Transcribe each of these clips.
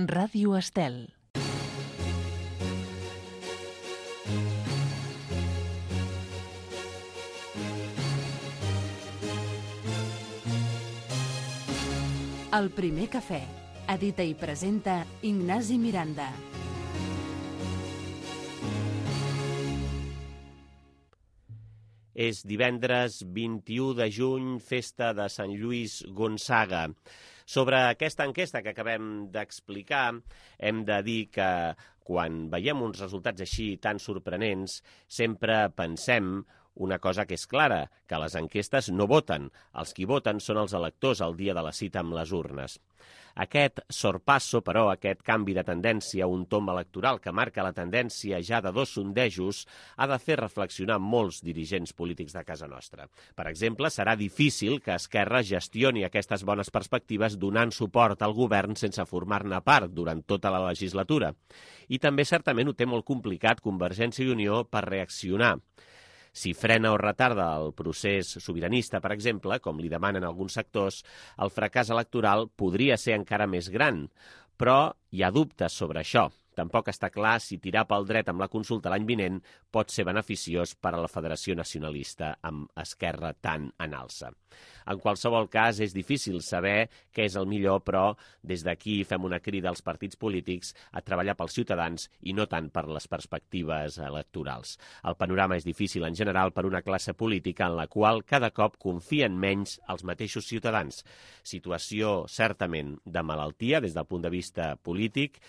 Ràdio Estel. El primer cafè. Edita i presenta Ignasi Miranda. És divendres 21 de juny, festa de Sant Lluís Gonçaga. Sobre aquesta enquesta que acabem d'explicar, hem de dir que quan veiem uns resultats així tan sorprenents, sempre pensem una cosa que és clara, que les enquestes no voten. Els qui voten són els electors el dia de la cita amb les urnes. Aquest sorpasso, però, aquest canvi de tendència, un tomb electoral que marca la tendència ja de 2 sondejos, ha de fer reflexionar molts dirigents polítics de casa nostra. Per exemple, serà difícil que Esquerra gestioni aquestes bones perspectives donant suport al govern sense formar-ne part durant tota la legislatura. I també certament ho té molt complicat Convergència i Unió per reaccionar. Si frena o retarda el procés sobiranista, per exemple, com li demanen alguns sectors, el fracàs electoral podria ser encara més gran, però hi ha dubtes sobre això. Tampoc està clar si tirar pel dret amb la consulta l'any vinent pot ser beneficiós per a la Federació Nacionalista amb Esquerra tan en alça. En qualsevol cas, és difícil saber què és el millor, però des d'aquí fem una crida als partits polítics a treballar pels ciutadans i no tant per les perspectives electorals. El panorama és difícil en general per una classe política en la qual cada cop confien menys els mateixos ciutadans. Situació certament de malaltia des del punt de vista polític,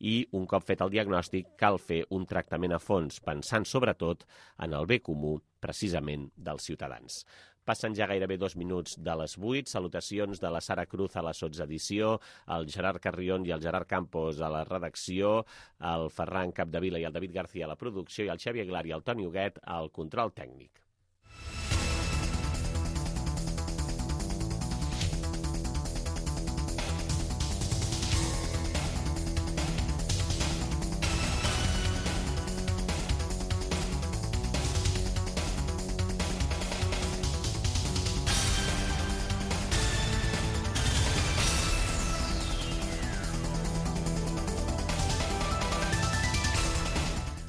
i un cop fet el diagnòstic cal fer un tractament a fons, pensant sobretot en el bé comú, precisament dels ciutadans. Passen ja gairebé 2 minuts de les 8. Salutacions de la Sara Cruz a la sotsedició, el Gerard Carrion i el Gerard Campos a la redacció, el Ferran Capdevila i el David García a la producció i el Xavi Aguilar i el Toni Huguet al control tècnic.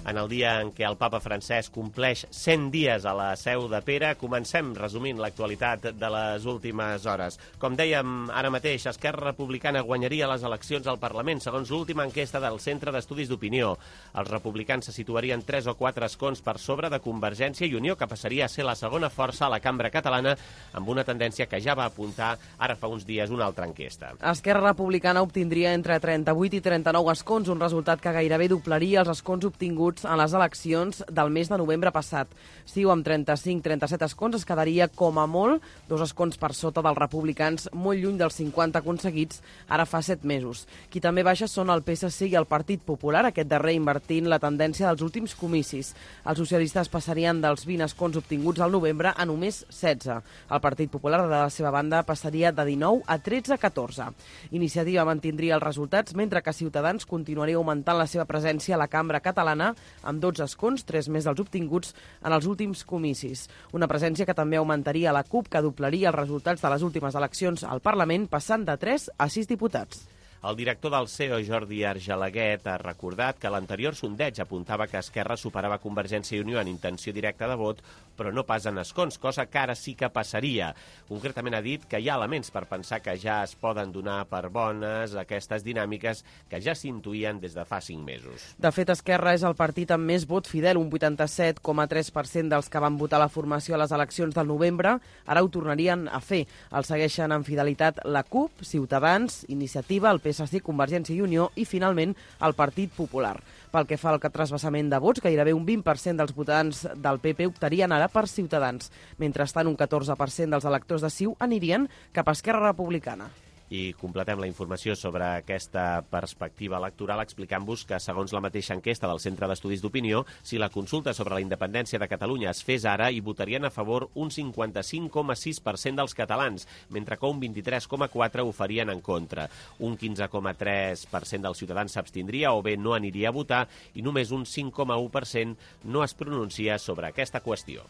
En el dia en què el papa Francesc compleix 100 dies a la Seu de Pere, comencem resumint l'actualitat de les últimes hores. Com dèiem ara mateix, Esquerra Republicana guanyaria les eleccions al Parlament, segons l'última enquesta del Centre d'Estudis d'Opinió. Els republicans se situarien 3 o 4 escons per sobre de Convergència i Unió, que passaria a ser la segona força a la cambra catalana, amb una tendència que ja va apuntar ara fa uns dies una altra enquesta. Esquerra Republicana obtindria entre 38 i 39 escons, un resultat que gairebé doblaria els escons obtinguts en les eleccions del mes de novembre passat. CiU amb 35-37 escons es quedaria com a molt 2 escons per sota dels republicans, molt lluny dels 50 aconseguits ara fa 7 mesos. Qui també baixa són el PSC i el Partit Popular, aquest darrer invertint la tendència dels últims comicis. Els socialistes passarien dels 20 escons obtinguts al novembre a només 16. El Partit Popular, de la seva banda, passaria de 19 a 13-14. Iniciativa mantindria els resultats, mentre que Ciutadans continuaria augmentant la seva presència a la cambra catalana amb 12 escons, 3 més dels obtinguts en els últims comicis. Una presència que també augmentaria la CUP, que doblaria els resultats de les últimes eleccions al Parlament, passant de 3 a 6 diputats. El director del CEO, Jordi Argelaguet, ha recordat que l'anterior sondeig apuntava que Esquerra superava Convergència i Unió en intenció directa de vot, però no pas en escons, cosa que ara sí que passaria. Concretament ha dit que hi ha elements per pensar que ja es poden donar per bones aquestes dinàmiques que ja s'intuïen des de fa 5 mesos. De fet, Esquerra és el partit amb més vot fidel, un 87,3% dels que van votar la formació a les eleccions del novembre, ara ho tornarien a fer. El segueixen en fidelitat la CUP, Ciutadans, Iniciativa, el PSC, Convergència i Unió i, finalment, el Partit Popular. Pel que fa al trasbassament de vots, gairebé un 20% dels votants del PP optarien ara per Ciutadans. Mentrestant, un 14% dels electors de CiU anirien cap a Esquerra Republicana. I completem la informació sobre aquesta perspectiva electoral explicant-vos que, segons la mateixa enquesta del Centre d'Estudis d'Opinió, si la consulta sobre la independència de Catalunya es fes ara, hi votarien a favor un 55,6% dels catalans, mentre que un 23,4% ho farien en contra. Un 15,3% dels ciutadans s'abstindria o bé no aniria a votar i només un 5,1% no es pronuncia sobre aquesta qüestió.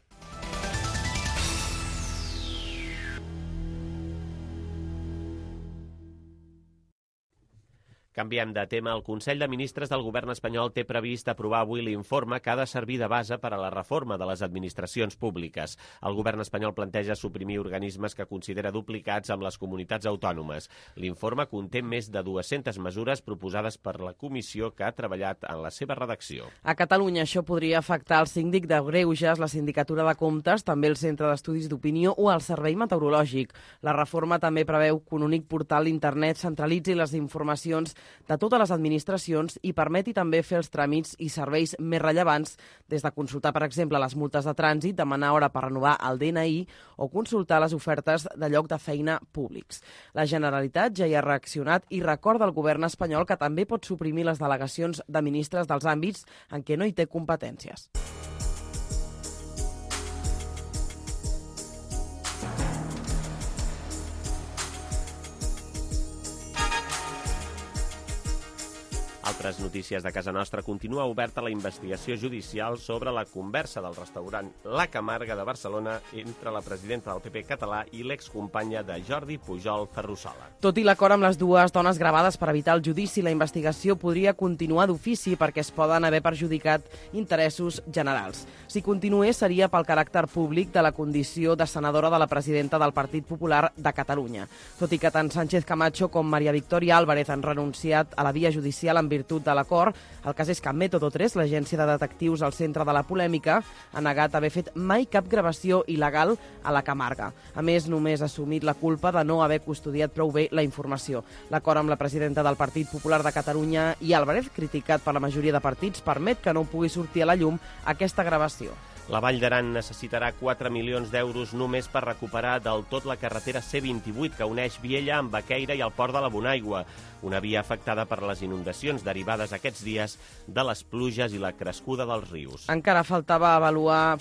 Canviem de tema. El Consell de Ministres del Govern espanyol té previst aprovar avui l'informe que ha de servir de base per a la reforma de les administracions públiques. El Govern espanyol planteja suprimir organismes que considera duplicats amb les comunitats autònomes. L'informe conté més de 200 mesures proposades per la comissió que ha treballat en la seva redacció. A Catalunya això podria afectar el síndic de Greuges, la Sindicatura de Comptes, també el Centre d'Estudis d'Opinió o el Servei Meteorològic. La reforma també preveu que un únic portal d'internet centralitzi les informacions de totes les administracions i permeti també fer els tràmits i serveis més rellevants, des de consultar, per exemple, les multes de trànsit, demanar hora per renovar el DNI o consultar les ofertes de lloc de feina públics. La Generalitat ja hi ha reaccionat i recorda al govern espanyol que també pot suprimir les delegacions de ministres dels àmbits en què no hi té competències. Altres notícies de casa nostra. Continua oberta la investigació judicial sobre la conversa del restaurant La Camarga de Barcelona entre la presidenta del PP català i l'excompanya de Jordi Pujol, Ferrusola. Tot i l'acord amb les dues dones gravades per evitar el judici, la investigació podria continuar d'ofici perquè es poden haver perjudicat interessos generals. Si continués, seria pel caràcter públic de la condició de senadora de la presidenta del Partit Popular de Catalunya. Tot i que tant Sánchez Camacho com Maria Victòria Álvarez han renunciat a la via judicial en virtut de l'acord, el cas és que Método 3, l'agència de detectius al centre de la polèmica, ha negat haver fet mai cap gravació il·legal a la Camarga. A més, només ha assumit la culpa de no haver custodiat prou bé la informació. L'acord amb la presidenta del Partit Popular de Catalunya i Álvarez, criticat per la majoria de partits, permet que no pugui sortir a la llum aquesta gravació. La Vall d'Aran necessitarà 4 milions d'euros només per recuperar del tot la carretera C28 que uneix Viella amb Baqueira i el port de la Bonaigua, una via afectada per les inundacions derivades aquests dies de les pluges i la crescuda dels rius. Encara falta avaluar,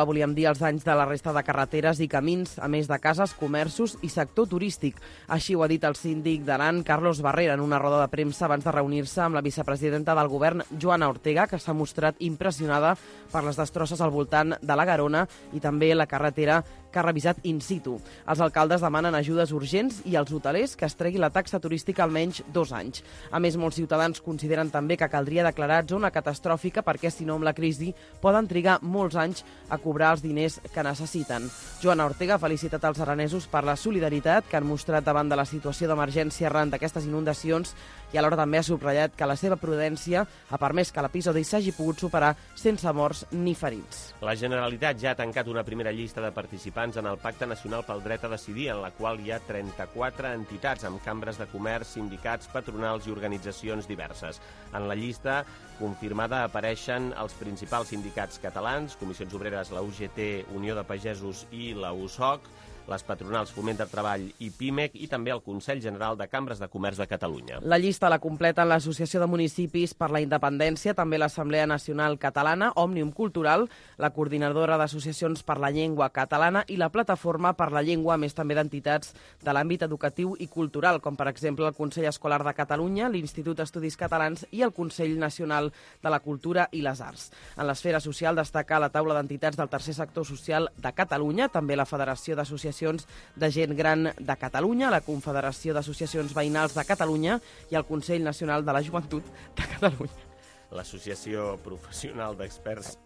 volíem dir, els danys de la resta de carreteres i camins, a més de cases, comerços i sector turístic. Així ho ha dit el síndic d'Aran, Carlos Barrera, en una roda de premsa abans de reunir-se amb la vicepresidenta del govern, Joana Ortega, que s'ha mostrat impressionada per les destrosses al voltant de la Garona i també la carretera que ha revisat in situ. Els alcaldes demanen ajudes urgents i els hotelers que es tregui la taxa turística almenys 2 anys. A més, molts ciutadans consideren també que caldria declarar zona catastròfica perquè, si no, amb la crisi poden trigar molts anys a cobrar els diners que necessiten. Joana Ortega ha felicitat els aranesos per la solidaritat que han mostrat davant de la situació d'emergència arran d'aquestes inundacions i alhora també ha subratllat que la seva prudència ha permès que l'episodi s'hagi pogut superar sense morts ni ferits. La Generalitat ja ha tancat una primera llista de participants en el Pacte Nacional pel Dret a Decidir, en la qual hi ha 34 entitats amb cambres de comerç, sindicats, patronals i organitzacions diverses. En la llista confirmada apareixen els principals sindicats catalans, Comissions Obreres, la UGT, Unió de Pagesos i la USOC, les patronals Foment de Treball i PIMEC i també el Consell General de Cambres de Comerç de Catalunya. La llista la completen l'Associació de Municipis per la Independència, també l'Assemblea Nacional Catalana, Òmnium Cultural, la Coordinadora d'Associacions per la Llengua Catalana i la Plataforma per la Llengua, a més també d'entitats de l'àmbit educatiu i cultural, com per exemple el Consell Escolar de Catalunya, l'Institut d'Estudis Catalans i el Consell Nacional de la Cultura i les Arts. En l'esfera social destaca la taula d'entitats del tercer sector social de Catalunya, també la Federació d'Associacions de Gent Gran de Catalunya, la Confederació d'Associacions Veïnals de Catalunya i el Consell Nacional de la Joventut de Catalunya. L'Associació Professional d'Experts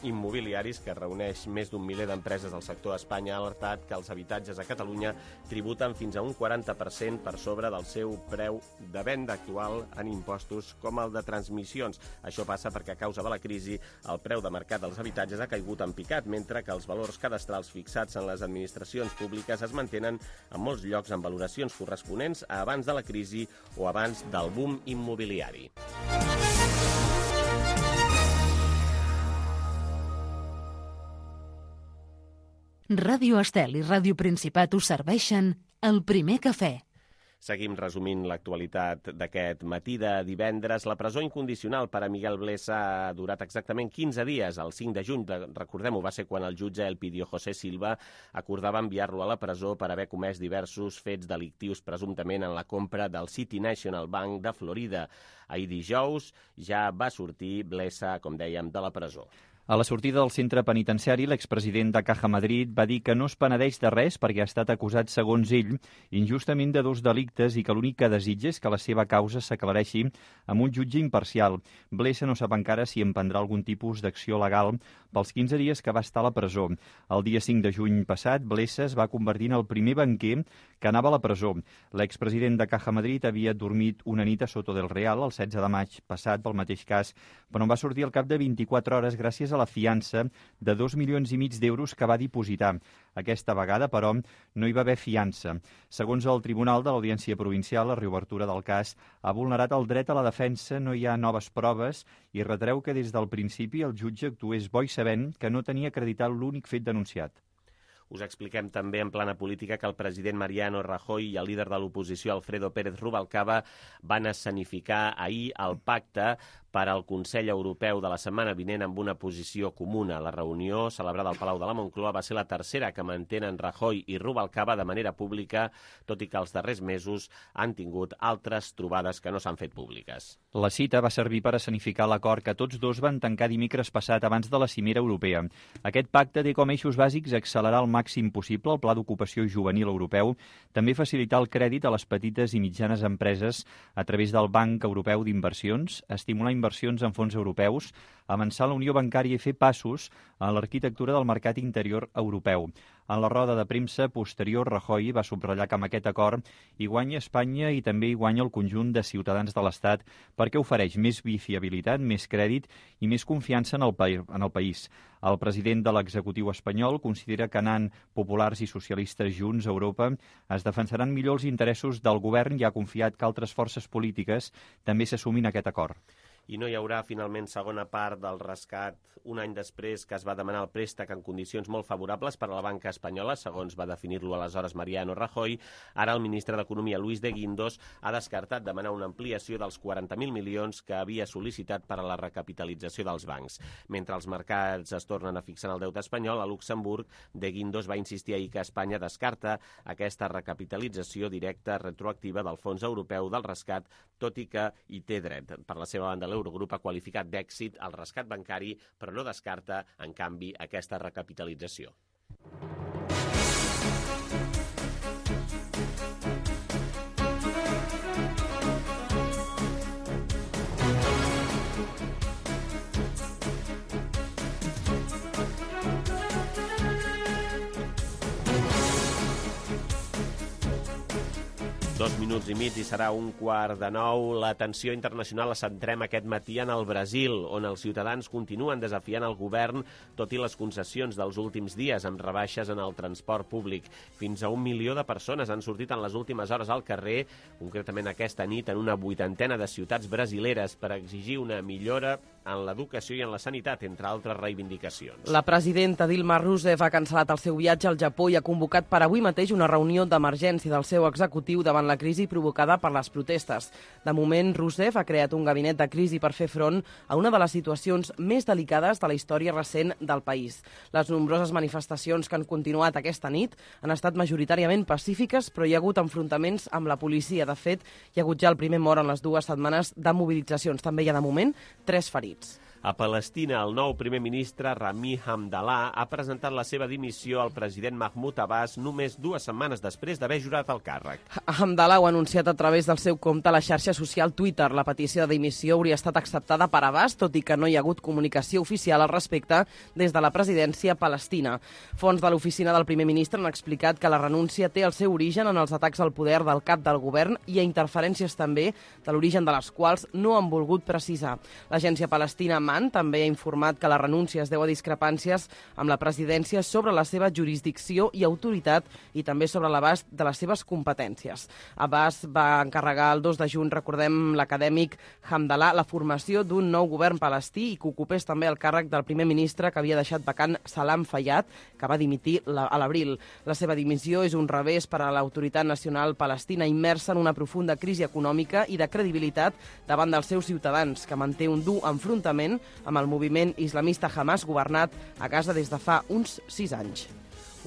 Immobiliaris, que reuneix més d'un miler d'empreses del sector a Espanya, ha alertat que els habitatges a Catalunya tributen fins a un 40% per sobre del seu preu de venda actual en impostos com el de transmissions. Això passa perquè a causa de la crisi el preu de mercat dels habitatges ha caigut en picat, mentre que els valors cadastrals fixats en les administracions públiques es mantenen en molts llocs amb valoracions corresponents a abans de la crisi o abans del boom immobiliari. Ràdio Estel i Ràdio Principat us serveixen el primer cafè. Seguim resumint l'actualitat d'aquest matí de divendres. La presó incondicional per a Miguel Blesa ha durat exactament 15 dies. El 5 de juny, recordem-ho, va ser quan el jutge Elpidio José Silva acordava enviar-lo a la presó per haver comès diversos fets delictius presumptament en la compra del City National Bank de Florida. Ahir dijous ja va sortir Blesa, com dèiem, de la presó. A la sortida del centre penitenciari, l'expresident de Caja Madrid va dir que no es penedeix de res perquè ha estat acusat, segons ell, injustament de 2 delictes i que l'únic que desitja és que la seva causa s'aclareixi amb un jutge imparcial. Blesa no sap encara si emprendrà algun tipus d'acció legal pels 15 dies que va estar a la presó. El dia 5 de juny passat, Blesa es va convertir en el primer banquer que anava a la presó. L'expresident de Caja Madrid havia dormit una nit a Soto del Real el 16 de maig passat pel mateix cas, però en va sortir al cap de 24 hores gràcies a la fiança de 2,5 milions d'euros que va dipositar. Aquesta vegada, però, no hi va haver fiança. Segons el Tribunal de l'Audiència Provincial, la reobertura del cas ha vulnerat el dret a la defensa, no hi ha noves proves i retreu que des del principi el jutge actués bo i sabent que no tenia acreditat l'únic fet denunciat. Us expliquem també en plana política que el president Mariano Rajoy i el líder de l'oposició Alfredo Pérez Rubalcaba van escenificar ahir el pacte per al Consell Europeu de la setmana vinent amb una posició comuna. La reunió, celebrada al Palau de la Moncloa, va ser la tercera que mantenen Rajoy i Rubalcaba de manera pública, tot i que els darrers mesos han tingut altres trobades que no s'han fet públiques. La cita va servir per escenificar l'acord que tots dos van tancar dimecres passat abans de la cimera europea. Aquest pacte té com eixos bàsics accelerar al màxim possible el Pla d'Ocupació Juvenil Europeu, també facilitar el crèdit a les petites i mitjanes empreses a través del Banc Europeu d'Inversions, estimular inversions en fons europeus, avançar la unió bancària i fer passos a l'arquitectura del mercat interior europeu. En la roda de premsa posterior, Rajoy va subratllar que amb aquest acord hi guanya Espanya i també hi guanya el conjunt de ciutadans de l'Estat perquè ofereix més fiabilitat, més crèdit i més confiança en el país. El president de l'executiu espanyol considera que anant populars i socialistes junts a Europa es defensaran millor els interessos del govern i ha confiat que altres forces polítiques també s'assumin a aquest acord. I no hi haurà finalment segona part del rescat un any després que es va demanar el préstec en condicions molt favorables per a la banca espanyola, segons va definir-lo aleshores Mariano Rajoy. Ara el ministre d'Economia, Luis de Guindos, ha descartat demanar una ampliació dels 40.000 milions que havia sol·licitat per a la recapitalització dels bancs. Mentre els mercats es tornen a fixar en el deute espanyol, a Luxemburg, de Guindos va insistir ahir que Espanya descarta aquesta recapitalització directa retroactiva del Fons Europeu del Rescat, tot i que hi té dret. Per la seva banda, l'Eurogrup ha qualificat d'èxit el rescat bancari, però no descarta, en canvi, aquesta recapitalització. Dos minuts i mig i serà 8:45. L'atenció internacional la centrem aquest matí en el Brasil, on els ciutadans continuen desafiant el govern, tot i les concessions dels últims dies, amb rebaixes en el transport públic. Fins a 1 milió de persones han sortit en les últimes hores al carrer, concretament aquesta nit, en una 80ena de ciutats brasileres, per exigir una millora en l'educació i en la sanitat, entre altres reivindicacions. La presidenta Dilma Rousseff ha cancel·lat el seu viatge al Japó i ha convocat per avui mateix una reunió d'emergència del seu executiu davant la crisi provocada per les protestes. De moment, Rousseff ha creat un gabinet de crisi per fer front a una de les situacions més delicades de la història recent del país. Les nombroses manifestacions que han continuat aquesta nit han estat majoritàriament pacífiques, però hi ha hagut enfrontaments amb la policia. De fet, hi ha hagut ja el primer mort en les 2 setmanes de mobilitzacions. També hi ha, de moment, 3 ferits. A Palestina, el nou primer ministre Rami Hamdallah ha presentat la seva dimissió al president Mahmoud Abbas només 2 setmanes després d'haver jurat el càrrec. Hamdallah ho ha anunciat a través del seu compte a la xarxa social Twitter. La petició de dimissió hauria estat acceptada per Abbas, tot i que no hi ha hagut comunicació oficial al respecte des de la presidència palestina. Fonts de l'oficina del primer ministre han explicat que la renúncia té el seu origen en els atacs al poder del cap del govern i a interferències també de l'origen de les quals no han volgut precisar. L'agència palestina també ha informat que la renúncia es deu a discrepàncies amb la presidència sobre la seva jurisdicció i autoritat i també sobre l'abast de les seves competències. Abbas va encarregar el 2 de juny, recordem, l'acadèmic Hamdallah, la formació d'un nou govern palestí i que ocupés també el càrrec del primer ministre que havia deixat vacant Salam Fayyad, que va dimitir a l'abril. La seva dimissió és un revés per a l'autoritat nacional palestina immersa en una profunda crisi econòmica i de credibilitat davant dels seus ciutadans, que manté un dur enfrontament amb el moviment islamista Hamas, governat a Gaza des de fa uns 6 anys.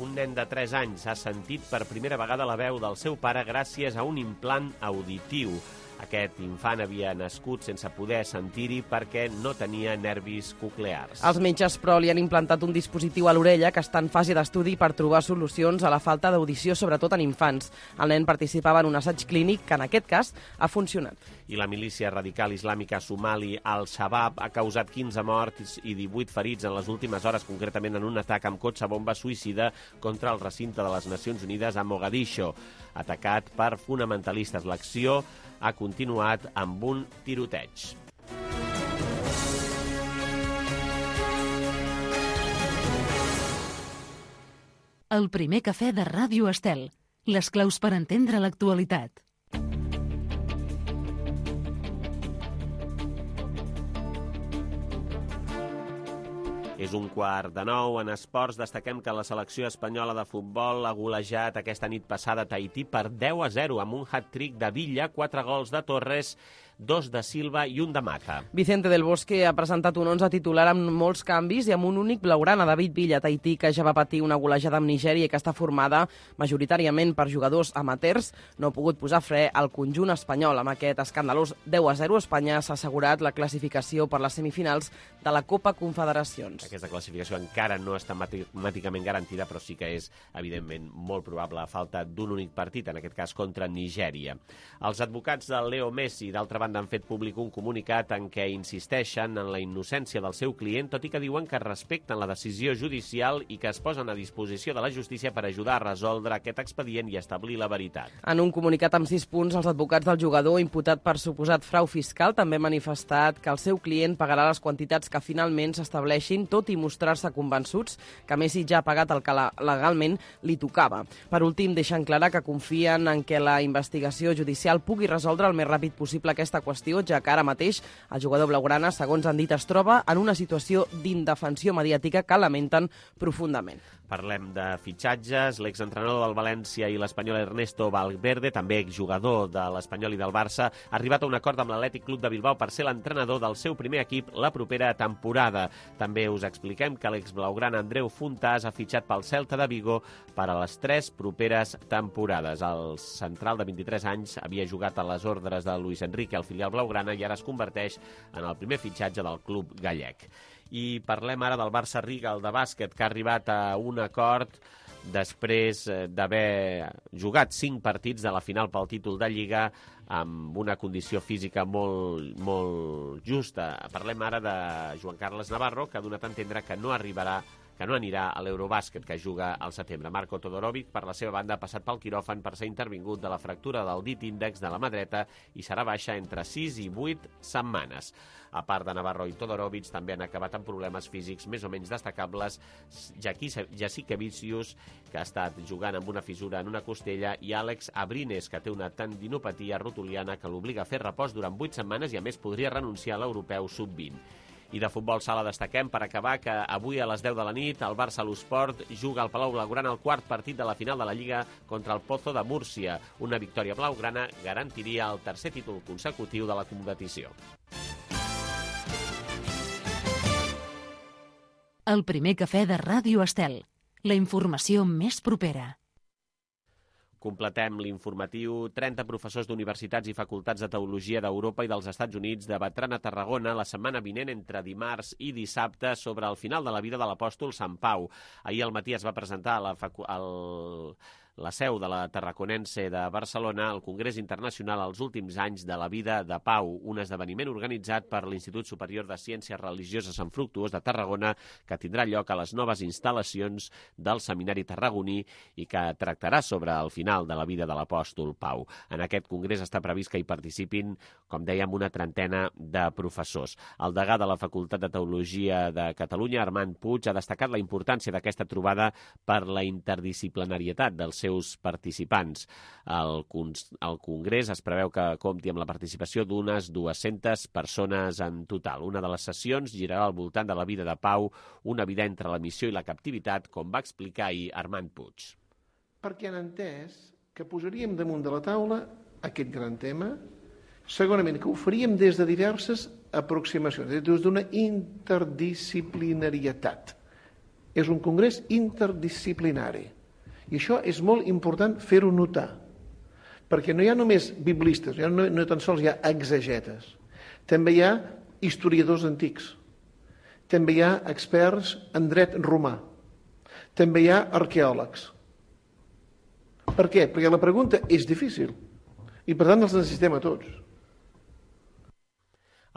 Un nen de 3 anys ha sentit per primera vegada la veu del seu pare gràcies a un implant auditiu. Aquest infant havia nascut sense poder sentir-hi perquè no tenia nervis coclears. Els metges, però, li han implantat un dispositiu a l'orella que està en fase d'estudi per trobar solucions a la falta d'audició, sobretot en infants. El nen participava en un assaig clínic que, en aquest cas, ha funcionat. I la milícia radical islàmica somali Al-Shabaab ha causat 15 morts i 18 ferits en les últimes hores, concretament en un atac amb cotxe bomba suïcida contra el recinte de les Nacions Unides a Mogadiscio, atacat per fonamentalistes. L'acció ha continuat amb un tiroteig. El primer cafè de Ràdio Estel. Les claus per entendre l'actualitat. És 8:45. En esports destaquem que la selecció espanyola de futbol ha golejat aquesta nit passada a Tahití per 10-0 amb un hat-trick de Villa, 4 gols de Torres, 2 de Silva i 1 de Mata. Vicente del Bosque ha presentat un 11 titular amb molts canvis i amb un únic blaugrana, David Villa, Tahití, que ja va patir una golejada amb Nigèria i que està formada majoritàriament per jugadors amateurs, no ha pogut posar fre al conjunt espanyol. Amb aquest escandalós 10-0, Espanya s'ha assegurat la classificació per les semifinals de la Copa Confederacions. Aquesta classificació encara no està matemàticament garantida, però sí que és, evidentment, molt probable a falta d'un únic partit, en aquest cas contra Nigèria. Els advocats del Leo Messi, d'altra banda, han fet públic un comunicat en què insisteixen en la innocència del seu client, tot i que diuen que respecten la decisió judicial i que es posen a disposició de la justícia per ajudar a resoldre aquest expedient i establir la veritat. En un comunicat amb 6 punts, els advocats del jugador, imputat per suposat frau fiscal, també han manifestat que el seu client pagarà les quantitats que finalment s'estableixin, tot i mostrar-se convençuts que Messi ja ha pagat el que legalment li tocava. Per últim, deixen clar que confien en que la investigació judicial pugui resoldre el més ràpid possible aquesta qüestió, ja que ara mateix el jugador blaugrana, segons han dit, es troba en una situació d'indefensió mediàtica que lamenten profundament. Parlem de fitxatges. L'exentrenador del València i l'espanyol Ernesto Valverde, també exjugador de l'Espanyol i del Barça, ha arribat a un acord amb l'Atlètic Club de Bilbao per ser l'entrenador del seu primer equip la propera temporada. També us expliquem que l'exblaugrana Andreu Fontàs ha fitxat pel Celta de Vigo per a les 3 properes temporades. El central de 23 anys havia jugat a les ordres de Luis Enrique, al filial blaugrana, i ara es converteix en el primer fitxatge del club gallec. I parlem ara del Barça Riga, el de bàsquet, que ha arribat a un acord després d'haver jugat 5 partits de la final pel títol de Lliga amb una condició física molt justa. Parlem ara de Joan Carles Navarro, que ha donat a entendre que no anirà a l'Eurobàsquet, que juga al setembre. Marco Todorovic, per la seva banda, ha passat pel quiròfan per ser intervingut de la fractura del dit índex de la mà dreta i serà baixa entre 6 i 8 setmanes. A part de Navarro i Todorovic, també han acabat amb problemes físics més o menys destacables Jasikevičius, que ha estat jugant amb una fissura en una costella, i Àlex Abrines, que té una tendinopatia rotuliana que l'obliga a fer repòs durant 8 setmanes i, a més, podria renunciar a l'europeu sub-20. I de futbol sala destaquem, per acabar, que avui a les 10 de la nit el Barça l'Esport juga al Palau Blaugrana el quart partit de la final de la Lliga contra el Pozo de Múrcia. Una victòria blaugrana garantiria el tercer títol consecutiu de la competició. El primer cafè de Ràdio Estel. La informació més propera. Completem l'informatiu. 30 professors d'universitats i facultats de teologia d'Europa i dels Estats Units debatran a Tarragona la setmana vinent entre dimarts i dissabte sobre el final de la vida de l'apòstol Sant Pau. Ahir al matí es va presentar a la seu de la Tarraconense de Barcelona el Congrés Internacional als últims anys de la vida de Pau, un esdeveniment organitzat per l'Institut Superior de Ciències Religioses Sant Fructuós de Tarragona, que tindrà lloc a les noves instal·lacions del Seminari Tarragoní i que tractarà sobre el final de la vida de l'apòstol Pau. En aquest congrés està previst que hi participin, com dèiem, una trentena de professors. El degà de la Facultat de Teologia de Catalunya, Armand Puig, ha destacat la importància d'aquesta trobada per la interdisciplinarietat dels seus participants. El congrés es preveu que compti amb la participació d'unes 200 persones en total. Una de les sessions girarà al voltant de la vida de Pau, una vida entre la missió i la captivitat, com va explicar ahir Armand Puig. Perquè han entès que posaríem damunt de la taula aquest gran tema, segurament que ho faríem des de diverses aproximacions, des d'una interdisciplinarietat. És un congrés interdisciplinari. I això és molt important fer-ho notar, perquè no hi ha només biblistes, no tan sols hi ha exegetes, també hi ha historiadors antics, també hi ha experts en dret romà, també hi ha arqueòlegs. Per què? Perquè la pregunta és difícil i per tant els necessitem a tots.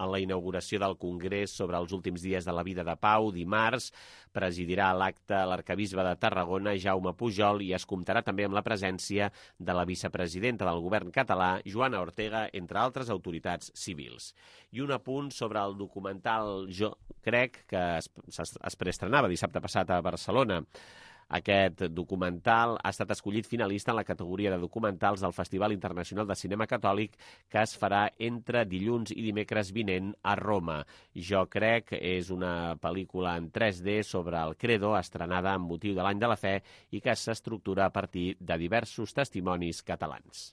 En la inauguració del Congrés sobre els últims dies de la vida de Pau, dimarts, presidirà l'acte l'arcabisbe de Tarragona, Jaume Pujol, i es comptarà també amb la presència de la vicepresidenta del govern català, Joana Ortega, entre altres autoritats civils. I un apunt sobre el documental Jo crec, que es preestrenava dissabte passat a Barcelona. Aquest documental ha estat escollit finalista en la categoria de documentals del Festival Internacional de Cinema Catòlic, que es farà entre dilluns i dimecres vinent a Roma. Jo crec és una pel·lícula en 3D sobre el Credo, estrenada amb motiu de l'Any de la Fe i que s'estructura a partir de diversos testimonis catalans.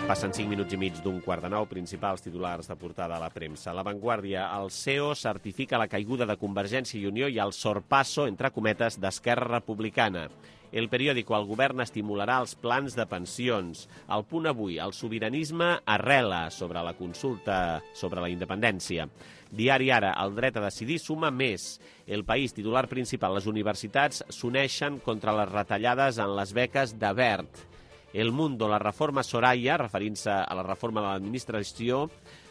Passen 5 minuts i mig d'un 8:45, principals titulars de portada a la premsa. La Vanguardia, el CEO certifica la caiguda de Convergència i Unió i el sorpasso, entre cometes, d'Esquerra Republicana. El periòdico, el govern estimularà els plans de pensions. El Punt avui, el sobiranisme arrela sobre la consulta sobre la independència. Diari Ara, el dret a decidir suma més. El País, titular principal, les universitats s'uneixen contra les retallades en les beques de Wert. El Mundo, la reforma Soraya, referint-se a la reforma de l'administració,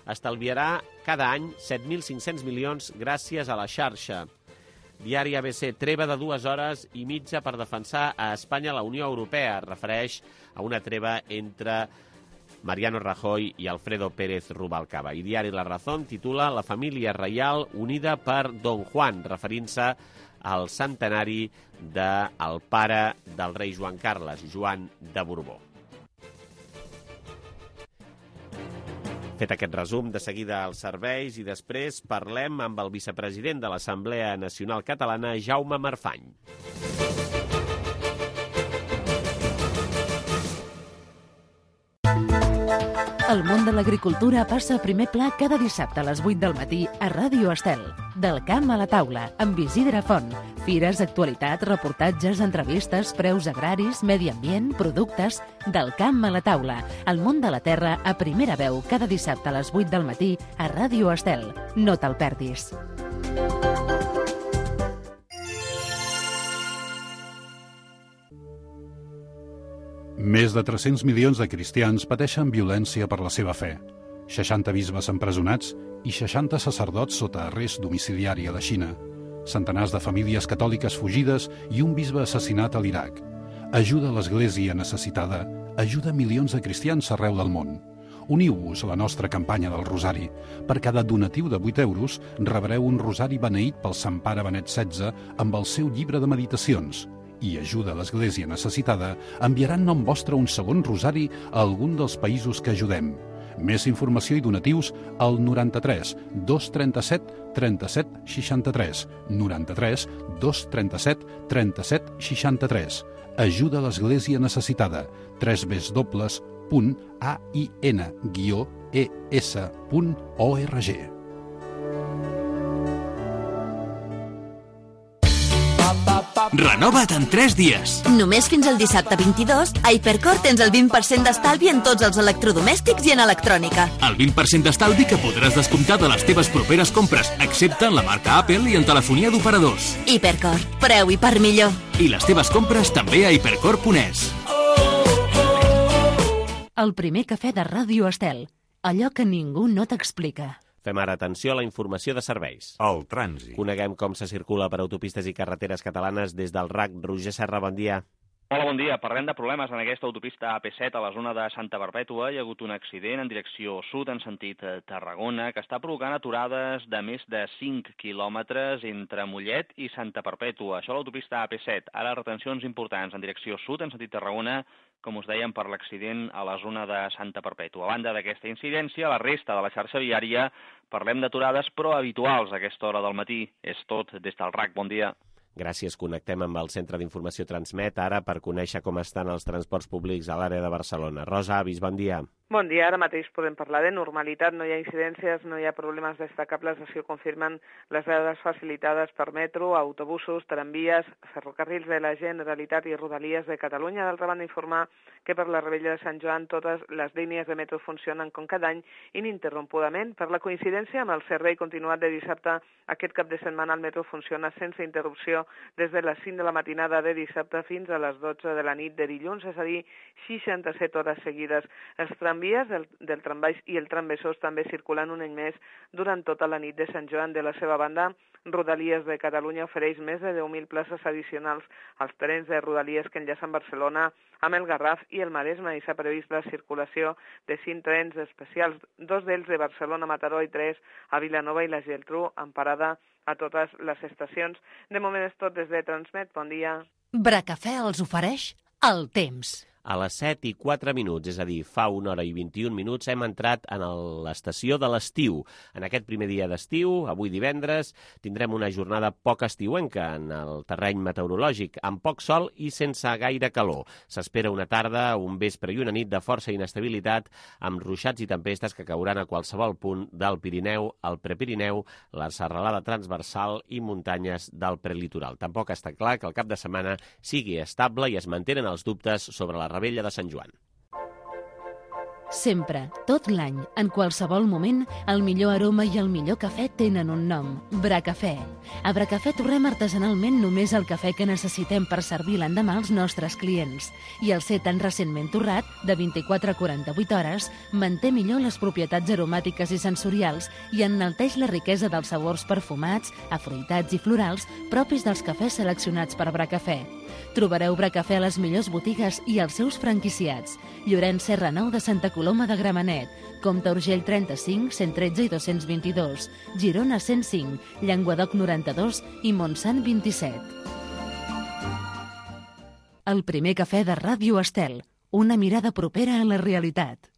estalviarà cada any 7.500 milions gràcies a la xarxa. Diari ABC, treva de 2 hores i mitja per defensar a Espanya la Unió Europea. Refereix a una treva entre Mariano Rajoy i Alfredo Pérez Rubalcaba. I Diari La Razón titula La família reial unida per Don Juan, referint-se al centenari del pare del rei Joan Carles, Joan de Borbó. Fet aquest resum, de seguida als serveis i després parlem amb el vicepresident de l'Assemblea Nacional Catalana, Jaume Marfany. El món de l'agricultura passa a primer pla cada dissabte a les 8 del matí a Ràdio Estel. Del camp a la taula, amb Isidre Font. Fires, actualitats, reportatges, entrevistes, preus agraris, medi ambient, productes... Del camp a la taula. El món de la terra a primera veu cada dissabte a les 8 del matí a Ràdio Estel. No te'l perdis. Més de 300 milions de cristians pateixen violència per la seva fe. 60 bisbes empresonats i 60 sacerdots sota arrest domiciliari a la Xina. Centenars de famílies catòliques fugides i un bisbe assassinat a l'Iraq. Ajuda a l'Església necessitada, ajuda milions de cristians arreu del món. Uniu-vos a la nostra campanya del Rosari. Per cada donatiu de 8 euros rebreu un rosari beneït pel Sant Pare Benet XVI amb el seu llibre de meditacions. I ajuda a l'Església necessitada, enviaran nom vostre un segon rosari a algun dels països que ajudem. Més informació i donatius al 93 237 37 63. 93 237 37 63. Ajuda a l'Església necessitada. www.ain-es.org. Renova't en 3 dies. Només fins al dissabte 22, a Hipercor tens el 20% d'estalvi en tots els electrodomèstics i en electrònica. El 20% d'estalvi que podràs descomptar de les teves properes compres, excepte en la marca Apple i en telefonia d'operadors. Hipercor, preu i per millor. I les teves compres també a hipercor.es. El primer cafè de Ràdio Estel. Allò que ningú no t'explica. Fem ara atenció a la informació de serveis. El trànsit. Coneguem com se circula per autopistes i carreteres catalanes des del RAC. Roger Serra, bon dia. Hola, bon dia. Parlem de problemes en aquesta autopista AP7 a la zona de Santa Perpètua. Hi ha hagut un accident en direcció sud, en sentit Tarragona, que està provocant aturades de més de 5 quilòmetres entre Mollet i Santa Perpètua. Això a l'autopista AP7. Ara retencions importants en direcció sud, en sentit Tarragona, com us dèiem, per l'accident a la zona de Santa Perpètua. A banda d'aquesta incidència, la resta de la xarxa viària parlem d'aturades però habituals a aquesta hora del matí. És tot des del RAC. Bon dia. Gràcies. Connectem amb el Centre d'Informació Transmet ara per conèixer com estan els transports públics a l'àrea de Barcelona. Rosa Avis, bon dia. Bon dia, ara mateix podem parlar de normalitat, no hi ha incidències, no hi ha problemes destacables, així ho confirmen les dades facilitades per metro, autobusos, tramvies, ferrocarrils de la Generalitat i Rodalies de Catalunya. D'altra banda, informar que per la Rebella de Sant Joan totes les línies de metro funcionen com cada any ininterrompudament. Per la coincidència amb el servei continuat de dissabte, aquest cap de setmana el metro funciona sense interrupció des de les 5 de la matinada de dissabte fins a les 12 de la nit de dilluns, és a dir, 67 hores seguides. Els tramvies del trambaix i el tramvesós també circulen un any més durant tota la nit de Sant Joan. De la seva banda, Rodalies de Catalunya ofereix més de 10.000 places addicionals als trens de Rodalies que enllacen Barcelona amb el Garraf i el Maresme, i s'ha previst la circulació de 5 trens especials, 2 d'ells de Barcelona a Mataró i 3 a Vilanova i la Geltrú, amb parada a totes les estacions. De moment és tot des de Transmet. Bon dia. Bracafè els ofereix el temps. A les 7:04, és a dir, fa 1 hora i 21 minuts, hem entrat en l'estació de l'estiu. En aquest primer dia d'estiu, avui divendres, tindrem una jornada poc estiuenca en el terreny meteorològic, amb poc sol i sense gaire calor. S'espera una tarda, un vespre i una nit de força inestabilitat, amb ruixats i tempestes que cauran a qualsevol punt del Pirineu, el Prepirineu, la serralada transversal i muntanyes del prelitoral. Tampoc està clar que el cap de setmana sigui estable i es mantenen els dubtes sobre la Rebella de Sant Joan. Sempre, tot l'any, en qualsevol moment, el millor aroma i el millor cafè tenen un nom, Bracafè. A Bracafè torrem artesanalment només el cafè que necessitem per servir l'endemà als nostres clients. I el ser tan recentment torrat, de 24 a 48 hores, manté millor les propietats aromàtiques i sensorials i enalteix la riquesa dels sabors perfumats, afruitats i florals propis dels cafès seleccionats per Bracafè. Trobareu Bracafè a les millors botigues i als seus franquiciats. Llorenç Serra 9 de Santa Coloma de Gramenet, Comte Urgell 35, 113 i 222, Girona 105, Llenguadoc 92 i Montsant 27. El primer cafè de Ràdio Estel, una mirada propera a la realitat.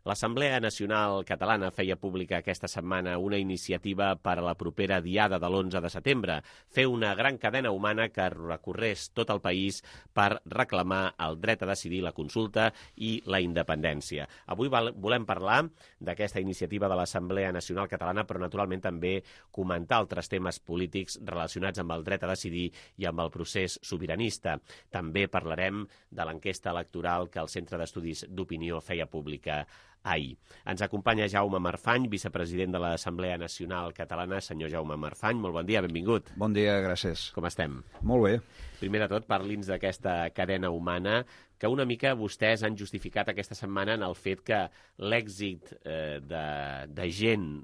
L'Assemblea Nacional Catalana feia pública aquesta setmana una iniciativa per a la propera diada de l'11 de setembre, fer una gran cadena humana que recorrés tot el país per reclamar el dret a decidir, la consulta i la independència. Avui volem parlar d'aquesta iniciativa de l'Assemblea Nacional Catalana, però naturalment també comentar altres temes polítics relacionats amb el dret a decidir i amb el procés sobiranista. També parlarem de l'enquesta electoral que el Centre d'Estudis d'Opinió feia pública ahir. Ens acompanya Jaume Marfany, vicepresident de l'Assemblea Nacional Catalana. Senyor Jaume Marfany, molt bon dia, benvingut. Bon dia, gràcies. Com estem? Molt bé. Primer de tot, parli'ns d'aquesta cadena humana, que una mica vostès han justificat aquesta setmana en el fet que l'èxit de gent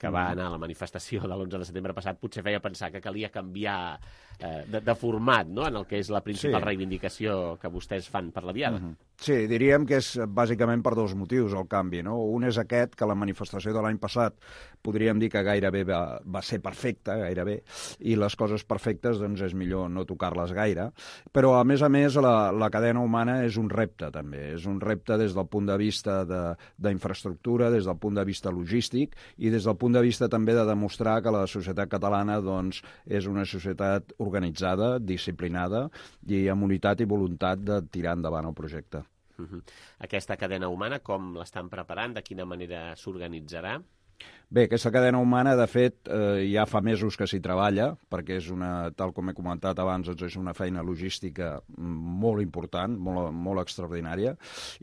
que va anar a la manifestació de l'11 de setembre passat potser feia pensar que calia canviar de format, no?, en el que és la principal reivindicació que vostès fan per la diada. Sí, diríem que és bàsicament per dos motius el canvi, no? Un és aquest, que la manifestació de l'any passat podríem dir que gairebé va ser perfecta, gairebé, i les coses perfectes doncs és millor no tocar-les gaire, però a més, la cadena humana és un repte també, és un repte des del punt de vista d'infraestructura, des del punt de vista logístic i des del punt de vista també de demostrar que la societat catalana doncs és una societat organitzada, disciplinada i amb unitat i voluntat de tirar endavant el projecte. Aquesta cadena humana, com l'estan preparant? De quina manera s'organitzarà? Bé, aquesta cadena humana, de fet, ja fa mesos que s'hi treballa, perquè és tal com he comentat abans, és una feina logística molt important, molt extraordinària,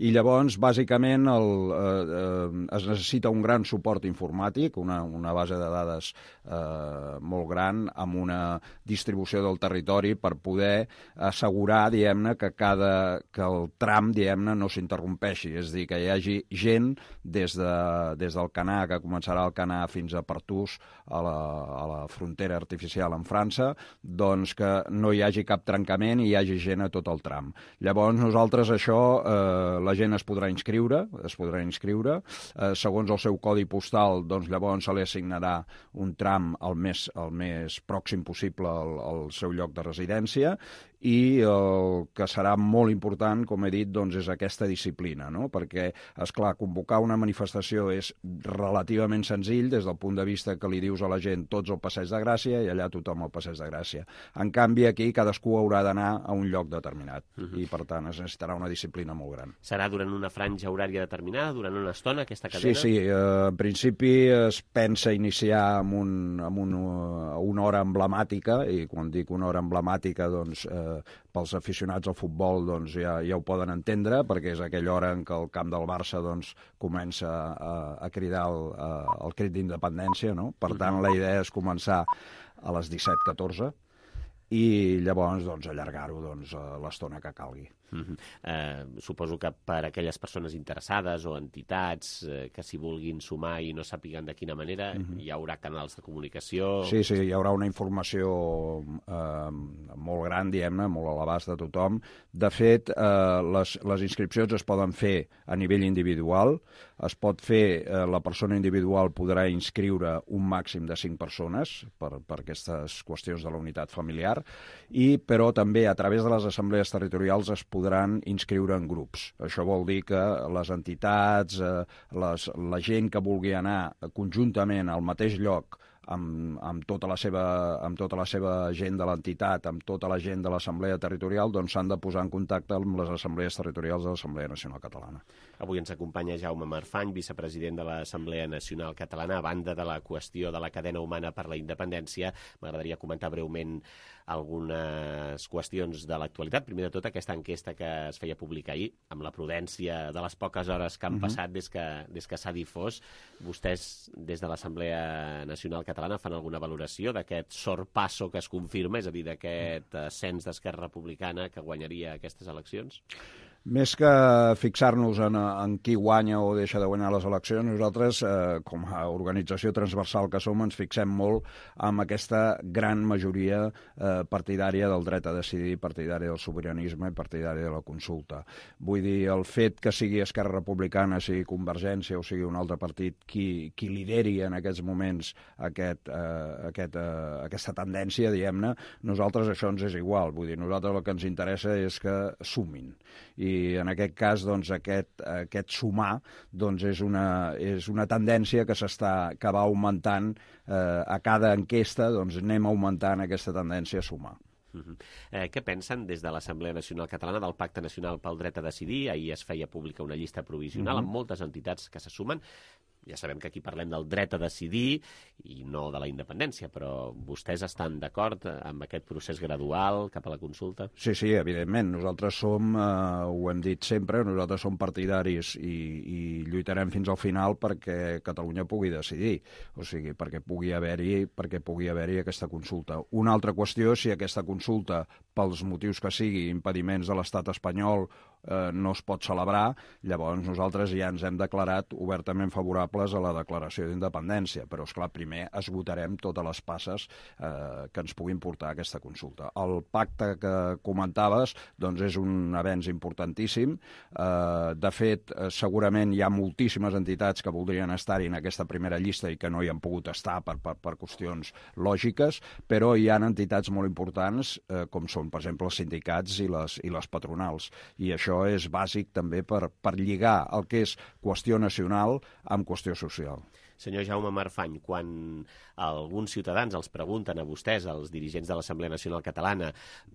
i llavors, bàsicament, es necessita un gran suport informàtic, una base de dades molt gran, amb una distribució del territori per poder assegurar, diguem-ne, que el tram, diguem-ne, no s'interrompeixi, és a dir, que hi hagi gent des del Canà, que començarà el Canà fins a Partús, a la frontera artificial amb França, doncs que no hi hagi cap trencament i hi hagi gent a tot el tram. Llavors, nosaltres això, la gent es podrà inscriure, segons el seu codi postal, doncs llavors se li assignarà un tram el més pròxim possible al seu lloc de residència, i el que serà molt important, com he dit, doncs és aquesta disciplina, no? Perquè, esclar, convocar una manifestació és relativament relativament senzill des del punt de vista que li dius a la gent tots al Passeig de Gràcia i allà tothom al Passeig de Gràcia. En canvi, aquí cadascú haurà d'anar a un lloc determinat i, per tant, es necessitarà una disciplina molt gran. Serà durant una franja horària determinada, durant una estona, aquesta cadena? Sí, en principi es pensa iniciar amb una hora emblemàtica, i quan dic una hora emblemàtica, doncs, pels aficionats al futbol doncs, ja ho poden entendre, perquè és aquella hora en què el camp del Barça doncs, comença a cridar el crit d'independència, no? Per tant, la idea és començar a les 17:14 i llavors doncs, allargar-ho doncs, l'estona que calgui. Suposo que per a aquelles persones interessades o entitats que s'hi vulguin sumar i no sàpiguen de quina manera, hi haurà canals de comunicació... Sí, hi haurà una informació molt gran, diguem-ne, molt a l'abast de tothom. De fet, les inscripcions es poden fer a nivell individual, es pot fer, la persona individual podrà inscriure un màxim de 5 persones per aquestes qüestions de la unitat familiar, però també a través de les assemblees territorials es podran inscriure en grups. Això vol dir que les entitats, la gent que vulgui anar conjuntament al mateix lloc amb tota la seva gent de l'entitat, amb tota la gent de l'Assemblea Territorial, doncs s'han de posar en contacte amb les assemblees territorials de l'Assemblea Nacional Catalana. Avui ens acompanya Jaume Marfany, vicepresident de l'Assemblea Nacional Catalana. A banda de la qüestió de la cadena humana per la independència, m'agradaria comentar breument algunes qüestions de l'actualitat. Primer de tot, aquesta enquesta que es feia pública ahir, amb la prudència de les poques hores que han passat des que s'ha difós. Vostès, des de l'Assemblea Nacional Catalana, fan alguna valoració d'aquest sorpasso que es confirma, és a dir, d'aquest ascens d'Esquerra Republicana que guanyaria aquestes eleccions? Més que fixar-nos en qui guanya o deixa de guanyar les eleccions, nosaltres, com a organització transversal que som, ens fixem molt en aquesta gran majoria partidària del dret a decidir, partidària del sobiranisme i partidària de la consulta. Vull dir, el fet que sigui Esquerra Republicana, sigui Convergència o sigui un altre partit qui lideri en aquests moments aquesta tendència, diguem-ne, nosaltres això ens és igual. Vull dir, nosaltres el que ens interessa és que sumin. I en aquest cas, doncs, aquest sumar doncs, és una tendència que va augmentant a cada enquesta, doncs anem augmentant aquesta tendència a sumar. Què pensen des de l'Assemblea Nacional Catalana del Pacte Nacional pel Dret a Decidir? Ahir es feia pública una llista provisional amb moltes entitats que se sumen. Ja sabem que aquí parlem del dret a decidir i no de la independència, però vostès estan d'acord amb aquest procés gradual cap a la consulta? Sí, evidentment. Nosaltres som, ho hem dit sempre, nosaltres som partidaris i lluitarem fins al final perquè Catalunya pugui decidir, o sigui, perquè pugui haver-hi aquesta consulta. Una altra qüestió és si aquesta consulta, pels motius que sigui, impediments de l'estat espanyol, no es pot celebrar, llavors nosaltres ja ens hem declarat obertament favorables a la declaració d'independència, però esclar, primer esgotarem totes les passes que ens puguin portar a aquesta consulta. El pacte que comentaves doncs és un avenç importantíssim. De fet, segurament hi ha moltíssimes entitats que voldrien estar-hi en aquesta primera llista i que no hi han pogut estar per qüestions lògiques, però hi ha entitats molt importants com són, per exemple, els sindicats i les patronals, i això és bàsic també per lligar el que és qüestió nacional amb qüestió social. Senyor Jaume Marfany, quan alguns ciutadans els pregunten a vostès, als dirigents de l'Assemblea Nacional Catalana,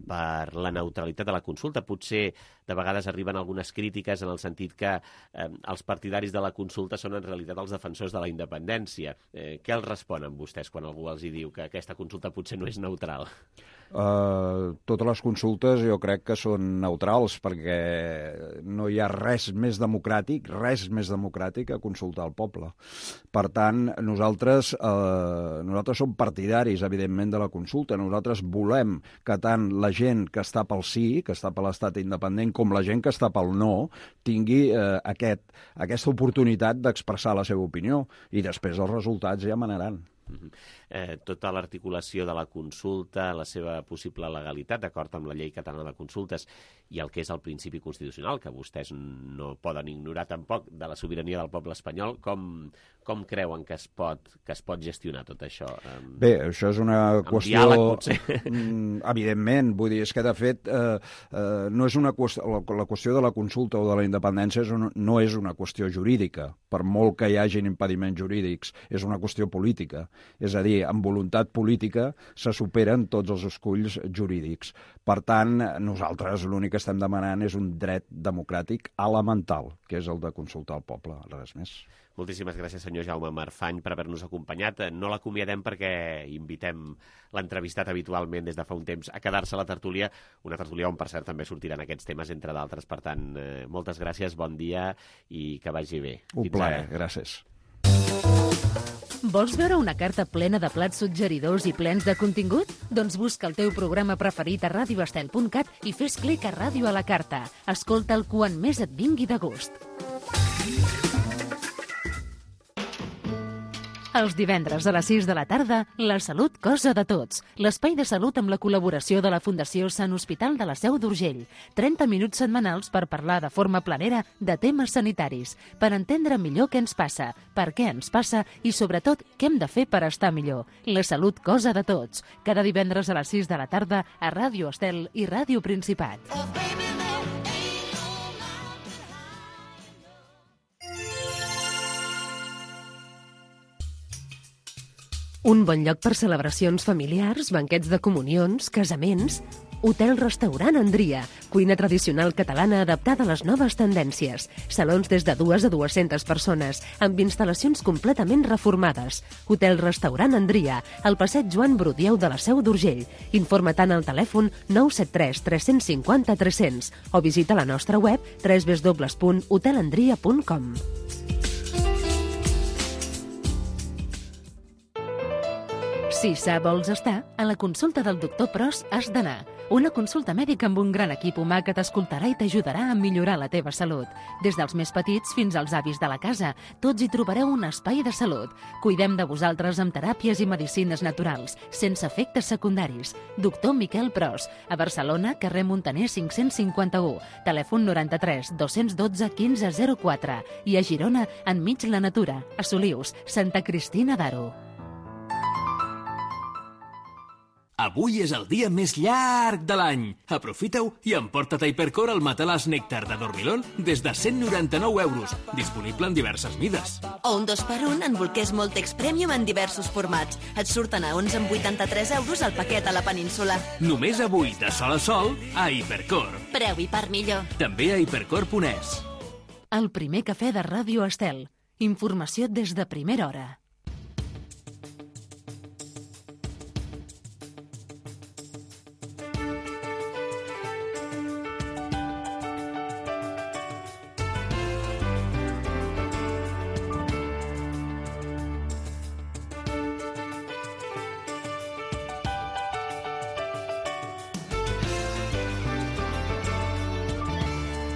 per la neutralitat de la consulta, potser de vegades arriben algunes crítiques en el sentit que els partidaris de la consulta són en realitat els defensors de la independència. Què els responen vostès quan algú els diu que aquesta consulta potser no és neutral? Totes les consultes jo crec que són neutrals perquè no hi ha res més democràtic que consultar el poble. Per tant, nosaltres som partidaris, evidentment, de la consulta. Nosaltres volem que tant la gent que està pel sí, que està per l'estat independent, com la gent que està pel no, tingui aquesta oportunitat d'expressar la seva opinió. I després els resultats ja manaran. Tota l'articulació de la consulta, la seva possible legalitat, d'acord amb la llei catalana de consultes, i el que és el principi constitucional, que vostès no poden ignorar tampoc, de la sobirania del poble espanyol, com creuen que es pot gestionar tot això? Bé, això és una qüestió... diàleg, potser. Evidentment, vull dir, és que de fet no és una qüestió... La qüestió de la consulta o de la independència no és una qüestió jurídica, per molt que hi hagin impediments jurídics, és una qüestió política. És a dir, amb voluntat política se superen tots els esculls jurídics. Per tant, nosaltres l'únic que estem demanant és un dret democràtic elemental, que és el de consultar el poble, res més. Moltíssimes gràcies, senyor Jaume Marfany, per haver-nos acompanyat. No l'acomiadem perquè invitem l'entrevistat habitualment des de fa un temps a quedar-se a la tertúlia, una tertúlia on, per cert, també sortiran aquests temes, entre d'altres. Per tant, moltes gràcies, bon dia i que vagi bé. Un plaer, gràcies. Vols veure una carta plena de plats suggeridors i plens de contingut? Doncs busca el teu programa preferit a radioestel.cat i fes clic a Ràdio a la Carta. Escolta'l quan més et vingui de gust. Els divendres a les 6 de la tarda, La Salut, cosa de tots. L'espai de salut amb la col·laboració de la Fundació Sant Hospital de la Seu d'Urgell. 30 minuts setmanals per parlar de forma planera de temes sanitaris, per entendre millor què ens passa, per què ens passa i, sobretot, què hem de fer per estar millor. La Salut, cosa de tots. Cada divendres a les 6 de la tarda a Ràdio Estel i Ràdio Principat. Un bon lloc per celebracions familiars, banquets de comunions, casaments... Hotel-restaurant Andria, cuina tradicional catalana adaptada a les noves tendències. Salons des de 2 a 200 persones, amb instal·lacions completament reformades. Hotel-restaurant Andria, al passeig Joan Brudieu de la Seu d'Urgell. Informa tant al telèfon 973 350 300 o visita la nostra web www.hotelandria.com. Si sa vols estar, a la consulta del doctor Pros has d'anar. Una consulta mèdica amb un gran equip humà que t'escoltarà i t'ajudarà a millorar la teva salut. Des dels més petits fins als avis de la casa, tots hi trobareu un espai de salut. Cuidem de vosaltres amb teràpies i medicines naturals, sense efectes secundaris. Doctor Miquel Pros, a Barcelona, carrer Montaner 551, telèfon 93 212 1504 i a Girona, enmig la natura, a Solius, Santa Cristina d'Aro. Avui és el dia més llarg de l'any. Aprofita-ho i emporta't a Hypercore el matalàs Nèctar de Dormilón des de 199 euros, disponible en diverses mides. O un 2x1 en bolquers Moltex Premium en diversos formats. Et surten a 11,83 euros el paquet a la península. Només avui, de sol a sol, a Hypercore. Preu i part millor. També a hypercore.es. El primer cafè de Ràdio Estel. Informació des de primera hora.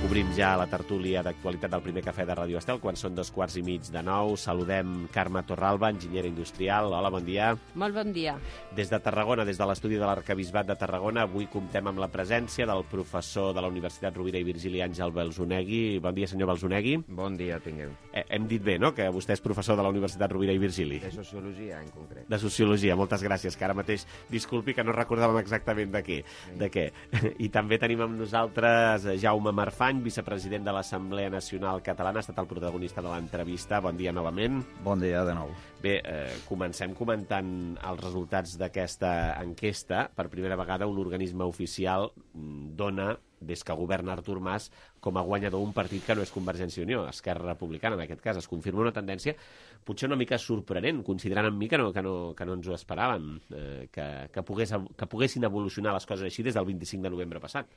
Obrim ja la tertúlia d'actualitat del primer cafè de Ràdio Estel, quan són 8:45. Saludem Carme Torralba, enginyera industrial. Hola, bon dia. Molt bon dia. Des de Tarragona, des de l'estudi de l'Arquebisbat de Tarragona, avui comptem amb la presència del professor de la Universitat Rovira i Virgili, Àngel Belzonegui. Bon dia, senyor Belzonegui. Bon dia, tingueu. Hem dit bé, no?, que vostè és professor de la Universitat Rovira i Virgili. De Sociologia, en concret. De Sociologia, moltes gràcies, que ara mateix, disculpi, que no recordàvem exactament de què. I també tenim amb nosaltres Jaume Marfany, vicepresident de l'Assemblea Nacional Catalana, ha estat el protagonista de l'entrevista. Bon dia novament. Bon dia de nou. Bé, comencem comentant els resultats d'aquesta enquesta. Per primera vegada un organisme oficial dona, des que governa Artur Mas, com a guanyador un partit que no és Convergència i Unió, Esquerra Republicana, en aquest cas. Es confirma una tendència potser una mica sorprenent, considerant amb mi que no ens ho esperàvem, que poguessin evolucionar les coses així des del 25 de novembre passat.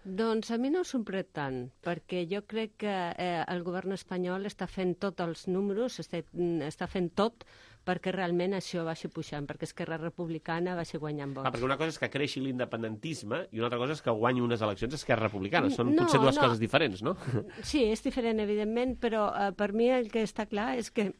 Doncs a mi no em sorprèn tant, perquè jo crec que el govern espanyol està fent tots els números, està fent tot perquè realment això vagi pujant, perquè Esquerra Republicana vagi guanyant vots. Perquè una cosa és que creixi l'independentisme i una altra cosa és que guanyi unes eleccions Esquerra Republicana. Són potser dues coses diferents, no? Sí, és diferent, evidentment, però per mi el que està clar és que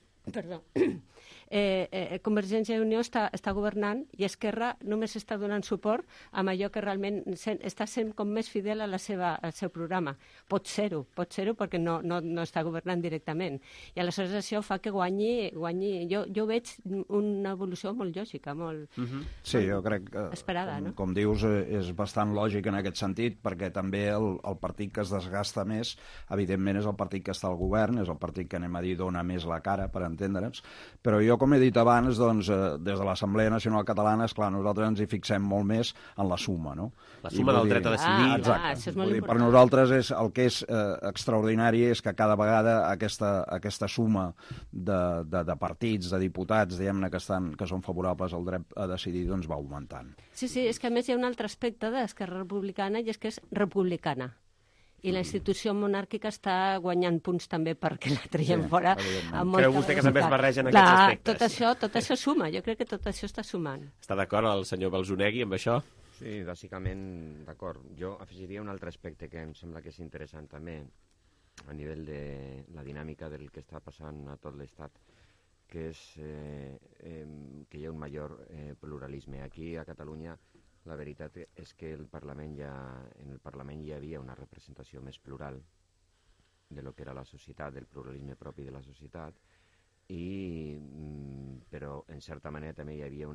Convergència i Unió està governant i Esquerra només està donant suport amb allò que realment està sent com més fidel al seu programa. Pot ser-ho, perquè no està governant directament. I aleshores això fa que guanyi. Jo veig una evolució molt lògica, molt Sí, jo crec que, esperada, no? Com dius, és bastant lògic en aquest sentit, perquè també el partit que es desgasta més, evidentment, és el partit que està al govern, és el partit que, anem a dir, dona més la cara, per entendre'ns, però jo, com he dit abans, doncs, des de l'Assemblea Nacional Catalana, esclar, nosaltres ens hi fixem molt més en la suma, no? La suma del dret a decidir. Exacte. Això és molt important. Per nosaltres el que és extraordinari és que cada vegada aquesta suma de partits, de diputats, diguem-ne, que són favorables al dret a decidir, doncs va augmentant. Sí, és que a més hi ha un altre aspecte d'Esquerra Republicana i és que és republicana. I la institució monàrquica està guanyant punts també perquè la traiem fora. Creu vostè que també es barregen aquests aspectes? Tot això suma, jo crec que tot això està sumant. Està d'acord el senyor Balzonegui amb això? Sí, bàsicament d'acord. Jo afegiria un altre aspecte que em sembla que és interessant també a nivell de la dinàmica del que està passant a tot l'Estat, que és que hi ha un major pluralisme. Aquí a Catalunya la veritat és que en el Parlament hi havia una representació més plural de lo que era la societat, del pluralisme propi de la societat, però en certa manera també hi havia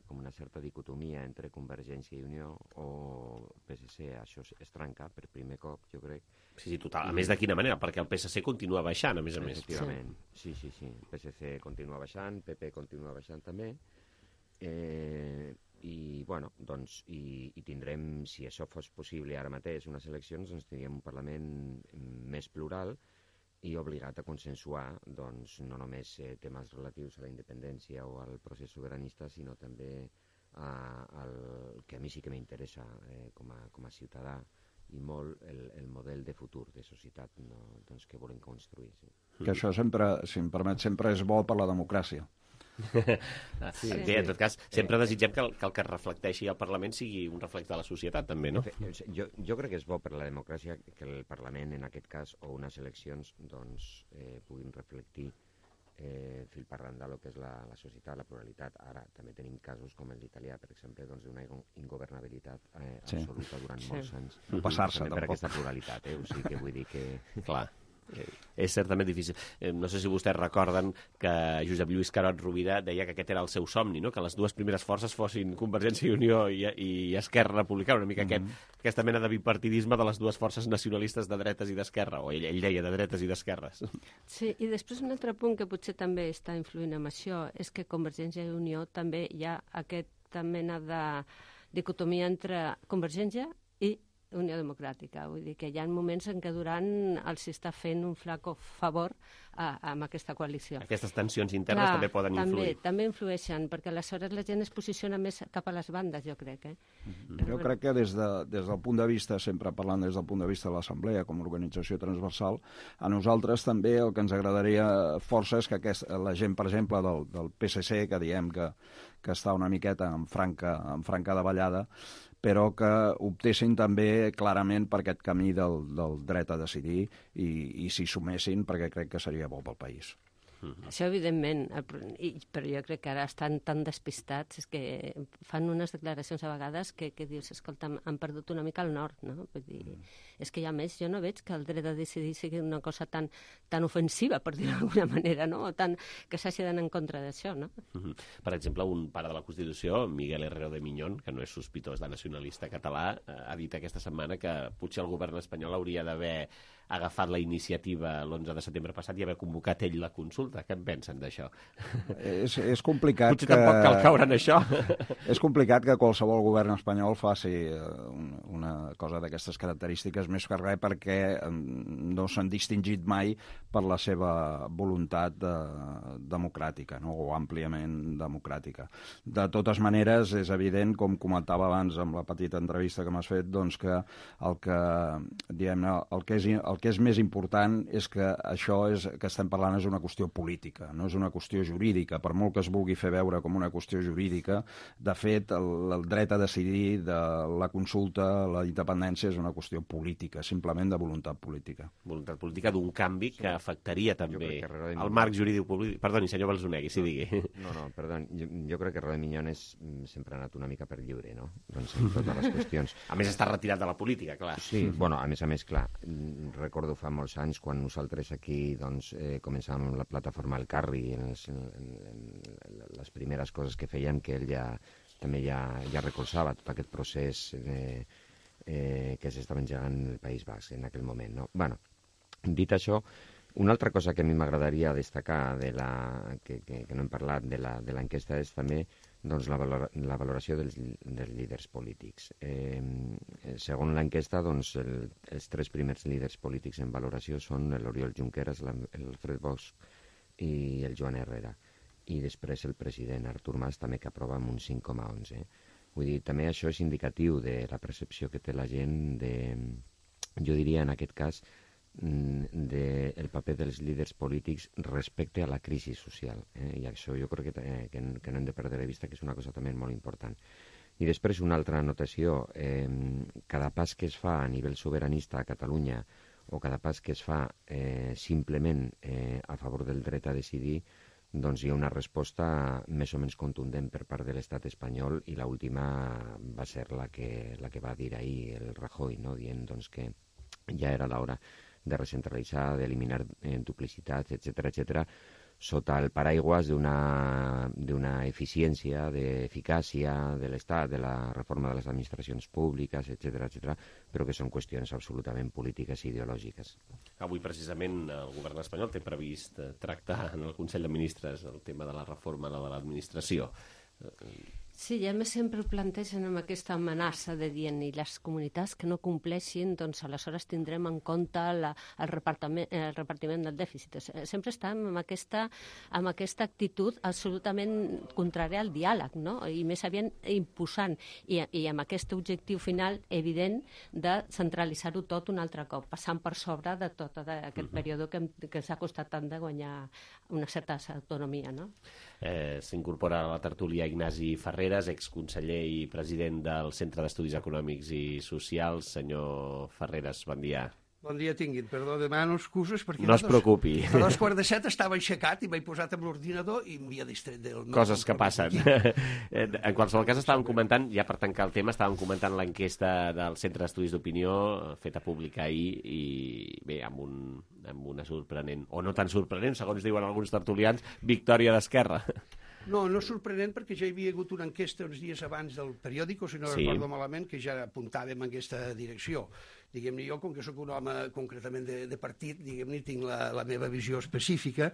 com una certa dicotomia entre Convergència i Unió o PSC. Això es trenca per primer cop, jo crec. Sí, total. A més, de quina manera? Perquè el PSC continua baixant, a més a més. Efectivament, sí. El PSC continua baixant, PP continua baixant també. I tindrem, si això fos possible ara mateix, unes eleccions, doncs tindríem un Parlament més plural i obligat a consensuar doncs, no només temes relatius a la independència o al procés sobiranista, sinó també el que a mi sí que m'interessa com a ciutadà i molt el model de futur de societat doncs, que volem construir. Sí. Que això sempre, si em permet, sempre és bo per la democràcia. Sí, en tot cas, sempre desitgem que el que reflecteixi al Parlament sigui un reflex de la societat, també, no? Jo crec que és bo per la democràcia que el Parlament, en aquest cas, o unes eleccions, doncs, puguin reflectir fil per randa el que és la societat, la pluralitat. Ara també tenim casos com el d'Italià, per exemple, doncs, d'una ingovernabilitat absoluta durant molts anys. No passar-se, tampoc. Per aquesta pluralitat, o sigui que vull dir que... Clar. És certament difícil. No sé si vostès recorden que Josep Lluís Carod Rovira deia que aquest era el seu somni, no? Que les dues primeres forces fossin Convergència i Unió i Esquerra Republicana, una mica aquesta mena de bipartidisme de les dues forces nacionalistes de dretes i d'esquerra, o ell deia de dretes i d'esquerres. Sí, i després un altre punt que potser també està influint en això és que Convergència i Unió també hi ha aquesta mena de dicotomia entre Convergència i Unió Democràtica. Vull dir que hi ha moments en què Duran els està fent un flaco favor amb aquesta coalició. Aquestes tensions internes també poden influir. També influeixen, perquè aleshores la gent es posiciona més cap a les bandes, jo crec. Jo crec que des del punt de vista, sempre parlant des del punt de vista de l'Assemblea com a organització transversal, a nosaltres també el que ens agradaria força és que la gent, per exemple, del PSC, que diem que està una miqueta en franca davallada, però que optessin també clarament per aquest camí del dret a decidir i s'hi sumessin, perquè crec que seria bo pel país. Això, evidentment, però jo crec que ara estan tan despistats, és que fan unes declaracions a vegades que dius, escolta, han perdut una mica el nord, no? Vull dir, és que, a més, jo no veig que el dret a decidir sigui una cosa tan ofensiva, per dir-ho d'alguna manera, no? O que s'hagi d'anar en contra d'això, no? Per exemple, un pare de la Constitució, Miguel Herrero de Miñón, que no és sospitós de nacionalista català, ha dit aquesta setmana que potser el govern espanyol hauria d'haver agafat la iniciativa l'11 de setembre passat i haver convocat ell la consulta. Què en pensen d'això? És complicat potser tampoc cal caure en això. És complicat que qualsevol govern espanyol faci una cosa d'aquestes característiques, més que res perquè no s'han distingit mai per la seva voluntat democràtica, no? O àmpliament democràtica. De totes maneres, és evident, com comentava abans amb la petita entrevista que m'has fet, doncs que el que és més important és que això que estem parlant és una qüestió política, no és una qüestió jurídica. Per molt que es vulgui fer veure com una qüestió jurídica, de fet, el dret a decidir de la consulta, la independència, és una qüestió política, simplement de voluntat política. Voluntat política d'un canvi que afectaria també el marc jurídic polític. Perdoni, senyor Balsonegui, si digui. No, perdoni, jo crec que Roder Miñones sempre ha anat una mica per lliure, no? Doncs en totes les qüestions. A més, està retirat de la política, clar. Sí, bueno, a més, clar, recordo fa molts anys quan nosaltres aquí començàvem la plataforma El Carri, en les primeres coses que fèiem, que ell també ja recolzava tot aquest procés que s'estava engegant en el País Basc en aquell moment, no? Bueno, dit això, una altra cosa que a mi m'agradaria destacar que no hem parlat de l'enquesta és també la valoració dels líders polítics. Segons l'enquesta, els 3 primers líders polítics en valoració són l'Oriol Junqueras, l'Alfred Bosch i el Joan Herrera. I després el president Artur Mas també, que aprova amb un 5,11. Vull dir, també això és indicatiu de la percepció que té la gent jo diria en aquest cas, del paper dels líders polítics respecte a la crisi social. I això jo crec que no hem de perdre de vista, que és una cosa també molt important. I després una altra anotació. Cada pas que es fa a nivell sobiranista a Catalunya o cada pas que es fa simplement a favor del dret a decidir, doncs hi ha una resposta més o menys contundent per part de l'estat espanyol, i l'última va ser la que va dir ahir el Rajoy, no? Dient que ja era l'hora de recentralitzar, d'eliminar duplicitats, etc., sota el paraigües d'una eficiència, d'eficàcia de l'Estat, de la reforma de les administracions públiques, etc., però que són qüestions absolutament polítiques i ideològiques. Avui, precisament, el govern espanyol té previst tractar en el Consell de Ministres el tema de la reforma de l'administració. Sí, i a més sempre ho plantegen amb aquesta amenaça de dient i les comunitats que no compleixin, doncs aleshores tindrem en compte el repartiment del dèficit. Sempre estem amb aquesta actitud absolutament contrària al diàleg, no? I més aviat imposant, i amb aquest objectiu final evident de centralitzar-ho tot un altre cop, passant per sobre de tot aquest període que s'ha costat tant de guanyar una certa autonomia, no? S'incorpora a la tertúlia Ignasi Ferreres, exconseller i president del Centre d'Estudis Econòmics i Socials. Senyor Ferreres, bon dia. Bon dia tinguin. Perdó, demano excuses perquè... No es preocupi. A 2:45 estava aixecat i m'he posat amb l'ordinador i m'havia distret del... Coses que passen. En qualsevol cas, estàvem comentant, ja per tancar el tema, estàvem comentant l'enquesta del Centre d'Estudis d'Opinió feta pública ahir i, bé, amb una sorprenent, o no tan sorprenent, segons diuen alguns tertulians, victòria d'Esquerra. No és sorprenent perquè ja hi havia hagut una enquesta uns dies abans del periòdico, si no recordo malament, que ja apuntàvem en aquesta direcció. Diguem-ne, jo, com que sóc un home concretament de partit, diguem-ne, tinc la meva visió específica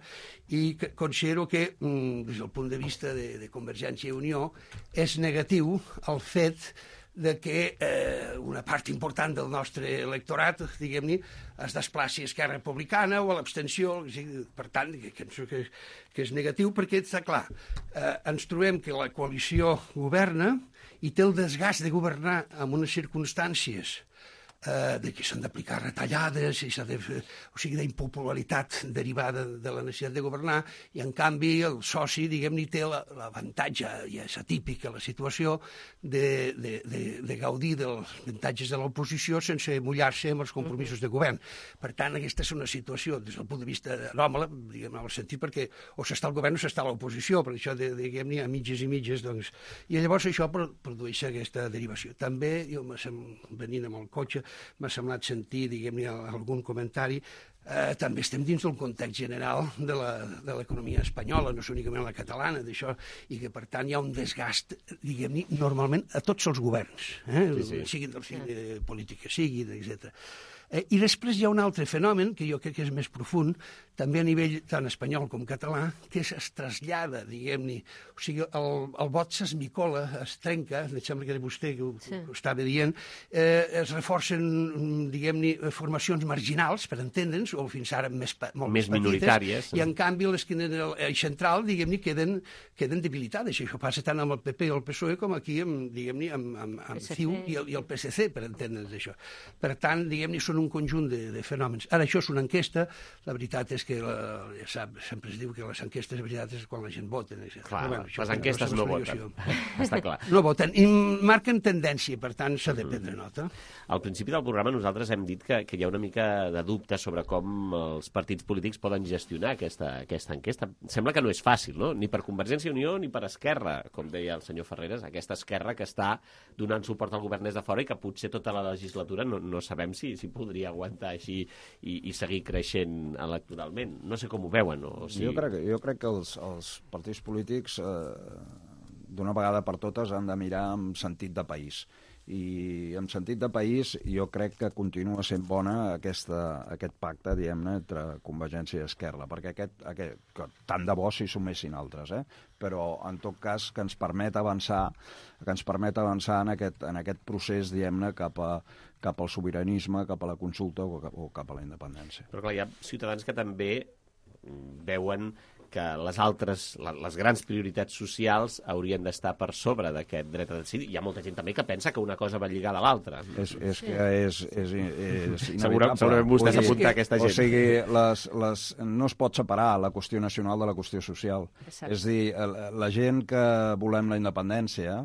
i considero que, des del punt de vista de Convergència i Unió, és negatiu el fet de que una part important del nostre electorat, diguem-ne, es desplaci a Esquerra Republicana o a l'abstenció. Per tant, que és negatiu perquè, està clar, ens trobem que la coalició governa i té el desgast de governar en unes circumstàncies de que s'han d'aplicar retallades, o sigui, d'impopularitat derivada de la necessitat de governar, i en canvi el soci, diguem-ne, té l'avantatge, ja és atípica la situació, de gaudir dels avantatges de l'oposició sense mullar-se amb els compromisos de govern. Per tant, aquesta és una situació, des del punt de vista anòmala, diguem-ne, en el sentit perquè o s'està al govern o s'està a l'oposició, per això, diguem-ne, a mitges i mitges, doncs... I llavors això produeix aquesta derivació. També, jo venint amb el cotxe, m'ha semblat sentir, diguem-ne, algun comentari. També estem dins del context general de l'economia espanyola, no és únicament la catalana, d'això, i que, per tant, hi ha un desgast, diguem-ne, normalment a tots els governs, siguin del signe polític que siguin, etc. I després hi ha un altre fenomen, que jo crec que és més profund, també a nivell tant espanyol com català, que es trasllada, diguem-ne, o sigui, el vot s'esmicola, es trenca, em sembla que era vostè que ho estava dient, es reforcen, diguem-ne, formacions marginals, per entendre'ns, o fins ara més petites, minoritàries, i en canvi les que en l'eix central, diguem-ne, queden debilitades. Això passa tant amb el PP i el PSOE com aquí, diguem-ne, amb CiU i el PSC, per entendre'ns això. Per tant, diguem-ne, són un conjunt de fenòmens. Ara, això és una enquesta, la veritat és que, ja sap, sempre es diu que les enquestes, la veritat, és quan la gent vota. Clar, les enquestes no voten, està clar. No voten, i marquen tendència, per tant, s'ha de prendre nota. Al principi del programa nosaltres hem dit que hi ha una mica de dubte sobre com els partits polítics poden gestionar aquesta enquesta. Sembla que no és fàcil, no? Ni per Convergència i Unió ni per Esquerra, com deia el senyor Ferreres, aquesta Esquerra que està donant suport al govern des de fora i que potser tota la legislatura no sabem si podria aguantar així i seguir creixent electoralment. No sé com ho veuen. Jo crec que els partits polítics d'una vegada per totes han de mirar amb sentit de país. I en sentit de país jo crec que continua sent bona aquest pacte, diguem-ne, entre Convergència i Esquerra, perquè que tant de bo s'hi sumessin altres, però en tot cas que ens permet avançar en aquest procés, diguem-ne, cap al sobiranisme, cap a la consulta o cap a la independència. Però clar, hi ha ciutadans que també veuen que les grans prioritats socials haurien d'estar per sobre d'aquest dret a decidir. Hi ha molta gent també que pensa que una cosa va lligada a l'altra. És inevitable. Segurament vostè s'apunta a aquesta gent. O sigui, no es pot separar la qüestió nacional de la qüestió social. Exacte. És a dir, la gent que volem la independència,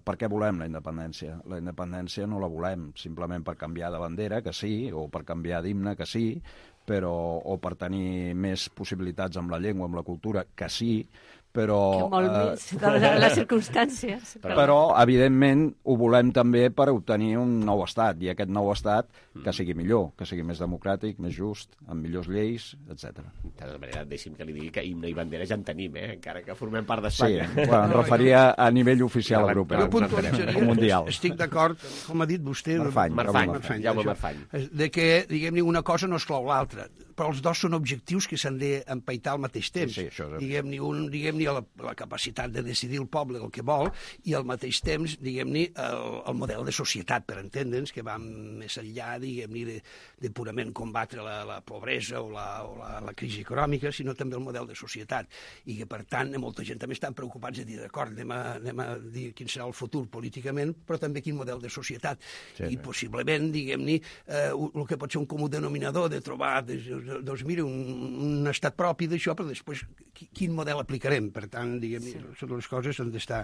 per què volem la independència? La independència no la volem simplement per canviar de bandera, que sí, o per canviar d'himne, que sí, o per tenir més possibilitats amb la llengua, amb la cultura, que sí, però... Que molt més, de les circumstàncies. Però, evidentment, ho volem també per obtenir un nou estat, i aquest nou estat que sigui millor, que sigui més democràtic, més just, amb millors lleis, etc. De tota manera, deixi'm que li digui que himne i bandera ja en tenim, encara que formem part d'Espanya. Sí, em referia a nivell oficial europeu. Jo puntualitzaria, mundial. Estic d'acord, com ha dit vostè... Marfany, Jaume Marfany. De que, diguem-ne, una cosa no exclou l'altra, però els dos són objectius que s'han d'empaitar al mateix temps. Sí, això és... Diguem-ne, la capacitat de decidir el poble el que vol, i al mateix temps, diguem-ne, el model de societat, per entendre'ns, que va més enllà, diguem-ne, de purament combatre la pobresa o la crisi econòmica, sinó també el model de societat. I que, per tant, molta gent també estan preocupats de dir, d'acord, anem a dir quin serà el futur políticament, però també quin model de societat. Sí, i possiblement, diguem-ne, el que pot ser un comú denominador de trobar, doncs mira, un estat propi d'això, però després quin model aplicarem? Per tant, diguem-ne, les coses han d'estar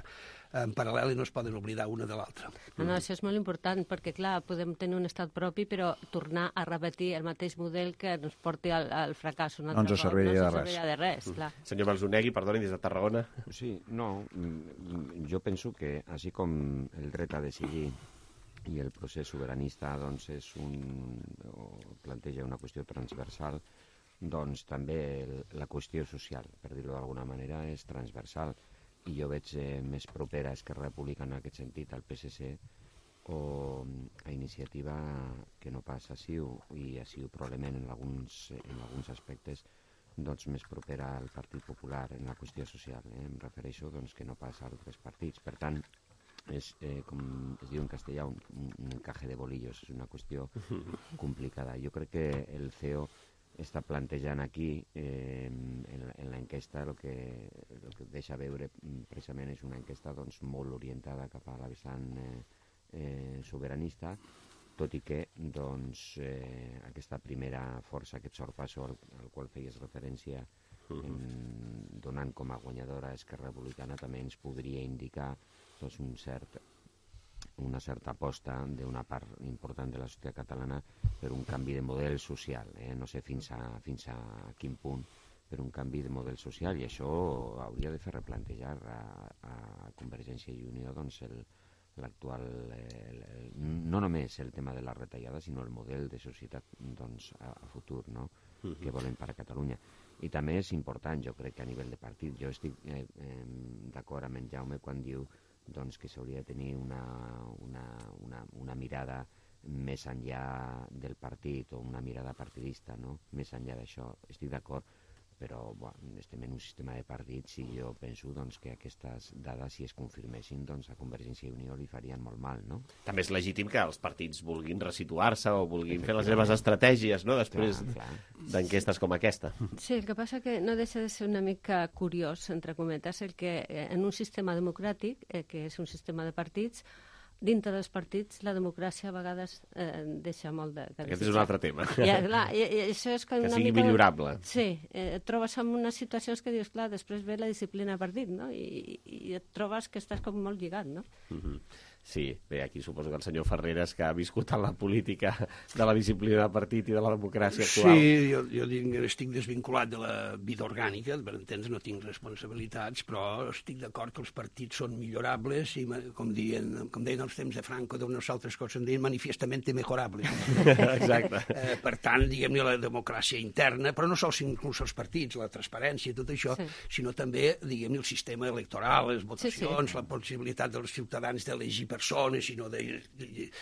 en paral·lel i no es poden oblidar una de l'altra. No, això és molt important, perquè, clar, podem tenir un estat propi, però tornar a repetir el mateix model que ens porti al fracàs un altre cop. No ens serviria de res, clar. Senyor Balzonegui, perdoni, des de Tarragona. Sí, no, jo penso que, així com el dret a decidir i el procés sobiranista doncs planteja una qüestió transversal, doncs també la qüestió social, per dir-ho d'alguna manera, és transversal. I jo veig més propera a Esquerra Republicana en aquest sentit al PSC o a Iniciativa que no pas a CiU, i a CiU probablement en alguns aspectes doncs més propera al Partit Popular en la qüestió social. Em refereixo doncs, que no pas a altres partits. Per tant, és, com es diu en castellà, un encaje de bolillos, és una qüestió complicada. Jo crec que el CEO està plantejant aquí en l'enquesta el que deixa veure precisament és una enquesta doncs, molt orientada cap a la vessant sobiranista, tot i que doncs, aquesta primera força, aquest sorpasso al qual feies referència, donant com a guanyadora Esquerra Republicana, també ens podria indicar doncs, una certa aposta d'una part important de la societat catalana per un canvi de model social. No sé fins a quin punt, per un canvi de model social, i això hauria de fer replantejar a Convergència i Unió doncs, l'actual, no només el tema de la retallada, sinó el model de societat doncs, a futur, no? Que volem per a Catalunya. I també és important, jo crec que a nivell de partit, jo estic d'acord amb en Jaume quan diu doncs, que s'hauria de tenir una mirada més enllà del partit o una mirada partidista, no? Més enllà d'això, estic d'acord, però estem en un sistema de partits i jo penso doncs, que aquestes dades, si es confirmessin, doncs, a Convergència i Unió li farien molt mal, no? També és legítim que els partits vulguin resituar-se o vulguin fer les seves estratègies, no?, després d'enquestes com aquesta. Sí, el que passa que no deixa de ser una mica curiós, entre cometes, el que en un sistema democràtic, que és un sistema de partits, dintre dels partits la democràcia a vegades deixa molt de... Aquest és un altre tema. Això és que sigui millorable. Sí, et trobes en unes situacions que dius, clar, després ve la disciplina de partit, no? I et trobes que estàs com molt lligat, no? Sí, bé, aquí suposo que el senyor Ferreres, que ha viscut en la política de la disciplina de partit i de la democràcia actual... Sí, jo estic desvinculat de la vida orgànica, per entendre, no tinc responsabilitats, però estic d'acord que els partits són millorables i, com deien els temps de Franco, d'unes altres coses en deien manifestament mejorables. Exacte. Per tant, diguem-ne, la democràcia interna, però no sols inclús els partits, la transparència i tot això, sinó també, diguem-ne, el sistema electoral, les votacions, la possibilitat dels ciutadans d'elegir persones, sinó de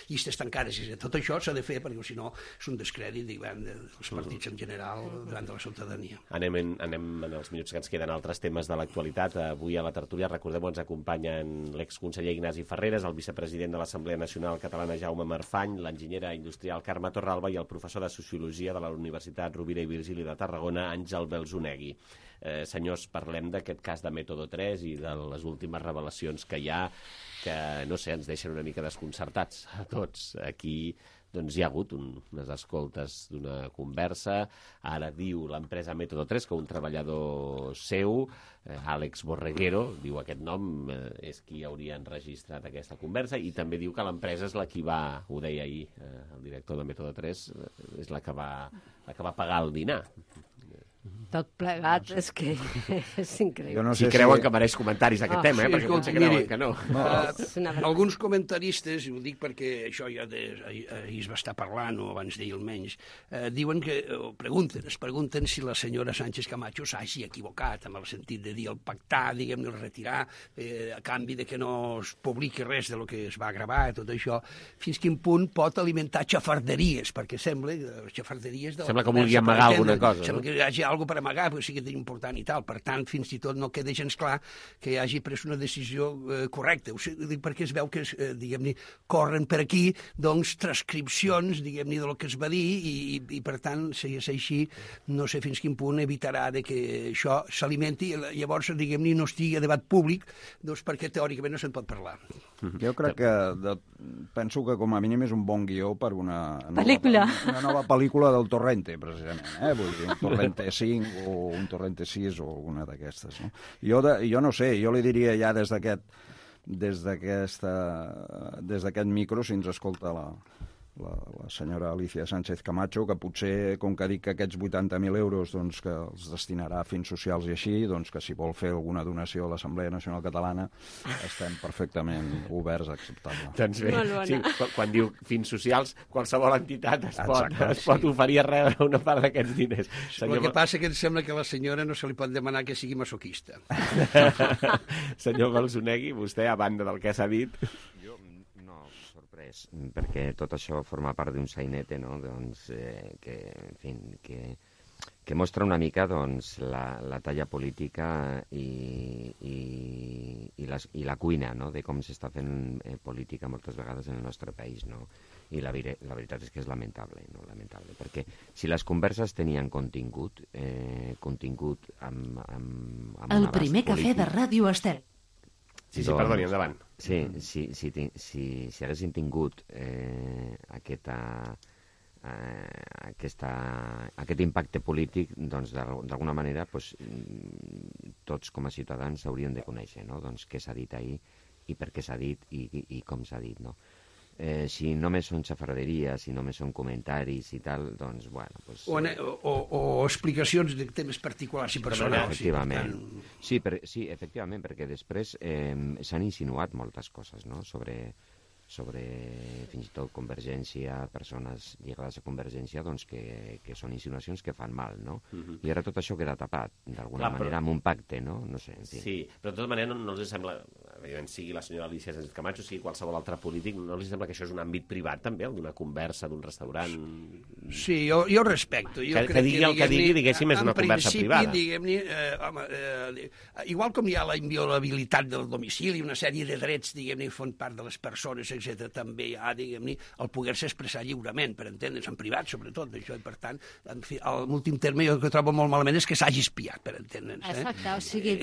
llistes tancades, i tot això s'ha de fer, perquè si no és un descrèdit dels partits en general davant de la ciutadania. Anem en els minuts que ens queden altres temes de l'actualitat. Avui a la tertúlia, recordem-ho, ens acompanyen l'exconseller Ignasi Ferreres, el vicepresident de l'Assemblea Nacional Catalana Jaume Marfany, l'enginyera industrial Carme Torralba i el professor de Sociologia de la Universitat Rovira i Virgili de Tarragona, Àngel Belzunegui. Senyors, parlem d'aquest cas de Método 3 i de les últimes revelacions que hi ha, que, no sé, ens deixen una mica desconcertats a tots. Aquí doncs, hi ha hagut unes escoltes d'una conversa. Ara diu l'empresa Método 3 que un treballador seu, Àlex Borreguero, diu aquest nom, és qui hauria enregistrat aquesta conversa, i també diu que l'empresa és la qui va, ho deia ahir el director de Método 3, és la que va pagar el dinar. Tot plegat, és que és increïble. No sé si creuen que mereix comentaris aquest tema, perquè potser creuen que no. Alguns comentaristes, i ho dic perquè això ja ahir es va estar parlant, o abans d'ahir almenys, diuen que, es pregunten si la senyora Sánchez Camacho s'hagi equivocat, en el sentit de dir el pactar, diguem-ne, el retirar, a canvi de que no es publiqui res de lo que es va gravar, tot això, fins quin punt pot alimentar xafarderies, perquè sembla que vulgui amagar alguna cosa. Sembla que hi hagi alguna per amagar, perquè sigui important i tal. Per tant, fins i tot no queda gens clar que hi hagi pres una decisió correcta. Ho dic perquè es veu que, diguem-ne, corren per aquí, doncs, transcripcions, diguem-ne, del que es va dir, i per tant, si és així, no sé fins quin punt evitarà de que això s'alimenti, i llavors, diguem-ne, no estigui a debat públic, doncs perquè teòricament no se'n pot parlar. Jo crec que penso que com a mínim és un bon guió per una nova pel·lícula del Torrente, precisament. Vull dir, un Torrente 5 o un Torrente 6 o alguna d'aquestes. No? Jo no sé, jo li diria ja des d'aquest micro, si ens escolta la senyora Alicia Sánchez Camacho, que potser, com que dic que aquests 80.000 euros doncs, que els destinarà a fins socials i així, doncs que si vol fer alguna donació a l'Assemblea Nacional Catalana estem perfectament oberts a acceptar-la. Doncs bé, sí, quan diu fins socials, qualsevol entitat es pot oferir a rebre una part d'aquests diners. El que passa que em sembla que a la senyora no se li pot demanar que sigui masoquista. Senyor Belzunegui, vostè, a banda del que s'ha dit... perquè tot això forma part d'un sainete, no? Doncs, que mostra una mica doncs, la talla política i la cuina, no? De com s'està fent política moltes vegades en el nostre país, no? I la veritat és que és lamentable, no? Lamentable, perquè si les converses tenien contingut amb el primer cafè de Ràdio Estel. Sí, perdoni, endavant. Sí, si haguessin tingut aquest impacte polític, doncs d'alguna manera tots com a ciutadans hauríem de conèixer, no? Doncs què s'ha dit ahir i per què s'ha dit i com s'ha dit, no? Si només són xafarderies, si només són comentaris i tal, doncs, bueno... O explicacions de temes particulars i personals. Efectivament. Sí, efectivament, perquè després s'han insinuat moltes coses, no?, sobre fins i tot Convergència, persones lligades a Convergència, doncs que són insinuacions que fan mal, no? I ara tot això queda tapat, d'alguna manera, amb un pacte, no? No sé, en fi. Sí, però de tota manera no els sembla, evidentment, sigui la senyora Alicia Sánchez Camacho, sigui qualsevol altre polític, no els sembla que això és un àmbit privat, també, d'una conversa, d'un restaurant... Sí, jo respecto. Que digui el que digui, diguéssim, és una conversa privada. Igual com hi ha la inviolabilitat del domicili, una sèrie de drets, diguem-ne, font part de les persones, etc., també hi ha, diguem-ne, el poder-se expressar lliurement, per entendre's, en privat, sobretot, d'això, i per tant, en fi, l'últim terme jo que trobo molt malament és que s'hagi espiat, per entendre'ns. Exacte, o sigui...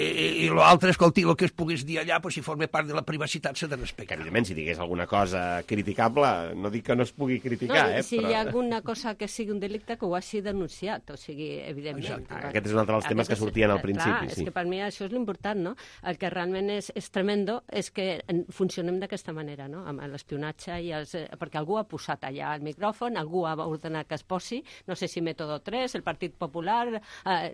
I l'altre, escolti, el que es pogués dir allà, si forma part de la privacitat s'ha de respectar. Que, evidentment, si digués alguna cosa criticable, no dic que no es pugui criticar, no, si però... hi ha alguna cosa que sigui un delicte, que ho hagi denunciat, o sigui, evidentment. Aquest és un altre dels temes que sortien al principi. Clar, és que per mi això és l'important, no? El que realment és tremendo és que funcionem d'aquesta manera, no? Amb l'espionatge i perquè algú ha posat allà el micròfon, algú ha ordenat que es posi, no sé si Método 3, el Partit Popular,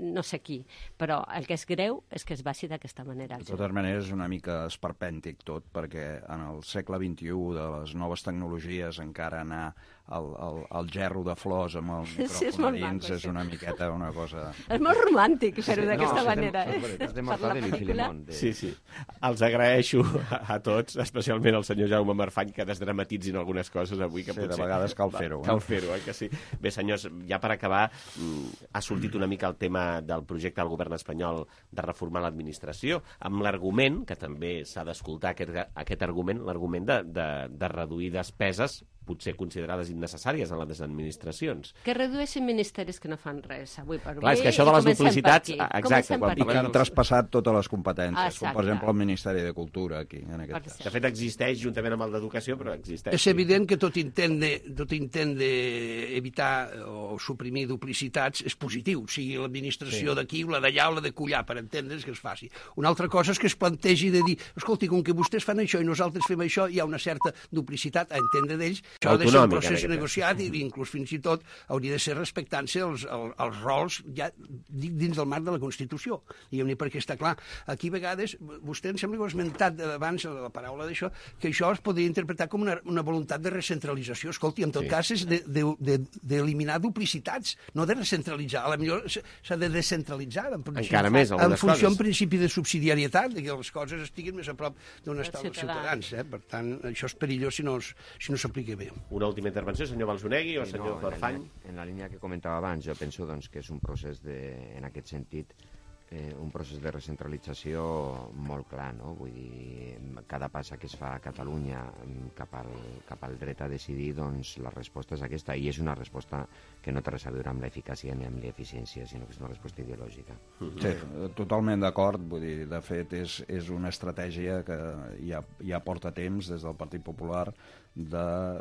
no sé qui, però el que és greu és que es baixi d'aquesta manera. De totes maneres, és una mica esperpèntic tot, perquè en el segle XXI de les noves tecnologies encara anar al gerro de flors amb el micròfon a dins és una miqueta una cosa... És molt romàntic fer-ho d'aquesta manera. És de Mortadelo i Filemón. Sí. Els agraeixo a tots, especialment al senyor Jaume Marfany, que desdramatitzin algunes coses avui. Que sí, de vegades cal fer-ho. Cal fer-ho, que sí. Bé, senyors, ja per acabar, ha sortit una mica el tema del projecte del govern espanyol de reformar l'administració, amb l'argument, que també s'ha d'escoltar aquest argument, l'argument de reduir despeses potser considerades innecessàries en les administracions. Que redueixin ministeris que no fan res avui per avui. Clar, és que això de les duplicitats... Exacte. I que han traspassat totes les competències, com per exemple el Ministeri de Cultura aquí, en aquest cas. De fet, existeix juntament amb el d'Educació, però existeix. És evident que tot intent d'evitar o suprimir duplicitats és positiu, sigui l'administració d'aquí o la d'allà o la de collà, per entendre's que es faci. Una altra cosa és que es plantegi de dir, escolti, com que vostès fan això i nosaltres fem això, hi ha una certa duplicitat a entendre d'ells. Això ha de ser un procés negociat i inclús fins i tot hauria de ser respectant-se els rols ja dins del marc de la Constitució. Diguem-ne, perquè està clar. Aquí a vegades, vostè em sembla que ho ha esmentat abans la paraula d'això, que això es podria interpretar com una voluntat de recentralització. Escolti, en tot cas és d'eliminar duplicitats, no de recentralitzar. A la millor s'ha de descentralitzar. Encara més, algunes coses. En funció en principi de subsidiarietat, que les coses estiguin més a prop d'on estan els ciutadans. Per tant, això és perillós si no s'aplica bé. Una última intervenció, senyor Balzonegui o senyor Marfany? En la línia que comentava abans, jo penso que és un procés en aquest sentit, un procés de recentralització molt clar, no? Vull dir, cada passa que es fa a Catalunya cap al dret a decidir, doncs la resposta és aquesta, i és una resposta que no té res a veure amb l'eficàcia ni amb l'eficiència, sinó que és una resposta ideològica. Sí, totalment d'acord, vull dir, de fet és una estratègia que ja porta temps des del Partit Popular de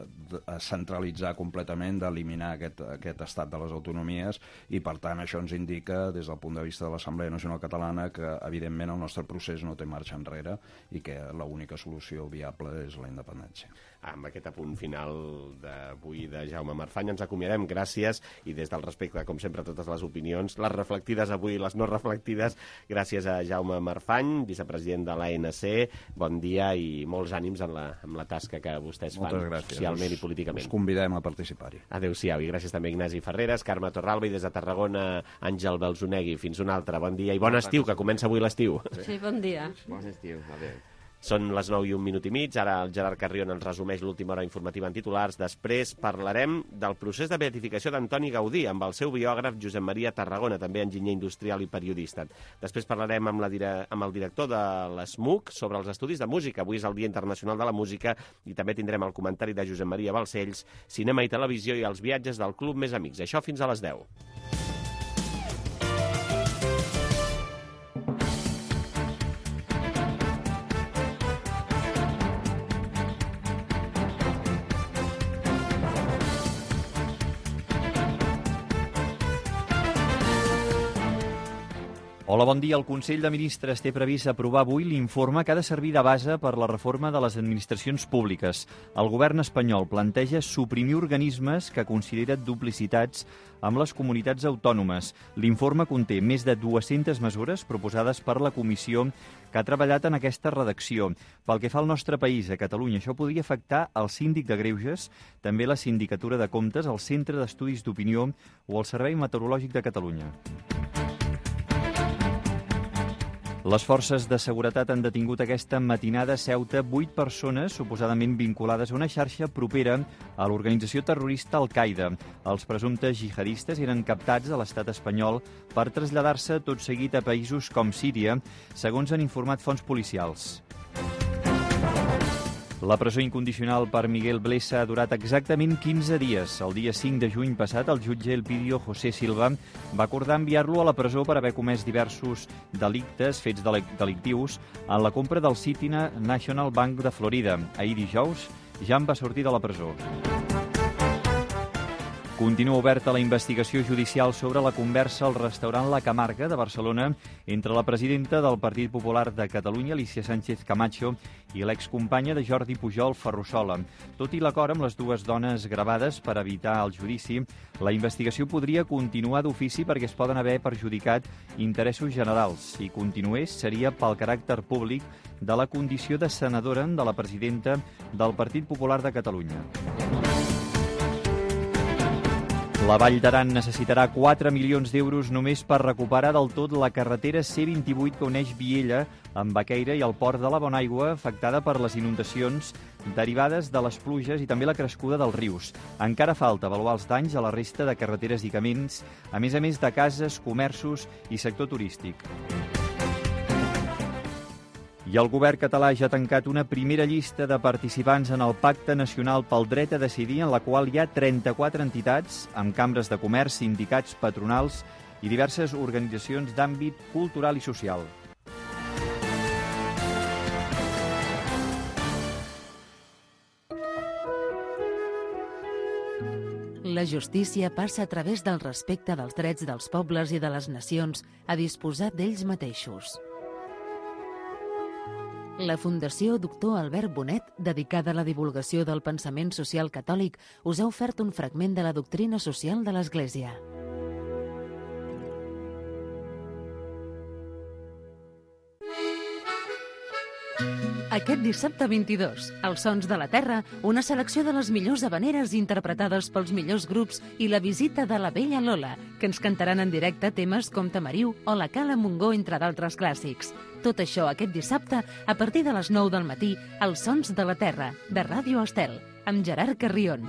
centralitzar completament, d'eliminar aquest estat de les autonomies, i per tant això ens indica des del punt de vista de l'Assemblea Nacional Catalana que evidentment el nostre procés no té marxa enrere i que l'única solució viable és la independència. Amb aquest apunt final d'avui de Jaume Marfany ens acomiadem. Gràcies, i des del respecte, com sempre, a totes les opinions, les reflectides avui i les no reflectides, gràcies a Jaume Marfany, vicepresident de l'ANC. Bon dia i molts ànims en la tasca que vostès fan socialment i políticament. Us convidem a participar-hi. Adéu-siau, i gràcies també a Ignasi Ferreres, Carme Torralba, i des de Tarragona, Àngel Balzonegui. Fins un altre. Bon dia i bon estiu, que comença avui l'estiu. Sí, bon dia. Bon estiu, adéu. Són les 9 i un minut i mig, ara el Gerard Carrion ens resumeix l'última hora informativa en titulars. Després parlarem del procés de beatificació d'Antoni Gaudí amb el seu biògraf Josep Maria Tarragona, també enginyer industrial i periodista. Després parlarem amb el director de l'ESMUC sobre els estudis de música. Avui és el Dia Internacional de la Música i també tindrem el comentari de Josep Maria Balcells, cinema i televisió i els viatges del Club Més Amics. Això fins a les 10. Hola, bon dia. El Consell de Ministres té previst aprovar avui l'informe que ha de servir de base per la reforma de les administracions públiques. El govern espanyol planteja suprimir organismes que considera duplicitats amb les comunitats autònomes. L'informe conté més de 200 mesures proposades per la comissió que ha treballat en aquesta redacció. Pel que fa al nostre país, a Catalunya, això podria afectar el síndic de Greuges, també la Sindicatura de Comptes, el Centre d'Estudis d'Opinió o el Servei Meteorològic de Catalunya. Les forces de seguretat han detingut aquesta matinada a Ceuta 8 persones suposadament vinculades a una xarxa propera a l'organització terrorista Al-Qaeda. Els presumptes jihadistes eren captats a l'estat espanyol per traslladar-se tot seguit a països com Síria, segons han informat fonts policials. La presó incondicional per Miguel Blesa ha durat exactament 15 dies. El dia 5 de juny passat, el jutge Elpidio José Silva va acordar enviar-lo a la presó per haver comès diversos delictes, fets delictius, en la compra del City National Bank de Florida. Ahir dijous ja en va sortir de la presó. Continua oberta la investigació judicial sobre la conversa al restaurant La Camarga de Barcelona entre la presidenta del Partit Popular de Catalunya, Alicia Sánchez Camacho, i l'excompanya de Jordi Pujol, Ferrusola. Tot i l'acord amb les dues dones gravades per evitar el judici, la investigació podria continuar d'ofici perquè es poden haver perjudicat interessos generals. Si continués, seria pel caràcter públic de la condició de senadora de la presidenta del Partit Popular de Catalunya. La Vall d'Aran necessitarà 4 milions d'euros només per recuperar del tot la carretera C28 que uneix Viella amb Baqueira i el port de la Bonaigua, afectada per les inundacions derivades de les pluges i també la crescuda dels rius. Encara falta avaluar els danys a la resta de carreteres i camins, a més de cases, comerços i sector turístic. I el govern català ja ha tancat una primera llista de participants en el Pacte Nacional pel Dret a Decidir, en la qual hi ha 34 entitats, amb cambres de comerç, sindicats, patronals i diverses organitzacions d'àmbit cultural i social. La justícia passa a través del respecte dels drets dels pobles i de les nacions a disposar d'ells mateixos. La Fundació Doctor Albert Bonet, dedicada a la divulgació del pensament social catòlic, us ha ofert un fragment de la doctrina social de l'Església. Aquest dissabte 22, Els Sons de la Terra, una selecció de les millors habaneres interpretades pels millors grups i la visita de la Bella Lola, que ens cantaran en directe temes com Tamariu o La Cala Montgó, entre d'altres clàssics. Tot això aquest dissabte, a partir de les 9 del matí, Els Sons de la Terra, de Ràdio Estel, amb Gerard Carrion.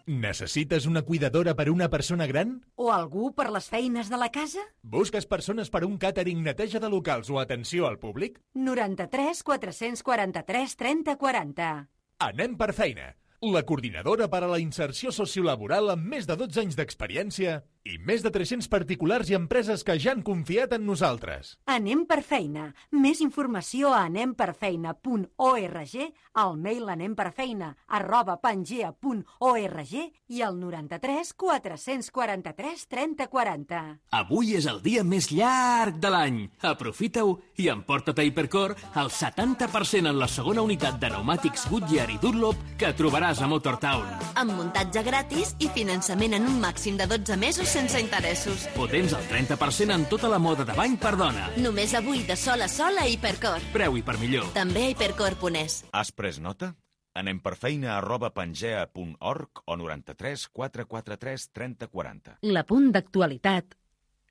Necessites una cuidadora per una persona gran? O algú per les feines de la casa? Busques persones per un càtering, neteja de locals o atenció al públic? 93 443 30 40. Anem per feina. La coordinadora per a la inserció sociolaboral amb més de 12 anys d'experiència i més de 300 particulars i empreses que ja han confiat en nosaltres. Anem per feina. Més informació a anemperfeina.org, al mail anemperfeina@pangea.org i al 93 443 30 40. Avui és el dia més llarg de l'any. Aprofita-ho i emporta't a Hipercor el 70% en la segona unitat de pneumàtics Goodyear i Dunlop que trobaràs a Motortown. Amb muntatge gratis i finançament en un màxim de 12 mesos sense interessos. O tens el 30% en tota la moda de bany per dona. Només avui de sol a sol a Hipercor. Preu i per millor. També a hipercor.es. Has pres nota? Anem per feina@pangea.org o 93 443 30 40. L'apunt d'actualitat,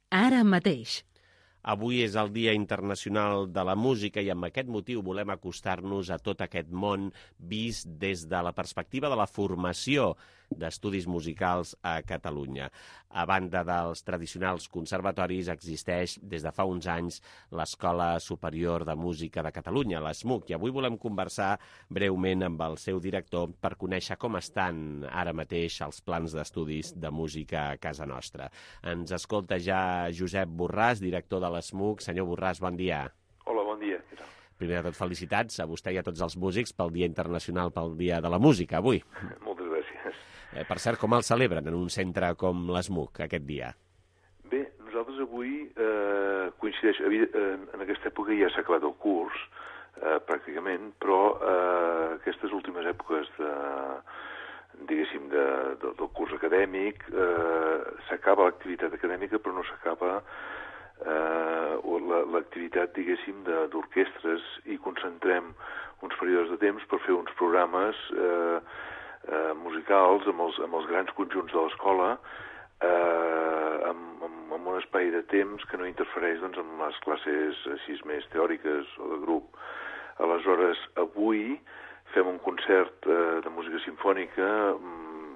ara mateix. Avui és el Dia Internacional de la Música i amb aquest motiu volem acostar-nos a tot aquest món vist des de la perspectiva de la formació d'estudis musicals a Catalunya. A banda dels tradicionals conservatoris, existeix des de fa uns anys l'Escola Superior de Música de Catalunya, l'ESMUC, i avui volem conversar breument amb el seu director per conèixer com estan ara mateix els plans d'estudis de música a casa nostra. Ens escolta ja Josep Borràs, director de l'ESMUC. Senyor Borràs, bon dia. Hola, bon dia. Primer de tot, felicitats a vostè i a tots els músics pel Dia Internacional pel Dia de la Música, avui. Moltes gràcies. Per cert, com el celebren en un centre com l'ESMUC aquest dia? Bé, nosaltres avui coincideix... En aquesta època ja s'ha acabat el curs, pràcticament, però aquestes últimes èpoques del curs acadèmic s'acaba l'activitat acadèmica, però no s'acaba l'activitat, diguéssim, d'orquestres i concentrem uns períodes de temps per fer uns programes musicals amb els grans conjunts de l'escola amb un espai de temps que no interfereix doncs, amb les classes així més teòriques o de grup. Aleshores, avui fem un concert de música simfònica,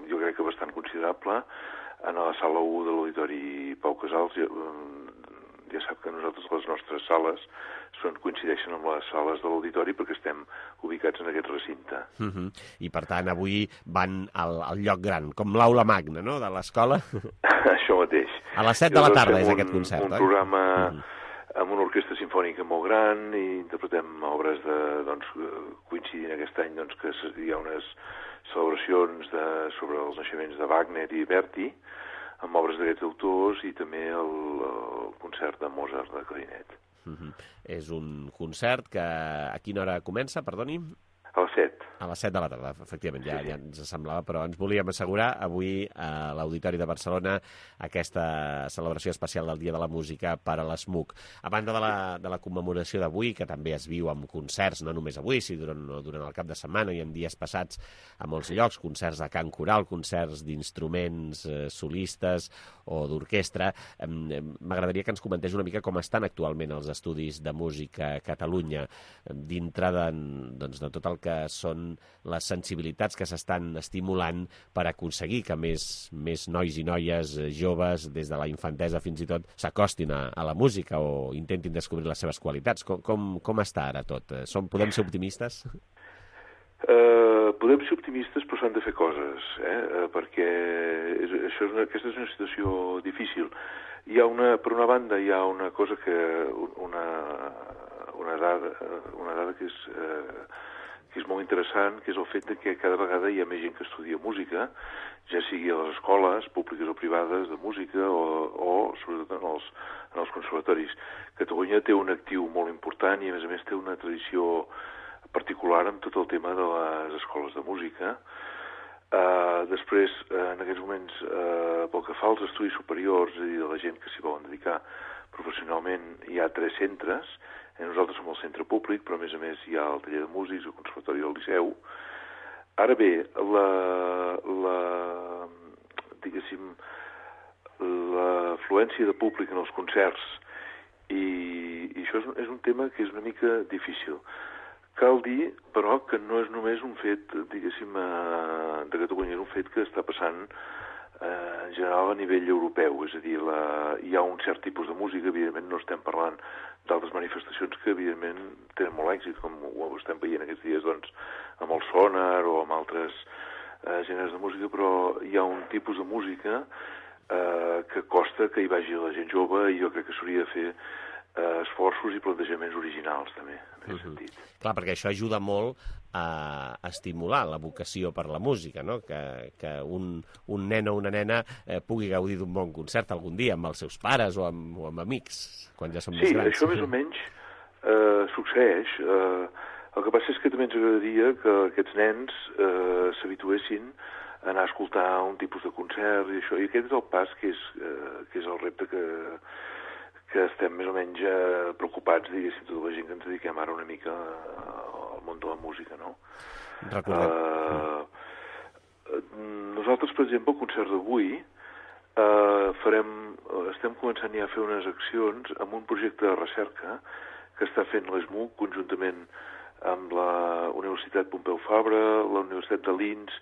jo crec que bastant considerable, en la sala 1 de l'Auditori Pau Casals, ja sap que nosaltres les nostres sales coincideixen amb les sales de l'auditori perquè estem ubicats en aquest recinte. I per tant avui van al lloc gran, com l'aula magna, no?, de l'escola. Això mateix. A les 7 de la tarda és aquest concert, un programa amb una orquestra sinfònica molt gran i interpretem obres coincidint aquest any que hi ha unes celebracions sobre els naixements de Wagner i Verdi, amb obres d'aquests autors i també el concert de Mozart de clarinet. És un concert que a quina hora comença, perdoni? A les 7. A les 7 de la tarda, efectivament, ja ens semblava, però ens volíem assegurar avui a l'Auditori de Barcelona aquesta celebració especial del Dia de la Música per a l'ESMUC. A banda de la commemoració d'avui, que també es viu amb concerts, no només avui, sinó durant el cap de setmana i en dies passats a molts llocs, concerts de cant coral, concerts d'instruments solistes o d'orquestra, m'agradaria que ens comentés una mica com estan actualment els estudis de música a Catalunya, dintre de tot el que són les sensibilitats que s'estan estimulant per aconseguir que més nois i noies joves, des de la infantesa fins i tot, s'acostin a la música o intentin descobrir les seves qualitats. Com està ara tot? Podem ser optimistes? Podem ser optimistes, però s'han de fer coses, perquè aquesta és una situació difícil. Per una banda, hi ha una cosa una dada que és molt interessant, que és el fet que cada vegada hi ha més gent que estudia música, ja sigui a les escoles públiques o privades de música o sobretot en els conservatoris. Catalunya té un actiu molt important i a més té una tradició particular amb tot el tema de les escoles de música. Després, en aquests moments, pel que fa als estudis superiors, és a dir, de la gent que s'hi volen dedicar professionalment, hi ha 3 centres. Nosaltres som el centre públic, però a més hi ha el taller de músics, el conservatori del Liceu. Ara bé, l'afluència de públic en els concerts, i això és un tema que és una mica difícil. Cal dir, però, que no és només un fet, de Catalunya, és un fet que està passant en general a nivell europeu, és a dir, hi ha un cert tipus de música, evidentment no estem parlant d'altres manifestacions que evidentment tenen molt èxit, com ho estem veient aquests dies amb el sonar o amb altres gèneres de música, però hi ha un tipus de música que costa que hi vagi la gent jove i jo crec que s'hauria de fer esforços i plantejaments originals també, en aquest sentit. Clar, perquè això ajuda molt a estimular la vocació per la música, no? Que un nen o una nena pugui gaudir d'un bon concert algun dia amb els seus pares o amb amics, quan ja són més grans. Sí, això més o menys succeeix. El que passa és que també ens agradaria que aquests nens s'habituessin a anar a escoltar un tipus de concert i això, i aquest és el pas que és el repte que estem més o menys preocupats, diguéssim, tota la gent que ens dediquem ara una mica al món de la música, no? Nosaltres, per exemple, el concert d'avui estem començant ja a fer unes accions amb un projecte de recerca que està fent l'ESMUC conjuntament amb la Universitat Pompeu Fabra, la Universitat de Linz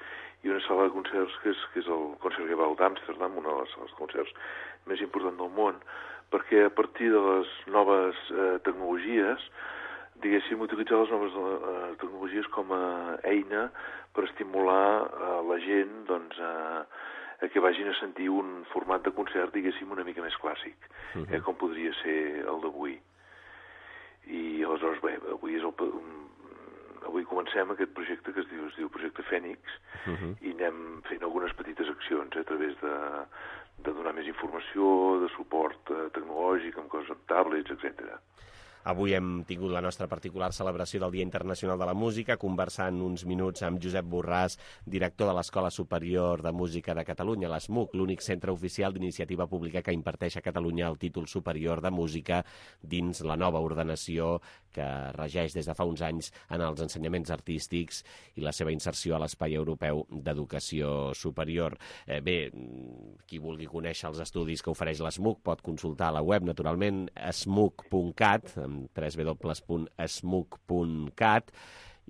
i una sala de concerts que és el Concertgebouw d'Amsterdam, una de les sales de concerts més importants del món, perquè a partir de les noves tecnologies, diguéssim, utilitzar les noves tecnologies com a eina per estimular la gent a que vagin a sentir un format de concert, diguéssim, una mica més clàssic, com podria ser el d'avui. I aleshores, bé, avui comencem aquest projecte que es diu Projecte Fènix i anem fent algunes petites accions a través de donar més informació, de suport tecnològic, amb coses amb tablets, etc. Avui hem tingut la nostra particular celebració del Dia Internacional de la Música, conversant uns minuts amb Josep Borràs, director de l'Escola Superior de Música de Catalunya, l'ESMUC, l'únic centre oficial d'iniciativa pública que imparteix a Catalunya el títol superior de música dins la nova ordenació que regeix des de fa uns anys en els ensenyaments artístics i la seva inserció a l'espai europeu d'educació superior. Bé, qui vulgui conèixer els estudis que ofereix l'ESMUC pot consultar a la web, naturalment, esmuc.cat, www.esmuc.cat,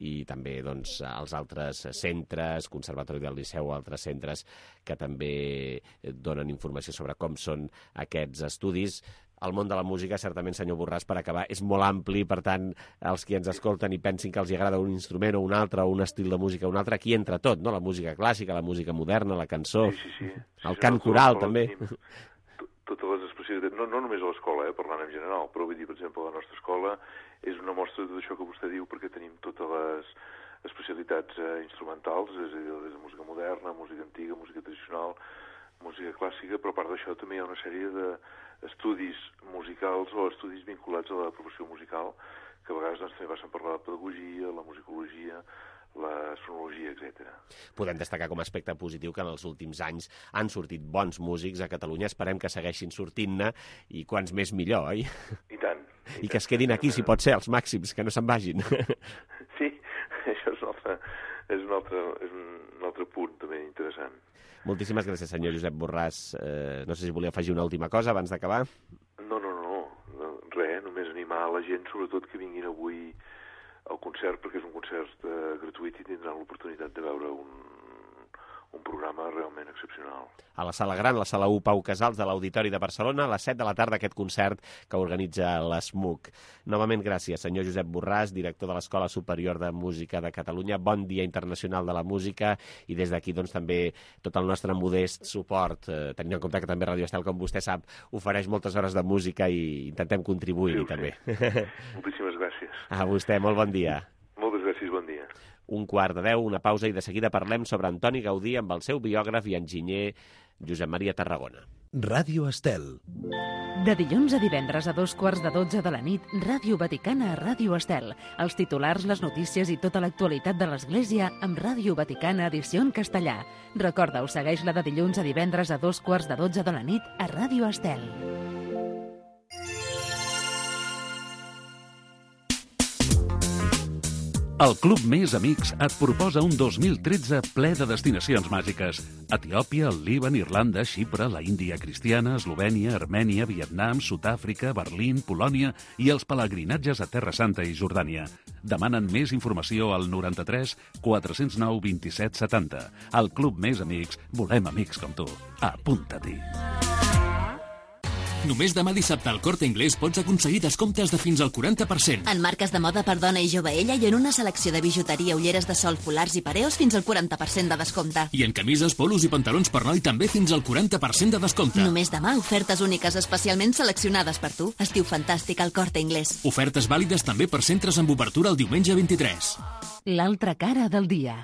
i també els altres centres, Conservatori del Liceu o altres centres que també donen informació sobre com són aquests estudis. el món de la música, certament, senyor Borràs, per acabar, és molt ampli, per tant, els qui ens escolten i pensin que els agrada un instrument o un altre, o un estil de música o un altre, aquí entra tot, no? La música clàssica, la música moderna, la cançó, el cant coral, també. Totes les especialitats, no només a l'escola, parlant en general, però vull dir, per exemple, la nostra escola és una mostra de tot això que vostè diu, perquè tenim totes les especialitats instrumentals, és a dir, des de música moderna, música antiga, música tradicional, música clàssica, però a part d'això també hi ha una sèrie d'estudis musicals o estudis vinculats a la professió musical, que a vegades també passen per la pedagogia, la musicologia, la sonologia, etc. Podem destacar com a aspecte positiu que en els últims anys han sortit bons músics a Catalunya, esperem que segueixin sortint-ne, i quants més millor, oi? I tant. I que es quedin aquí, si pot ser, els màxims, que no se'n vagin. Sí, això és un altre punt també interessant. Moltíssimes gràcies, senyor Josep Borràs. No sé si volia afegir una última cosa abans d'acabar. No, res, només animar la gent, sobretot que vinguin avui al concert, perquè és un concert gratuït i tindran l'oportunitat de veure un programa realment excepcional. A la Sala Gran, la Sala 1 Pau Casals de l'Auditori de Barcelona, a les 7 de la tarda, aquest concert que organitza l'ESMUC. Novament, gràcies, senyor Josep Borràs, director de l'Escola Superior de Música de Catalunya. Bon Dia Internacional de la Música, i des d'aquí doncs, també tot el nostre modest suport, tenint en compte que també Radio Estel, com vostè sap, ofereix moltes hores de música i intentem contribuir-hi també. Moltíssimes gràcies. A vostè, molt bon dia. Moltes gràcies, bon dia. 1:45, una pausa, i de seguida parlem sobre Antoni Gaudí amb el seu biògraf i enginyer Josep Maria Tarragona. Ràdio Estel. De dilluns a divendres a 2:15 de la nit, Ràdio Vaticana a Ràdio Estel. Els titulars, les notícies i tota l'actualitat de l'Església amb Ràdio Vaticana edició en castellà. Recorda-ho, segueix-la de dilluns a divendres a 2:15 de la nit a Ràdio Estel. El Club Més Amics et proposa un 2013 ple de destinacions màgiques. Etiòpia, el Líban, Irlanda, Xipre, la Índia cristiana, Eslovènia, Armènia, Vietnam, Sud-àfrica, Berlín, Polònia i els pelegrinatges a Terra Santa i Jordània. Demanen més informació al 93 409 27 70. Al Club Més Amics volem amics com tu. Apunta-t'hi. Només demà dissabte al Corte Inglés pots aconseguir descomptes de fins al 40%. En marques de moda per dona i joveella i en una selecció de bijuteria, ulleres de sol, folars i pareos fins al 40% de descompte. I en camises, polos i pantalons per noi també fins al 40% de descompte. Només demà ofertes úniques especialment seleccionades per tu. Estiu fantàstic al Corte Inglés. Ofertes vàlides també per centres amb obertura el diumenge 23. L'altra cara del dia.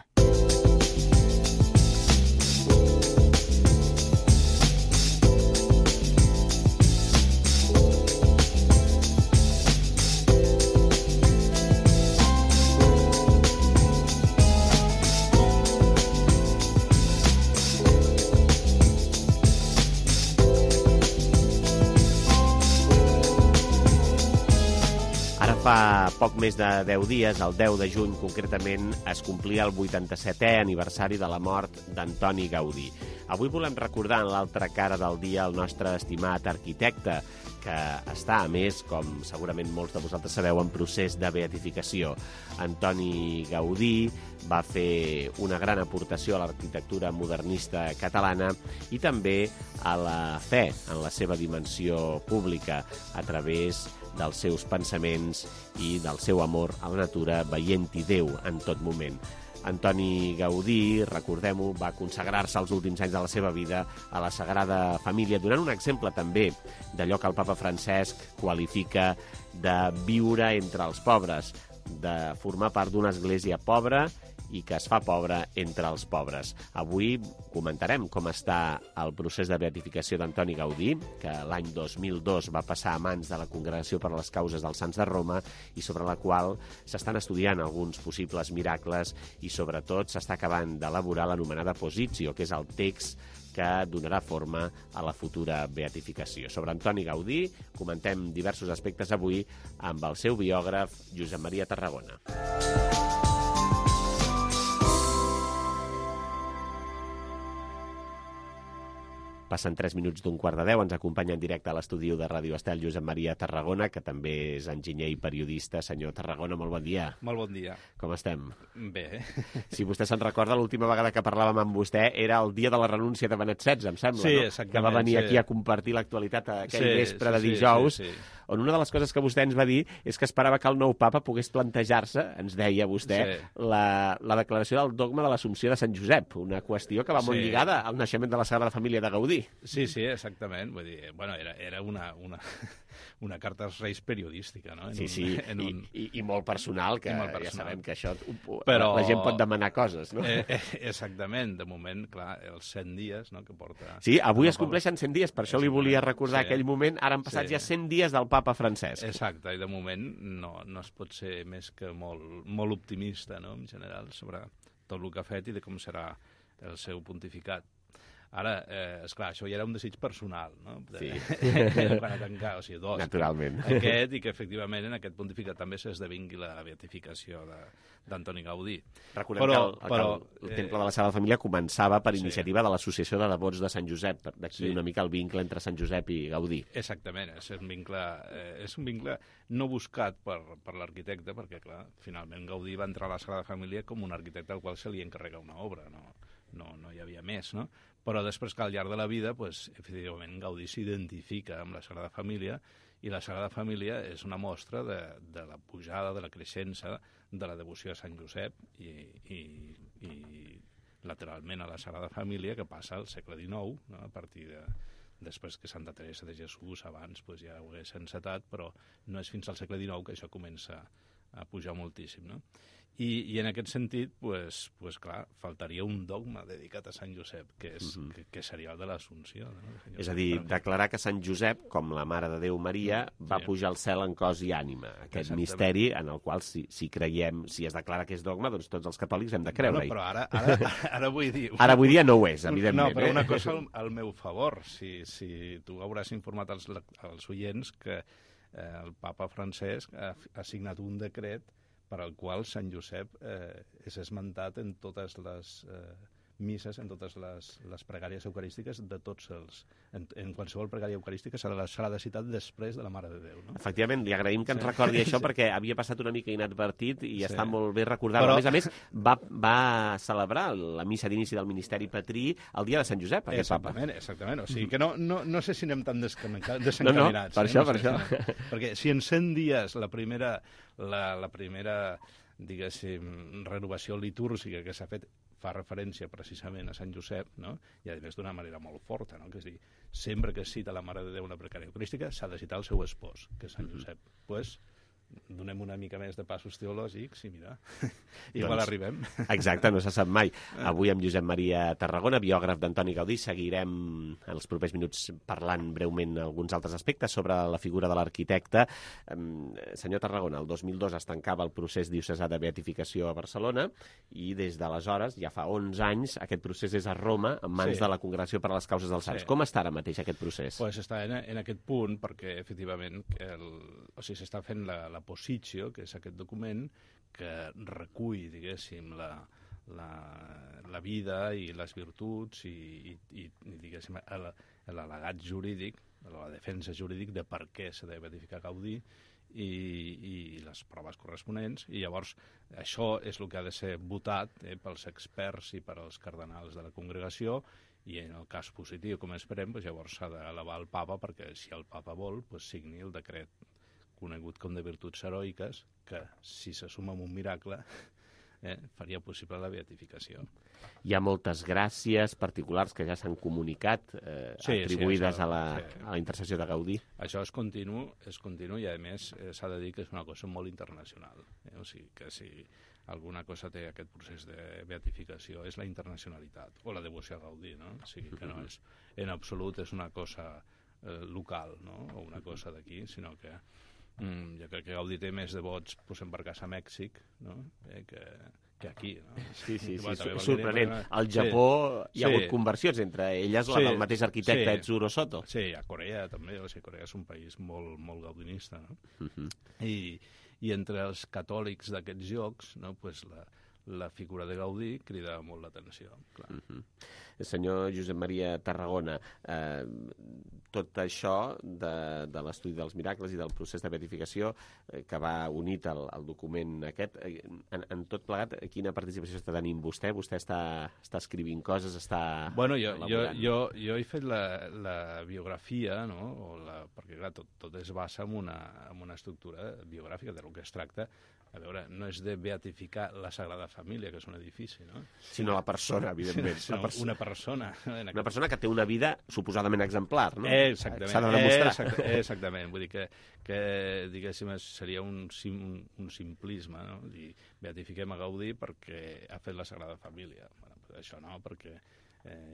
Fa poc més de 10 dies, el 10 de juny concretament, es complia el 87è aniversari de la mort d'Antoni Gaudí. Avui volem recordar en l'altra cara del dia el nostre estimat arquitecte, que està, a més, com segurament molts de vosaltres sabeu, en procés de beatificació. Antoni Gaudí va fer una gran aportació a l'arquitectura modernista catalana i també a la fe en la seva dimensió pública a través dels seus pensaments i del seu amor a la natura, veient-hi Déu en tot moment. Antoni Gaudí, recordem-ho, va consagrar-se els últims anys de la seva vida a la Sagrada Família, donant un exemple també d'allò que el papa Francesc qualifica de viure entre els pobres, de formar part d'una església pobra i que es fa pobra entre els pobres. Avui comentarem com està el procés de beatificació d'Antoni Gaudí, que l'any 2002 va passar a mans de la Congregació per a les Causes dels Sants de Roma i sobre la qual s'estan estudiant alguns possibles miracles i sobretot s'està acabant d'elaborar l'anomenada Positio, que és el text que donarà forma a la futura beatificació. Sobre Antoni Gaudí comentem diversos aspectes avui amb el seu biògraf Josep Maria Tarragona. Passen 3 minuts d'un quart de 10. Ens acompanya en directe a l'estudi de Ràdio Estel Josep Maria Tarragona, que també és enginyer i periodista. Senyor Tarragona, molt bon dia. Molt bon dia. Com estem? Bé. Si vostè se'n recorda, l'última vegada que parlàvem amb vostè era el dia de la renúncia de Benet XVI, em sembla, sí, no? Exactament. Que va venir aquí a compartir l'actualitat aquell vespre de dijous, on una de les coses que vostè ens va dir és que esperava que el nou papa pogués plantejar-se, ens deia vostè, la declaració del dogma de l'Assumpció de Sant Josep, una qüestió que va molt lligada al naixement de la Sagrada Família de Gaudí. Sí, exactament. Vull dir, bueno, era una carta als Reis periodística, no? I molt personal, que ja sabem que això però la gent pot demanar coses, no? Exactament. De moment, clar, els 100 dies, no?, que porta... Sí, avui es compleixen 100 dies, per això li volia recordar aquell moment. Ara han passat ja 100 dies del papa Francesc. Exacte, i de moment no es pot ser més que molt optimista, no?, en general, sobre tot el que ha fet i de com serà el seu pontificat. Ara, esclar, això ja era un desig personal, no? Sí. Quan a tancar, o sigui, dos. Naturalment. Aquest, i que efectivament en aquest pontificat també s'esdevingui la beatificació d'Antoni Gaudí. Recordem que el Temple de la Sagrada Família començava per iniciativa de l'Associació de Devots de Sant Josep, d'aquí una mica el vincle entre Sant Josep i Gaudí. Exactament, és un vincle no buscat per l'arquitecte, perquè, clar, finalment Gaudí va entrar a la Sagrada Família com un arquitecte al qual se li encarrega una obra, no hi havia més, no? Però després que al llarg de la vida, efectivament, Gaudí s'identifica amb la Sagrada Família, i la Sagrada Família és una mostra de la pujada, de la creixença de la devoció a Sant Josep i lateralment a la Sagrada Família, que passa al segle XIX, no? A partir després que Santa Teresa de Jesús, abans ja ho hagués encetat, però no és fins al segle XIX que això comença a pujar moltíssim, no? I en aquest sentit, clar, faltaria un dogma dedicat a Sant Josep, que seria el de l'Assumpció. No? És a dir, declarar que Sant Josep, com la Mare de Déu Maria, va pujar al cel en cos i ànima. Aquest misteri en el qual, si creiem, si es declara que és dogma, doncs tots els catòlics hem de creure-hi. Però ara vull dir... Ara avui dia no ho és, evidentment. No, però una cosa al meu favor. Si tu hauràs informat als oients que el papa Francesc ha signat un decret per al qual Sant Josep és esmentat en totes les misses, en totes les pregàries eucarístiques de tots els... En qualsevol pregària eucarística serà de citat després de la Mare de Déu, no? Efectivament, li agraïm que ens recordi això perquè havia passat una mica inadvertit i està molt bé recordar-ho. A més, va celebrar la missa d'inici del ministeri patrí el dia de Sant Josep, aquest papa. Exactament. O sigui que no sé si anem tan desencaminats. No, per això. Perquè si en 100 dies la primera diguéssim, renovació litúrgica que s'ha fet fa referència precisament a Sant Josep, no? I a més d'una manera molt forta, no? Que és dir, sempre que es cita la Mare de Déu una pregària eucarística s'ha de citar el seu espòs, que és Sant Josep. Donem una mica més de passos teològics i mira, igual arribem. Exacte, no se sap mai. Avui amb Josep Maria Tarragona, biògraf d'Antoni Gaudí, seguirem en els propers minuts parlant breument alguns altres aspectes sobre la figura de l'arquitecte. Senyor Tarragona, el 2002 es tancava el procés diocesà de beatificació a Barcelona i des d'aleshores, ja fa 11 anys, aquest procés és a Roma, en mans de la Congregació per a les Causes dels Sants. Com està ara mateix aquest procés? Està en aquest punt perquè, efectivament, s'està fent la Positio, que és aquest document que recull, diguéssim, la vida i les virtuts i diguéssim, l'al·legat jurídic, la defensa jurídic de per què s'ha de beatificar Gaudí i les proves corresponents, i llavors això és el que ha de ser votat pels experts i per als cardenals de la congregació, i en el cas positiu, com esperem, llavors s'ha d'elevar al papa perquè si el papa vol, signi el decret conegut com de virtuts heroiques, que si se suma amb un miracle faria possible la beatificació. Hi ha moltes gràcies particulars que ja s'han comunicat, atribuïdes a la intercessió de Gaudí. Això és continu i, a més, s'ha de dir que és una cosa molt internacional. O sigui, que si alguna cosa té aquest procés de beatificació és la internacionalitat, o la devoció a Gaudí, no? O sigui, que no és, en absolut, és una cosa local, no? O una cosa d'aquí, sinó que jo crec que Gaudí té més devots embarcats a Mèxic, no? que aquí. No? Sí, sorprenent. Al Japó hi ha hagut conversions, entre elles la del mateix arquitecte Etsuro Soto. Sí, a Corea també, Corea és un país molt, molt gaudinista, no? I entre els catòlics d'aquests llocs, no? la figura de Gaudí crida molt l'atenció. Senyor Josep Maria Tarragona, tot això de l'estudi dels miracles i del procés de beatificació que va unit al document aquest, en tot plegat, quina participació està tenint vostè? Vostè està escrivint coses, està elaborant? Jo he fet la biografia, no? Perquè clar, tot es basa en una estructura biogràfica de lo que es tracta. A veure, no és de beatificar la Sagrada Família, que és un edifici, no? Sinó la persona, evidentment. Una persona. Una persona que té una vida suposadament exemplar, no? Exactament. S'ha de demostrar. Exactament. Vull dir que diguéssim, seria un simplisme, no? I beatifiquem a Gaudí perquè ha fet la Sagrada Família. Bueno, això no, perquè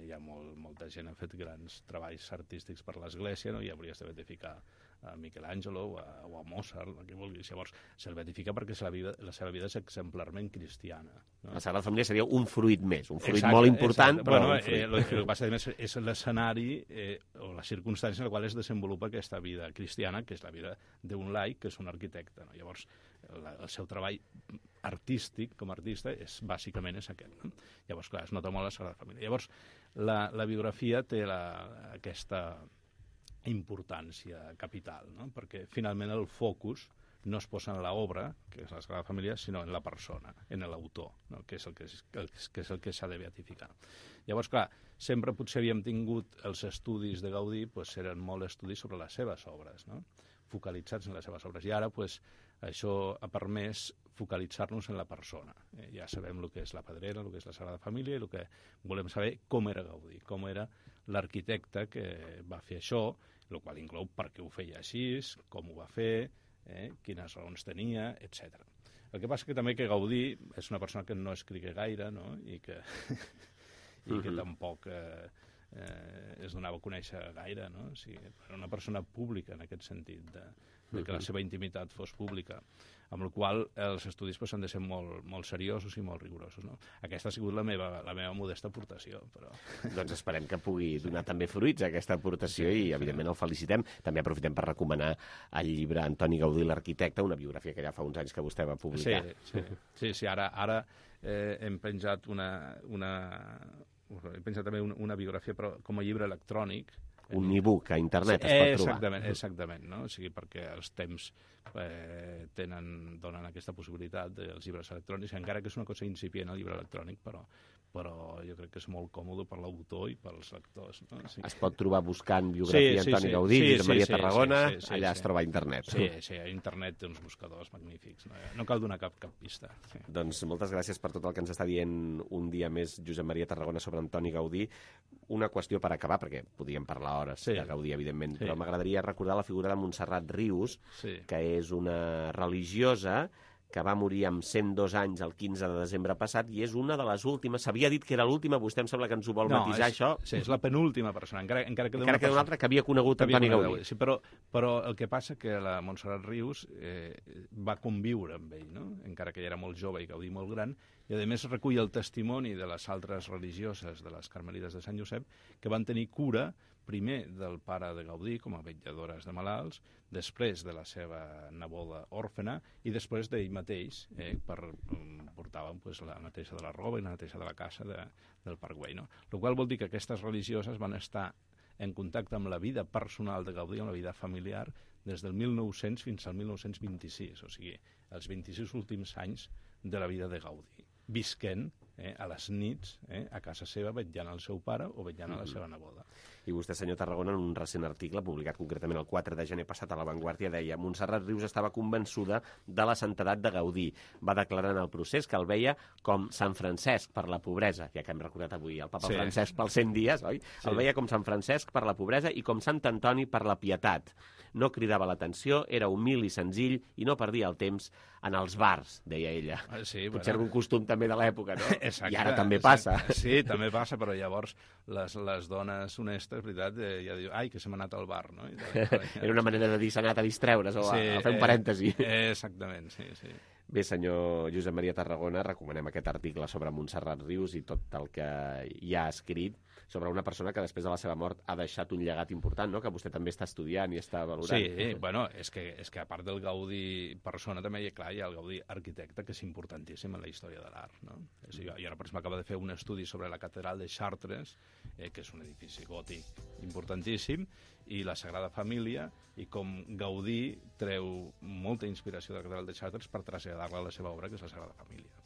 hi ha molta gent que ha fet grans treballs artístics per l'Església, no? I hauries de beatificar a Michelangelo o a Mozart, el que vulguis. Llavors, se'l beatifica perquè la seva vida és exemplarment cristiana. No? La Sagrada Família seria un fruit més, un fruit molt important, però un fruit. El que passa més és l'escenari o la circumstància en la qual es desenvolupa aquesta vida cristiana, que és la vida d'un laic, que és un arquitecte. No? Llavors, el seu treball artístic, com a artista, bàsicament és aquest. No? Llavors, clar, es nota molt la Sagrada Família. Llavors, la biografia té aquesta importància capital, no? Perquè finalment el focus no es posa en l'obra, que és la Sagrada Família, sinó en la persona, en l'autor, no? que és el que s'ha de beatificar. Llavors, clar, sempre potser havíem tingut els estudis de Gaudí, doncs eren molt estudis sobre les seves obres, no? Focalitzats en les seves obres. I ara, doncs, això ha permès focalitzar-nos en la persona. Ja sabem el que és la Pedrera, el que és la Sagrada Família, i el que volem saber com era Gaudí, com era l'arquitecte que va fer això, el qual inclou per què ho feia així, com ho va fer, quines raons tenia, etc. El que passa que també que Gaudí és una persona que no escrigué gaire, no? I que tampoc es donava a conèixer gaire, no? O sigui, era una persona pública en aquest sentit, de que la seva intimitat fos pública, amb la qual els estudis han de ser molt seriosos i molt rigorosos. No? Aquesta ha sigut la meva modesta aportació. Però... Doncs esperem que pugui donar també fruits a aquesta aportació i, evidentment, el felicitem. També aprofitem per recomanar el llibre Antoni Gaudí, l'arquitecte, una biografia que ja fa uns anys que vostè va publicar. Sí, ara hem penjat he pensat també una biografia, però com a llibre electrònic. Un e-book a internet es pot trobar. Exactament, no? O sigui, perquè els temps donen aquesta possibilitat dels llibres electrònics, encara que és una cosa incipient el llibre electrònic, però jo crec que és molt còmode per l'autor i pels lectors. No? Sí. Es pot trobar buscant biografia Antoni Gaudí, Josep Maria Tarragona, allà es troba a internet. Sí, a internet té uns buscadors magnífics, no cal donar cap pista. Sí. Doncs moltes gràcies per tot el que ens està dient un dia més Josep Maria Tarragona sobre Antoni Gaudí. Una qüestió per acabar, perquè podríem parlar hores de Gaudí, evidentment, però m'agradaria recordar la figura de Montserrat Rius, que és una religiosa que va morir amb 102 anys el 15 de desembre passat i és una de les últimes. S'havia dit que era l'última, vostè em sembla que ens ho vol matisar, això. Sí, és la penúltima persona, encara que una altra que havia conegut Antoni Gaudí. Sí, però el que passa que la Montserrat Rius va conviure amb ell, no? Encara que ella era molt jove i Gaudí molt gran, i a més recull el testimoni de les altres religioses de les Carmelites de Sant Josep que van tenir cura primer del pare de Gaudí com a vetlladores de malalts, després de la seva neboda òrfena i després d'ell mateix, portaven la neteja de la roba i la neteja de la casa del Parc Güell. No? El qual vol dir que aquestes religioses van estar en contacte amb la vida personal de Gaudí, amb la vida familiar, des del 1900 fins al 1926, o sigui, els 26 últims anys de la vida de Gaudí, visquent a les nits a casa seva vetllant al seu pare o vetllant a la seva neboda. I vostè, senyor Tarragona, en un recent article publicat concretament el 4 de gener passat a La Vanguardia, deia: Montserrat Rius estava convençuda de la santedat de Gaudí. Va declarar en el procés que el veia com Sant Francesc per la pobresa, ja que hem recordat avui el papa Francesc pels 100 dies, oi? Sí. El veia com Sant Francesc per la pobresa i com Sant Antoni per la pietat. No cridava l'atenció, era humil i senzill i no perdia el temps en els bars, deia ella. Potser algun costum també de l'època, no? Exacte. I ara també passa. Sí, també passa, però llavors les dones honestes, veritat, ja diuen, ai, que se m'ha anat al bar, no? Era una manera de dir s'ha anat a distreure's o a fer un parèntesi. Exactament, sí. Bé, senyor Josep Maria Tarragona, recomanem aquest article sobre Montserrat Rius i tot el que hi ha escrit sobre una persona que després de la seva mort ha deixat un llegat important, no?, que vostè també està estudiant i està valorant. Sí, bueno, és que a part del Gaudí persona també hi ha el Gaudí arquitecte, que és importantíssim en la història de l'art, no? Jo ara, per exemple, acabo de fer un estudi sobre la catedral de Chartres, que és un edifici gòtic importantíssim, i la Sagrada Família, i com Gaudí treu molta inspiració de la catedral de Chartres per traslladar-la a la seva obra, que és la Sagrada Família.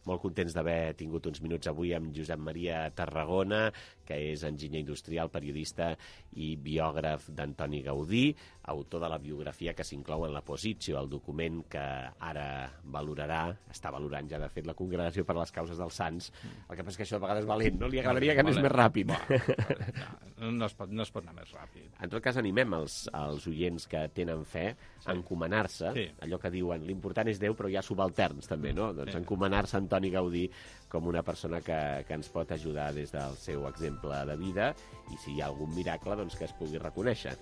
Molt contents d'haver tingut uns minuts avui amb Josep Maria Tarragona, que és enginyer industrial, periodista i biògraf d'Antoni Gaudí, autor de la biografia que s'inclou en la Positio, el document que ara valorarà, està valorant ja, de fet, la Congregació per a les Causes dels Sants. El que passa és que això a vegades és valent, no? Li agradaria que anés més ràpid. No es pot anar més ràpid. En tot cas, animem els oients que tenen fe a encomanar-se, allò que diuen, l'important és Déu, però hi ha subalterns també, no? Doncs encomanar-se a Antoni Gaudí com una persona que ens pot ajudar des del seu exemple de vida, i si hi ha algun miracle, doncs que es pugui reconèixer.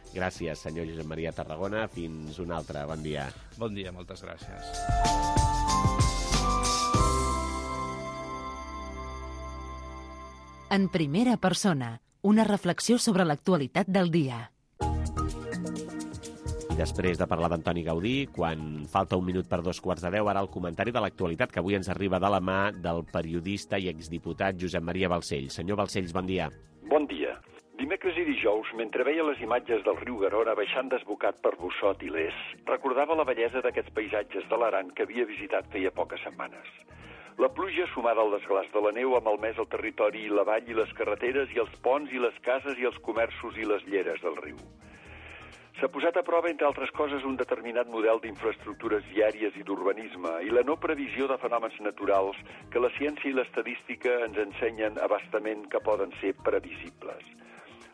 Gràcies, senyor Josep Maria Tarragona. Fins un altre. Bon dia. Bon dia, moltes gràcies. En primera persona, una reflexió sobre l'actualitat del dia. Després de parlar d'Antoni Gaudí, quan falta un minut per 2:45, ara el comentari de l'actualitat, que avui ens arriba de la mà del periodista i exdiputat Josep Maria Balcells. Senyor Balcells, bon dia. Bon dia. Dimecres i dijous, mentre veia les imatges del riu Garona baixant desbocat per Bossot i Les, recordava la bellesa d'aquests paisatges de l'Aran que havia visitat feia poques setmanes. La pluja, sumada al desglàs de la neu, ha malmès el territori i la vall i les carreteres i els ponts i les cases i els comerços i les lleres del riu. S'ha posat a prova, entre altres coses, un determinat model d'infraestructures viàries i d'urbanisme i la no previsió de fenòmens naturals que la ciència i l'estadística ens ensenyen abastament que poden ser previsibles.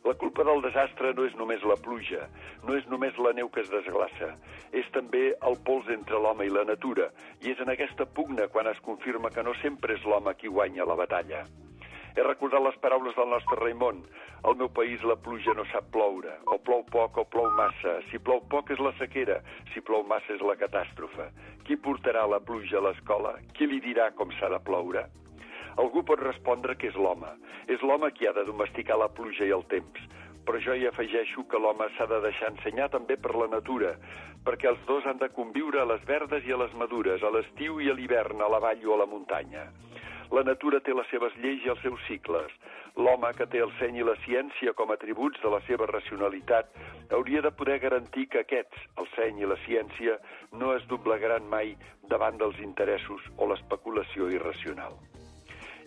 La culpa del desastre no és només la pluja, no és només la neu que es desglaça, és també el pols entre l'home i la natura, i és en aquesta pugna quan es confirma que no sempre és l'home qui guanya la batalla. He recordat les paraules del nostre Raimon. Al meu país la pluja no sap ploure. O plou poc o plou massa. Si plou poc és la sequera. Si plou massa és la catàstrofe. Qui portarà la pluja a l'escola? Qui li dirà com s'ha de ploure? Algú pot respondre que és l'home. És l'home qui ha de domesticar la pluja i el temps. Però jo hi afegeixo que l'home s'ha de deixar ensenyar també per la natura, perquè els dos han de conviure a les verdes i a les madures, a l'estiu i a l'hivern, a la vall o a la muntanya. La natura té les seves lleis i els seus cicles. L'home, que té el seny i la ciència com a atributs de la seva racionalitat, hauria de poder garantir que aquests, el seny i la ciència, no es doblegaran mai davant dels interessos o l'especulació irracional.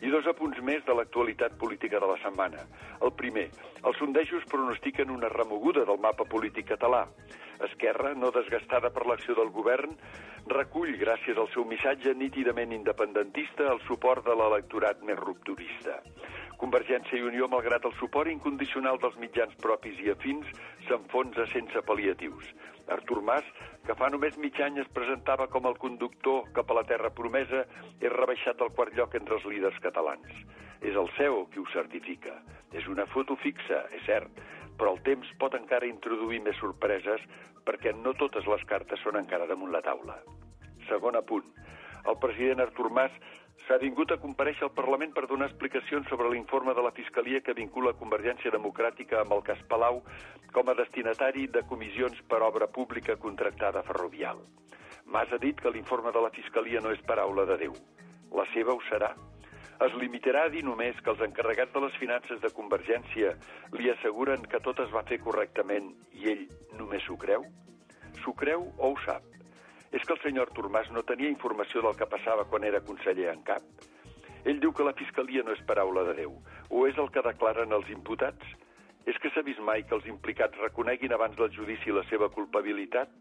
I dos apunts més de l'actualitat política de la setmana. El primer, els sondejos pronostiquen una remoguda del mapa polític català. Esquerra, no desgastada per l'acció del govern, recull, gràcies al seu missatge nítidament independentista, el suport de l'electorat més rupturista. Convergència i Unió, malgrat el suport incondicional dels mitjans propis i afins, s'enfonsa sense pal·liatius. Artur Mas, que fa només mig any es presentava com el conductor cap a la terra promesa, és rebaixat del quart lloc entre els líders catalans. És el CEO qui ho certifica. És una foto fixa, és cert, però el temps pot encara introduir més sorpreses perquè no totes les cartes són encara damunt la taula. Segon apunt. El president Artur Mas s'ha vingut a comparèixer al Parlament per donar explicacions sobre l'informe de la Fiscalia que vincula Convergència Democràtica amb el cas Palau com a destinatari de comissions per obra pública contractada ferrovial. Mas ha dit que l'informe de la Fiscalia no és paraula de Déu. La seva ho serà. Es limitarà a dir només que els encarregats de les finances de Convergència li asseguren que tot es va fer correctament i ell només s'ho creu? S'ho creu o ho sap? És que el senyor Artur Mas no tenia informació del que passava quan era conseller en cap? Ell diu que la Fiscalia no és paraula de Déu. O és el que declaren els imputats? És que s'ha vist mai que els implicats reconeguin abans del judici la seva culpabilitat?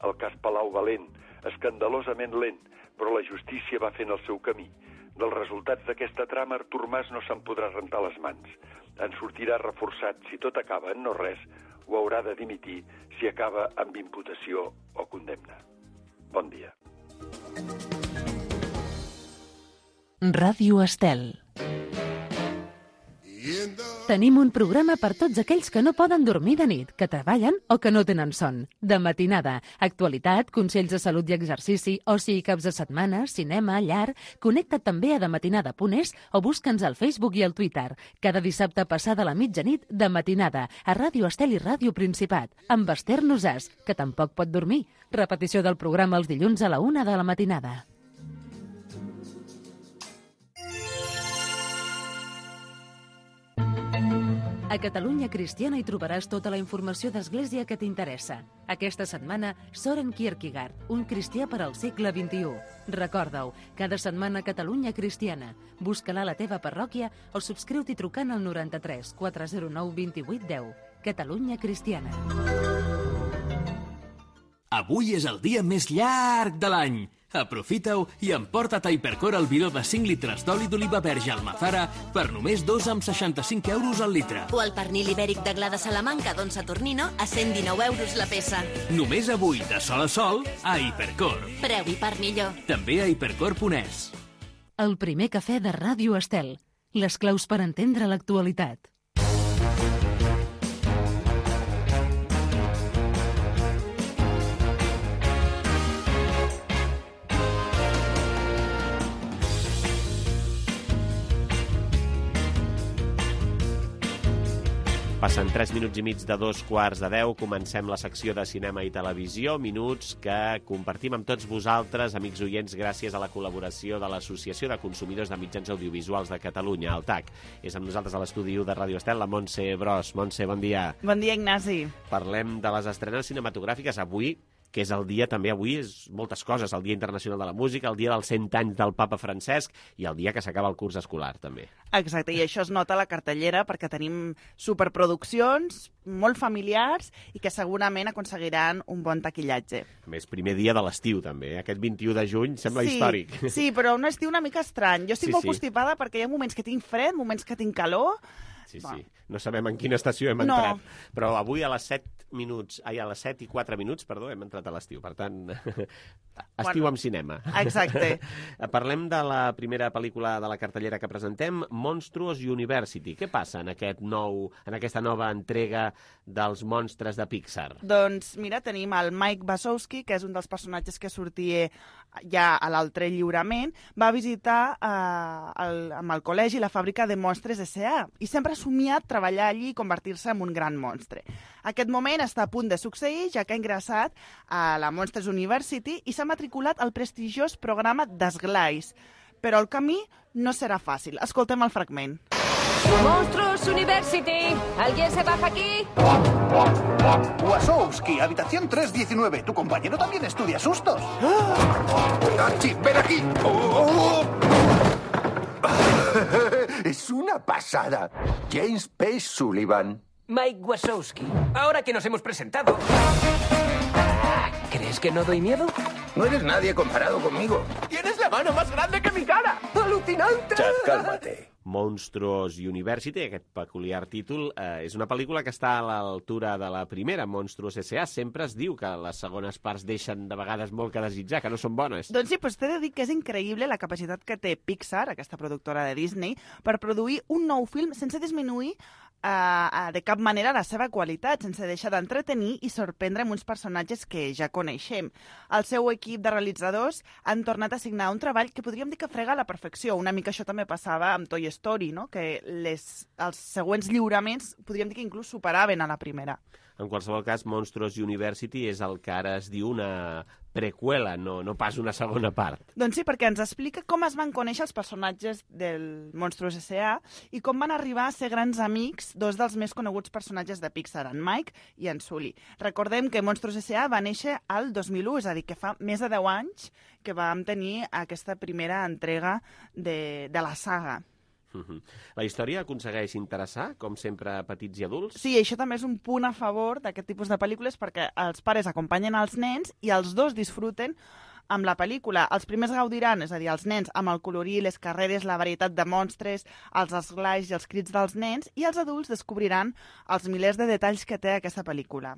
El cas Palau va lent, escandalosament lent, però la justícia va fent el seu camí. Dels resultats d'aquesta trama, Artur Mas no se'n podrà rentar les mans. En sortirà reforçat si tot acaba en no res, o haurà de dimitir si acaba amb imputació o condemna. Bon dia. Ràdio Estel. In the Tenim un programa per tots aquells que no poden dormir de nit, que treballen o que no tenen son. De matinada, actualitat, consells de salut i exercici, oci i caps de setmana, cinema, llar... Connecta't també a dematinada.es o busca'ns al Facebook i al Twitter. Cada dissabte passada la mitjanit, de matinada, a Ràdio Estel i Ràdio Principat, amb Esther Nosàs, que tampoc pot dormir. Repetició del programa els dilluns a la 1 de la matinada. A Catalunya Cristiana hi trobaràs tota la informació d'Església que t'interessa. Aquesta setmana, Soren Kierkegaard, un cristià per al segle XXI. Recorda-ho, cada setmana Catalunya Cristiana. Busca-la a la teva parròquia o subscriu-t'hi trucant al 93 409 28 10. Catalunya Cristiana. Avui és el dia més llarg de l'any. Aprofita-ho i emporta't a Hipercor el bidó de 5 litres d'oli d'oliva verge Almazara per només 2,65 € al litre. O el pernil ibèric de Gla de Salamanca d'On Saturnino a 119 € la peça. Només avui, de sol a sol, a Hipercor. Preu i part millor. També a hipercor.es. El primer cafè de Ràdio Estel. Les claus per entendre l'actualitat. Passen 3 minuts i mig de 2:45. Comencem la secció de cinema i televisió. Minuts que compartim amb tots vosaltres, amics oients, gràcies a la col·laboració de l'Associació de Consumidors de Mitjans Audiovisuals de Catalunya, el TAC. És amb nosaltres a l'estudi 1 de Ràdio Estel, la Montse Bros. Montse, bon dia. Bon dia, Ignasi. Parlem de les estrenes cinematogràfiques avui, que és el dia, també avui, és moltes coses, el Dia Internacional de la Música, el dia dels 100 anys del Papa Francesc i el dia que s'acaba el curs escolar, també. Exacte, i això es nota a la cartellera perquè tenim superproduccions molt familiars i que segurament aconseguiran un bon taquillatge. A més, primer dia de l'estiu, també. Aquest 21 de juny sembla històric. Sí, però un estiu una mica estrany. Jo estic molt constipada perquè hi ha moments que tinc fred, moments que tinc calor. Sí. No sabem en quina estació hem entrat. Però avui a les 7 i 4 minuts, hem entrat a l'estiu. Per tant, estiu amb cinema. Exacte. Parlem de la primera pel·lícula de la cartellera que presentem, Monstruos University. Què passa en aquesta nova entrega dels monstres de Pixar? Doncs mira, tenim el Mike Wazowski, que és un dels personatges que sortia ja a l'altre lliurament, va visitar amb el col·legi la fàbrica de monstres S.A. i sempre ha somiat treballar allí i convertir-se en un gran monstre. Aquest moment està a punt de succeir, ja que ha ingressat a la Monsters University i s'ha matriculat al prestigiós programa d'Esglais. Però el camí no serà fàcil. Escoltem el fragment. Monstruos University, ¿alguien se baja aquí? Wazowski, habitación 319. Tu compañero también estudia sustos. Archie, ven aquí. Es una pasada. James P. Sullivan. Mike Wazowski, ahora que nos hemos presentado, ¿crees que no doy miedo? No eres nadie comparado conmigo. ¡Tienes la mano más grande que mi cara! ¡Alucinante! Chad, cálmate. Monstruos University, aquest peculiar títol, és una pel·lícula que està a l'altura de la primera, Monstruos S.A. Sempre es diu que les segones parts deixen de vegades molt que desitjar, que no són bones. Doncs sí, però t'he de dir que és increïble la capacitat que té Pixar, aquesta productora de Disney, per produir un nou film sense disminuir de cap manera la seva qualitat, sense deixar d'entretenir i sorprendre amb uns personatges que ja coneixem. El seu equip de realitzadors han tornat a signar un treball que podríem dir que frega a la perfecció. Una mica això també passava amb Toy Story, no? Que els següents lliuraments podríem dir que inclús superaven a la primera. En qualsevol cas, Monstruos University és el que ara es diu una preqüela, no pas una segona part. Doncs sí, perquè ens explica com es van conèixer els personatges del Monstruos S.A. i com van arribar a ser grans amics dos dels més coneguts personatges de Pixar, en Mike i en Sully. Recordem que Monstruos S.A. va néixer al 2001, és a dir, que fa més de 10 anys que vam tenir aquesta primera entrega de la saga. La història aconsegueix interessar, com sempre, a petits i adults? Sí, això també és un punt a favor d'aquest tipus de pel·lícules perquè els pares acompanyen els nens i els dos disfruten amb la pel·lícula. Els primers gaudiran, és a dir, els nens, amb el colorir, les carreres, la varietat de monstres, els esglais i els crits dels nens, i els adults descobriran els milers de detalls que té aquesta pel·lícula.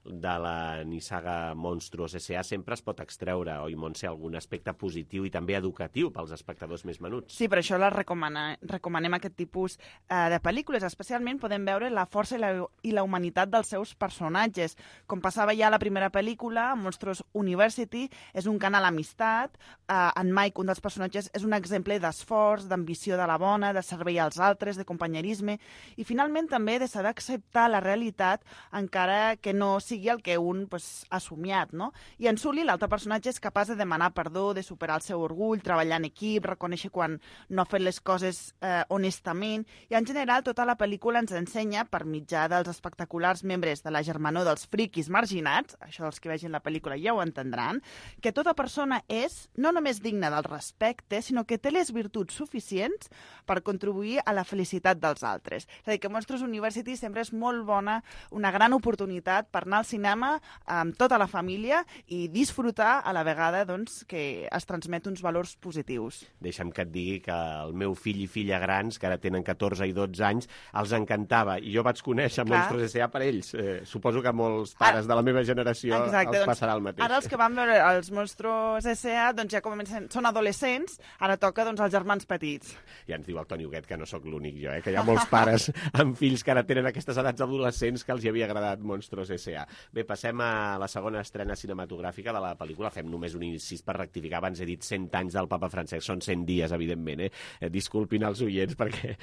de la nissaga Monstruos S.A. sempre es pot extreure, oi, Montse, algun aspecte positiu i també educatiu pels espectadors més menuts. Sí, per això recomanem aquest tipus de pel·lícules. Especialment podem veure la força i la humanitat dels seus personatges. Com passava ja a la primera pel·lícula, Monstruos University és un cant a l'amistat. En Mike, un dels personatges, és un exemple d'esforç, d'ambició de la bona, de servei als altres, de companyerisme i finalment també de saber acceptar la realitat encara que no sigui el que un ha somiat, no? I en Sully, l'altre personatge, és capaç de demanar perdó, de superar el seu orgull, treballar en equip, reconèixer quan no ha fet les coses honestament, i en general tota la pel·lícula ens ensenya, per mitjà dels espectaculars membres de la germanor dels friquis marginats, això dels que vegin la pel·lícula ja ho entendran, que tota persona és no només digna del respecte, sinó que té les virtuts suficients per contribuir a la felicitat dels altres. És a dir, que Monstruos University sempre és molt bona, una gran oportunitat per anar al cinema amb tota la família i disfrutar a la vegada que es transmet uns valors positius. Deixa'm que et digui que el meu fill i filla grans, que ara tenen 14 i 12 anys, els encantava. I jo vaig conèixer Monstruos S.A. per ells. Suposo que molts pares de la meva generació els passarà el mateix. Ara els que van veure els Monstruos S.A. ja comencen, són adolescents, ara toca als germans petits. Ja ens diu el Toni Huguet que no sóc l'únic jo, que hi ha molts pares amb fills que ara tenen aquestes edats adolescents que els hi havia agradat Monstruos S.A. Bé, passem a la segona estrena cinematogràfica de la pel·lícula. Fem només un incís per rectificar. Abans he dit 100 anys del papa Francesc. Són 100 dies, evidentment. Disculpin els oients, perquè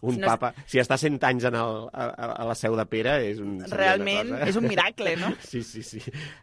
un papa, si està 100 anys a la seu de Pere, realment és un miracle, no? Sí.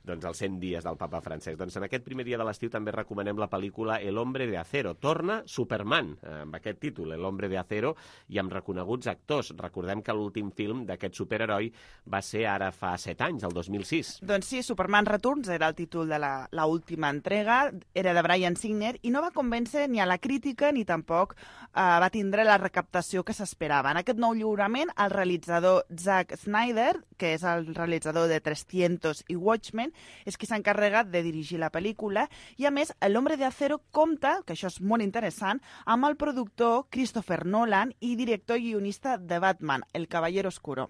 Doncs els 100 dies del papa Francesc. Doncs en aquest primer dia de l'estiu també recomanem la pel·lícula El hombre de acero. Torna Superman, amb aquest títol, El hombre de acero, i amb reconeguts actors. Recordem que l'últim film d'aquest superheroi va ser ara fa 7 anys, el 2006. Doncs sí, Superman Returns era el títol de la última entrega, era de Bryan Singer i no va convèncer ni a la crítica ni tampoc va tindre la recaptació que s'esperava. En aquest nou lliurament, el realitzador Zack Snyder, que és el realitzador de 300 i Watchmen, és qui s'ha encarregat de dirigir la pel·lícula i, a més, El hombre de acero compta, que això és molt interessant, amb el productor Christopher Nolan i director i guionista de Batman, El caballero oscuro.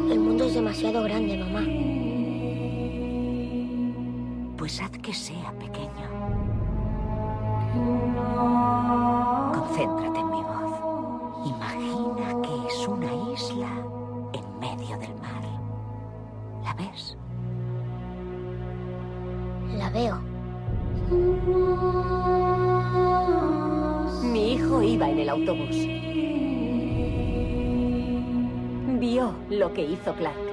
El mundo es demasiado grande, mamá. Pues haz que sea pequeño. Concéntrate en mi voz. Imagina que es una isla en medio del mar. ¿La ves? La veo. Mi hijo iba en el autobús. Vio lo que hizo Clark.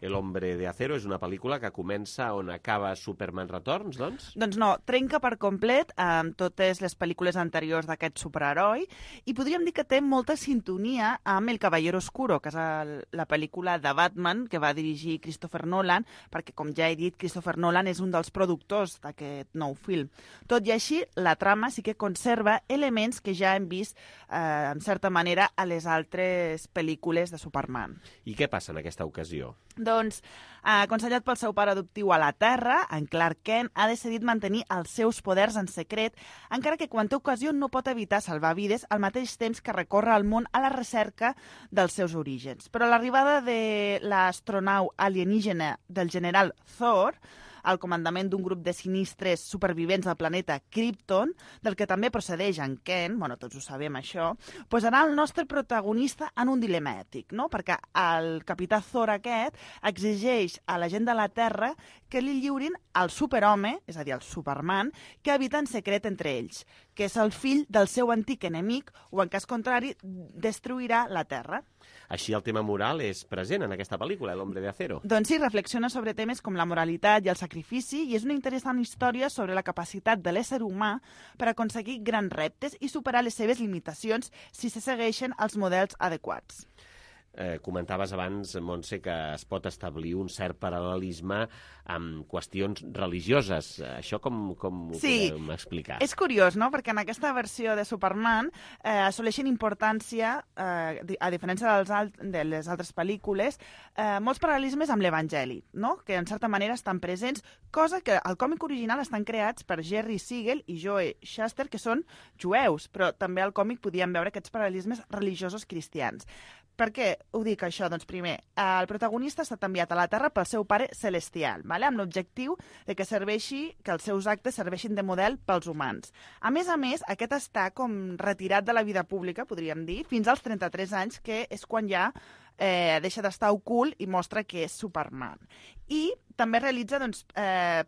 El hombre de acero és una pel·lícula que comença on acaba Superman Returns, doncs? Doncs no, trenca per complet amb totes les pel·lícules anteriors d'aquest superheroi i podríem dir que té molta sintonia amb El caballero oscuro, que és la pel·lícula de Batman que va dirigir Christopher Nolan, perquè, com ja he dit, Christopher Nolan és un dels productors d'aquest nou film. Tot i així, la trama sí que conserva elements que ja hem vist, en certa manera, a les altres pel·lícules de Superman. I què passa en aquesta ocasió? Doncs, aconsellat pel seu pare adoptiu a la Terra, en Clark Kent ha decidit mantenir els seus poders en secret, encara que quan té ocasió no pot evitar salvar vides al mateix temps que recorre el món a la recerca dels seus orígens. Però l'arribada de l'astronau alienígena del general Thor, al comandament d'un grup de sinistres supervivents del planeta Krypton, del que també procedeix en Kent, bueno, tots ho sabem això, posarà el nostre protagonista en un dilema ètic, no? Perquè el capità Thor aquest exigeix a la gent de la Terra que li lliurin el superhome, és a dir, el Superman, que habita en secret entre ells, que és el fill del seu antic enemic o, en cas contrari, destruirà la Terra. Així el tema moral és present en aquesta pel·lícula, El hombre de acero. Doncs sí, reflexiona sobre temes com la moralitat i el sacrifici i és una interessant història sobre la capacitat de l'ésser humà per aconseguir grans reptes i superar les seves limitacions si se segueixen els models adequats. Comentaves abans, Montse, que es pot establir un cert paral·lelisme amb qüestions religioses. Això com ho podem explicar? És curiós, no?, perquè en aquesta versió de Superman assoleixen importància, a diferència de les altres pel·lícules, molts paral·lelismes amb l'Evangeli, no?, que en certa manera estan presents, cosa que al còmic original estan creats per Jerry Siegel i Joe Shuster, que són jueus, però també al còmic podíem veure aquests paral·lelismes religiosos cristians. Per què ho dic, això? Doncs primer, el protagonista ha estat enviat a la Terra pel seu pare celestial, amb l'objectiu de que els seus actes serveixin de model pels humans. A més, aquest està com retirat de la vida pública, podríem dir, fins als 33 anys, que és quan ja deixa d'estar ocult i mostra que és Superman. I també realitza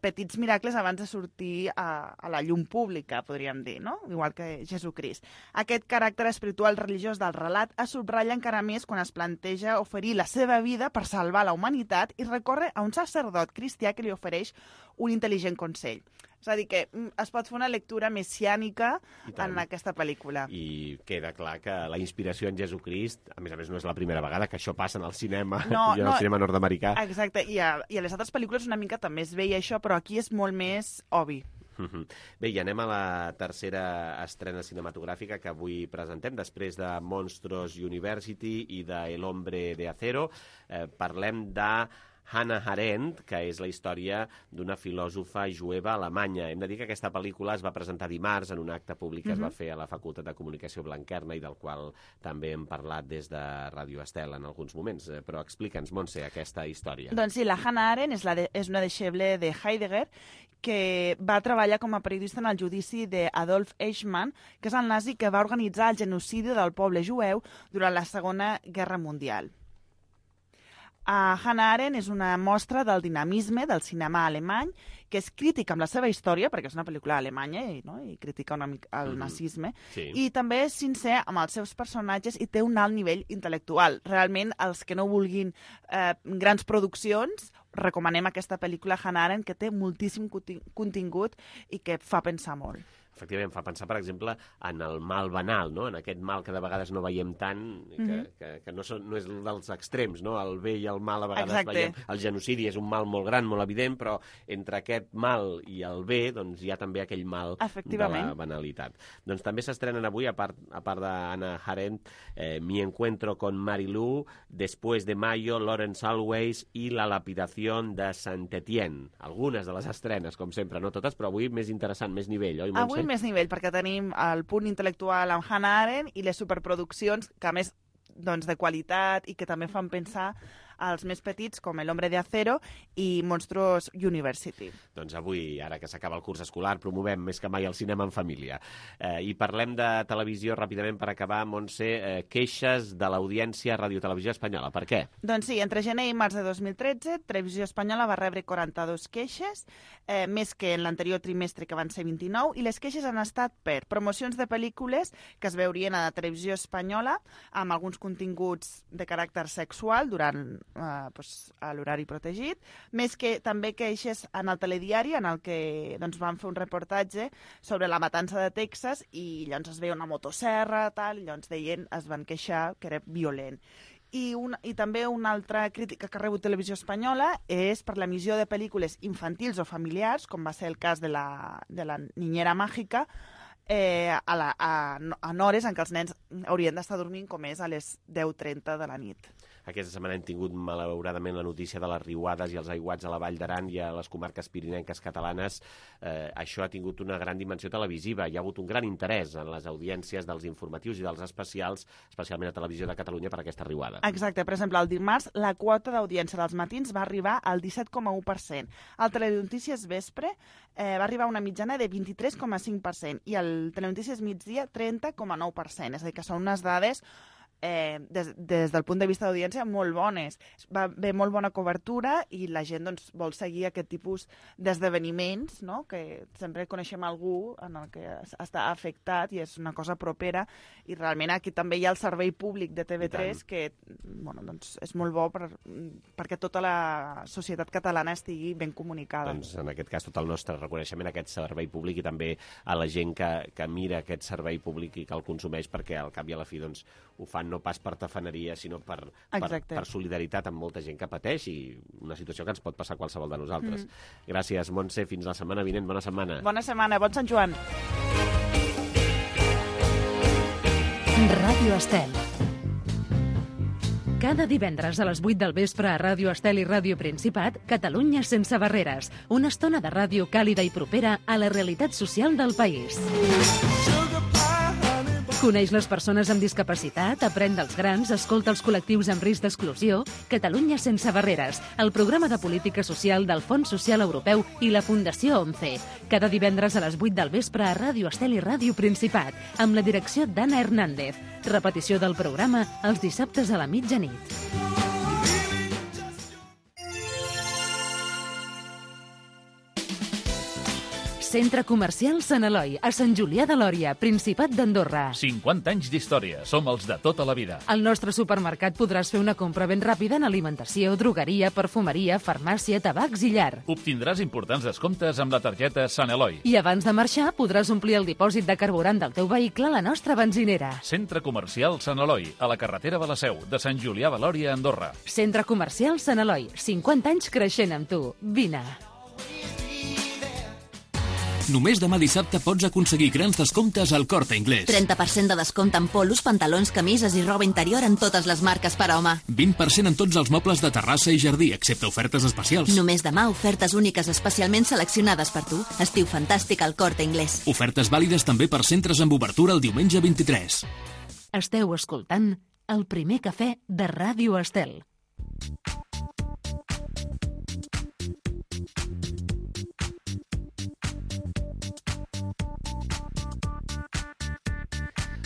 petits miracles abans de sortir a la llum pública, podríem dir, no? Igual que Jesucrist. Aquest caràcter espiritual religiós del relat es subratlla encara més quan es planteja oferir la seva vida per salvar la humanitat i recorre a un sacerdot cristià que li ofereix un intel·ligent consell. És a dir, que es pot fer una lectura messiànica en aquesta pel·lícula. I queda clar que la inspiració en Jesucrist, a més no és la primera vegada que això passa en el cinema, i en el cinema nord-americà. Exacte, i a les altres pel·lícules una mica també es veia això, però aquí és molt més obvi. Bé, i anem a la tercera estrena cinematogràfica que avui presentem, després de Monstros University i de El hombre de acero. Parlem de Hannah Arendt, que és la història d'una filòsofa jueva alemanya. Hem de dir que aquesta pel·lícula es va presentar dimarts en un acte públic que es va fer a la Facultat de Comunicació Blanquerna i del qual també hem parlat des de Ràdio Estel en alguns moments. Però explica'ns, Montse, aquesta història. Doncs sí, la Hannah Arendt és una deixeble de Heidegger que va treballar com a periodista en el judici d'Adolf Eichmann, que és el nazi que va organitzar el genocidi del poble jueu durant la Segona Guerra Mundial. Hannah Arendt és una mostra del dinamisme del cinema alemany, que és crítica amb la seva història, perquè és una pel·lícula alemanya i critica una mica el nazisme, i també és sincer amb els seus personatges i té un alt nivell intel·lectual. Realment, els que no vulguin grans produccions, recomanem aquesta pel·lícula Hannah Arendt, que té moltíssim contingut i que fa pensar molt. Efectivament, fa pensar, per exemple, en el mal banal, no? En aquest mal que de vegades no veiem tant, que no és dels extrems, no? El bé i el mal a vegades veiem. El genocidi és un mal molt gran, molt evident, però entre aquest mal i el bé doncs, hi ha també aquell mal de la banalitat. Doncs també s'estrenen avui, a part de Hannah Arendt, Mi encuentro con Marilú, Después de Mayo, Lawrence Always i La lapidación de Saint-Étienne. Algunes de les estrenes, com sempre, no totes, però avui més interessant, més nivell, oi, Montse? Avui més nivell, perquè tenim el punt intel·lectual amb Hannah Arendt i les superproduccions que, a més, de qualitat i que també fan pensar als més petits, com El hombre de acero i Monstros University. Doncs avui, ara que s'acaba el curs escolar, promovem més que mai el cinema en família. I parlem de televisió ràpidament per acabar, Montse, queixes de l'audiència a Radio Televisió Espanyola. Per què? Doncs sí, entre gener i març de 2013, Televisió Espanyola va rebre 42 queixes, més que en l'anterior trimestre, que van ser 29, i les queixes han estat per promocions de pel·lícules que es veurien a la Televisió Espanyola amb alguns continguts de caràcter sexual durant a l'horari protegit, més que també queixes en el telediari, en el que van fer un reportatge sobre la matança de Texas i llavors es veia una motosserra, i llavors es van queixar que era violent. I també una altra crítica que ha rebut Televisió Espanyola és per l'emissió de pel·lícules infantils o familiars, com va ser el cas de la Niñera Mágica, en hores en què els nens haurien d'estar dormint, com és a les 10:30 de la nit. Aquesta setmana hem tingut, malauradament, la notícia de les riuades i els aiguats a la Vall d'Aran i a les comarques pirinenques catalanes. Això ha tingut una gran dimensió televisiva. Hi ha hagut un gran interès en les audiències dels informatius i dels especials, especialment a Televisió de Catalunya, per aquesta riuada. Exacte. Per exemple, el dimarts, la quota d'audiència dels matins va arribar al 17,1%. El Telenotícies Vespre va arribar a una mitjana de 23,5% i el Telenotícies Migdia 30,9%. És a dir, que són unes dades des del punt de vista d'audiència molt bones. Va haver molt bona cobertura i la gent vol seguir aquest tipus d'esdeveniments, no? Que sempre coneixem algú en el que està afectat i és una cosa propera, i realment aquí també hi ha el servei públic de TV3 que és molt bo perquè tota la societat catalana estigui ben comunicada. Doncs en aquest cas tot el nostre reconeixement a aquest servei públic i també a la gent que mira aquest servei públic i que el consumeix, perquè al cap i a la fi ho fan no no pas per tafaneria, sinó per solidaritat amb molta gent que pateix i una situació que ens pot passar a qualsevol de nosaltres. Gràcies, Montse. Fins la setmana vinent. Bona setmana. Bona setmana. Bon Sant Joan. Ràdio Estel. Cada divendres a les 8 del vespre a Ràdio Estel i Ràdio Principat, Catalunya sense barreres. Una estona de ràdio càlida i propera a la realitat social del país. Coneix les persones amb discapacitat, aprèn dels grans, escolta els col·lectius amb risc d'exclusió. Catalunya sense barreres, el programa de política social del Fons Social Europeu i la Fundació ONCE. Cada divendres a les 8 del vespre a Ràdio Estel i Ràdio Principat, amb la direcció d'Anna Hernández. Repetició del programa els dissabtes a la mitjanit. Centre Comercial Sant Eloi, a Sant Julià de Lòria, Principat d'Andorra. 50 anys d'història. Som els de tota la vida. Al nostre supermercat podràs fer una compra ben ràpida en alimentació, drogueria, perfumeria, farmàcia, tabacs i llar. Obtindràs importants descomptes amb la targeta Sant Eloi. I abans de marxar podràs omplir el dipòsit de carburant del teu vehicle a la nostra benzinera. Centre Comercial Sant Eloi, a la carretera de la Seu, de Sant Julià de Lòria, Andorra. Centre Comercial Sant Eloi, 50 anys creixent amb tu. Vine. Només demà dissabte pots aconseguir grans descomptes al Corte Inglés. 30% de descompte en polos, pantalons, camises i roba interior en totes les marques per a home. 20% en tots els mobles de terrassa i jardí, excepte ofertes especials. Només demà ofertes úniques especialment seleccionades per tu. Estiu fantàstic al Corte Inglés. Ofertes vàlides també per centres amb obertura el diumenge 23. Esteu escoltant el primer cafè de Ràdio Estel.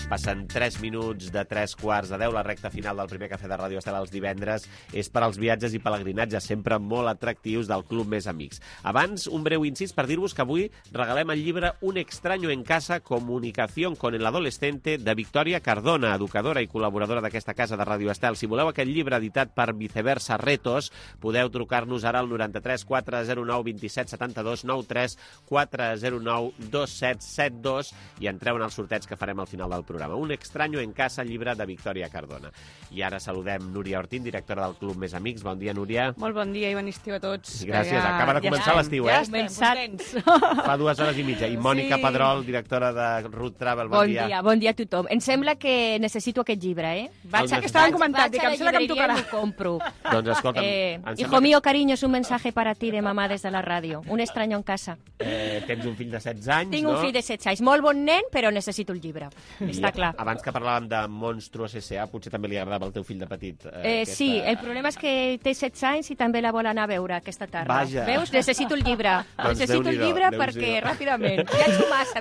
Passen 3 minuts de 3:15, la recta final del primer cafè de Ràdio Estel els divendres és per als viatges i pelegrinatges, sempre molt atractius del Club Més Amics. Abans, un breu incís per dir-vos que avui regalem el llibre Un extraño en casa, comunicación con el adolescente, de Victòria Cardona, educadora i col·laboradora d'aquesta casa de Ràdio Estel. Si voleu aquest llibre editat per Viceversa Retos, podeu trucar-nos ara al 93 409 27 72 93 409 2772 i entreu en el sorteig que farem al final del programa. Un extraño en casa, llibre de Victòria Cardona. I ara saludem Núria Ortín, directora del Club Més Amics. Bon dia, Núria. Molt bon dia i bon estiu a tots. Gràcies. Acaba de començar l'estiu, Ja estem contents. Fa 2 hores i mitja. I Mònica Pedrol, directora de Root Travel. Bon dia. Bon dia a tothom. Em sembla que necessito aquest llibre, eh? Estaven comentant, que em sembla que em tocarà. Vaig a la llibreria i m'ho compro. Doncs escolta'm, Hijo mío, cariño, es un mensaje para ti de mamá desde la ràdio. Un extraño en casa. Tens un fill de 16 anys, Tinc no? un fill de 16 anys. Molt bon nen, però necessito el llibre. Està clar. Abans que parlàvem de Monstruos S.A., potser també li agradava al teu fill de petit. Sí, el problema és que té 16 anys i també la vol anar a veure aquesta tarda. Vaja. Veus? Necessito el llibre. Doncs Necessito el llibre perquè ràpidament.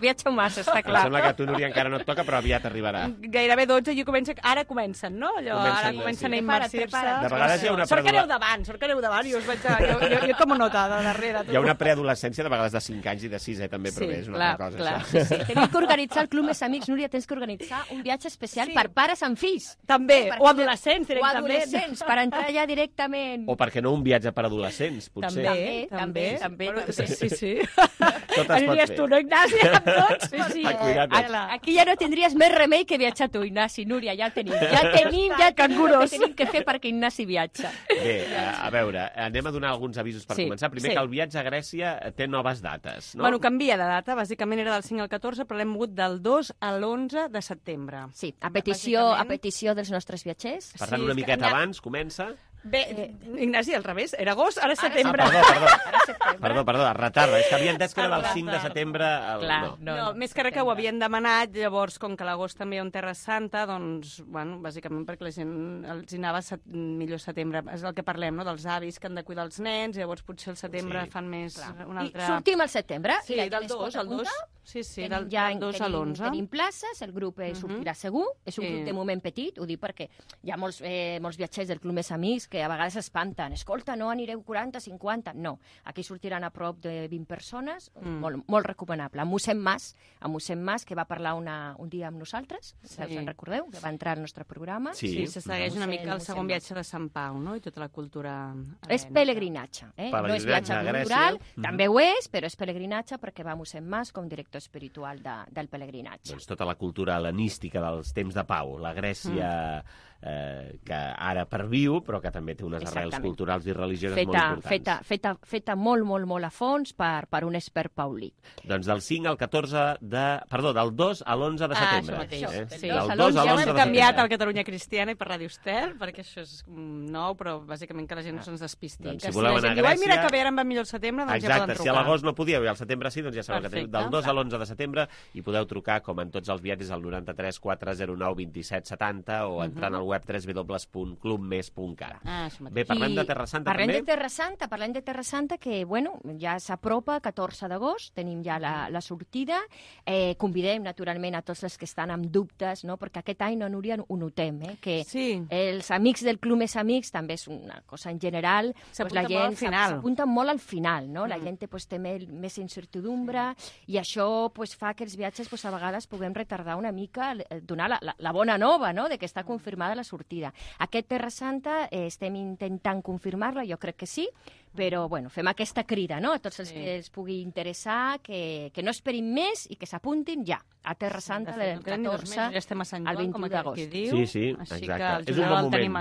Viatjo massa, està clar. Em sembla que a tu, Núria, encara no et toca, però aviat arribarà. Gairebé 12 i ara comencen, no? Ara comencen a immersir-se. De vegades hi ha una Sort que aneu davant i us veig... Jo com a nota de darrere. Hi ha una preadolescència, de vegades de 5 anys i de 6, també, però bé, és una altra cosa. Clar. Sí. Tenim que organitzar el Club Més Amics, Núria, tens que organitzar un viatge especial per pares amb fills. També, o adolescents, directament. O adolescents, per entrar ja directament. O per què no un viatge per adolescents, potser. També. Sí. Tot es pot Aniries fer. tu, no, Ignasi, amb tots? Sí. Cuida't. Aquí ja no tindries més remei que viatjar tu, Ignasi. Núria, ja el tenim. Ja tenim el que tenim que fer perquè Ignasi viatja. Bé, a veure, anem a donar alguns avisos per començar. Primer que el viatge a Grècia té noves dates, no? Bueno, canvia de data, bàsicament era del 5 al 14, però l'hem mogut del 2 a l'11 de setembre. Sí, a petició dels nostres viatgers. Per tant, una miqueta abans comença... Bé, Ignasi, al revés, era agost, ara setembre. Perdó, es retarda. És que havia entès que era del 5 de setembre... No, més que res que ho havien demanat, llavors, com que l'agost també hi ha un Terra Santa, doncs, bueno, bàsicament perquè la gent els hi anava millor setembre. És el que parlem, no?, dels avis que han de cuidar els nens, llavors potser al setembre fan més un altre... I sortim al setembre. Sí, del 2 al 2. Sí, del 2 a l'11. Tenim places, el grup sortirà segur. És un grup de moment petit, ho dic perquè hi ha molts viatgers del Club Més Amics que a vegades s'espanten. Escolta, no anireu 40, 50? No. Aquí sortiran a prop de 20 persones, molt recomanable. Amb Mossèn Mas, que va parlar un dia amb nosaltres, si us en recordeu, que va entrar al nostre programa. Sí, se segueix una mica el segon viatge de Sant Pau, no?, i tota la cultura... És pelegrinatge, no és viatge cultural, també ho és, però és pelegrinatge perquè va Mossèn Mas com director sector espiritual del pelegrinatge. Doncs tota la cultura hel·lenística dels temps de pau, la Grècia que ara perviu, però que també té unes arrels culturals i religioses molt importants. Feta molt a fons per un expert paulí. Doncs del 5 al 14 del 2 a l'11 de setembre. Sí. Del 2 a l'11 de setembre. Hem canviat al Catalunya Cristiana i per Ràdio Estel, perquè això és nou, però bàsicament que la gent no se'ns despisti. Doncs si voleu anar a Grècia... mira que bé, ara em va millor el setembre, doncs ja poden trucar. Si a l'agost no podíeu i al setembre sí, doncs ja sabeu que teniu del 2 a l'11 de setembre i podeu trucar, com en tots els viatges, al 93 409 27 70 o entrant al web www.clubmes.cat. Bé, parlem de Terra Santa també? Parlem de Terra Santa, que, bueno, ja s'apropa, 14 d'agost, tenim ja la sortida. Convidem, naturalment, a tots els que estan amb dubtes, no? Perquè aquest any, no, Núria, ho notem, que els amics del Club Més Amics, també és una cosa en general, la gent s'apunta molt al final, no? La gent té més incertidumbre i això fa que els viatges a vegades puguem retardar una mica, donar la bona nova, no?, de que està confirmada la sortida. Aquest Terra Santa estem intentant confirmar-la, jo crec que sí, però bueno, fem aquesta crida, no?, a tots els que els pugui interessar, que no esperin més i que s'apuntin ja a Terra Santa del 14 al 21 d'agost. Sí, exacte. És un bon moment.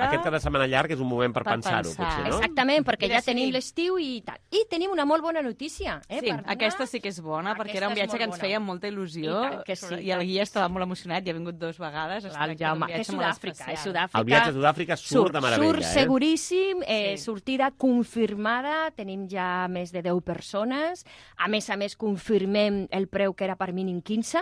Aquest cada setmana llarg és un moment per pensar-ho, potser, no? Exactament, perquè ja tenim l'estiu i tal. I tenim una molt bona notícia. Sí, aquesta sí que és bona, perquè era un viatge que ens feia molta il·lusió i el guia estava molt emocionat, ja ha vingut 2 vegades. El Jaume, és Sud-àfrica. El viatge a Sud-àfrica surt de meravella. Surt seguríssim, sortida confirmada, tenim ja més de 10 persones. A més, confirmem el preu que era per mínim 15.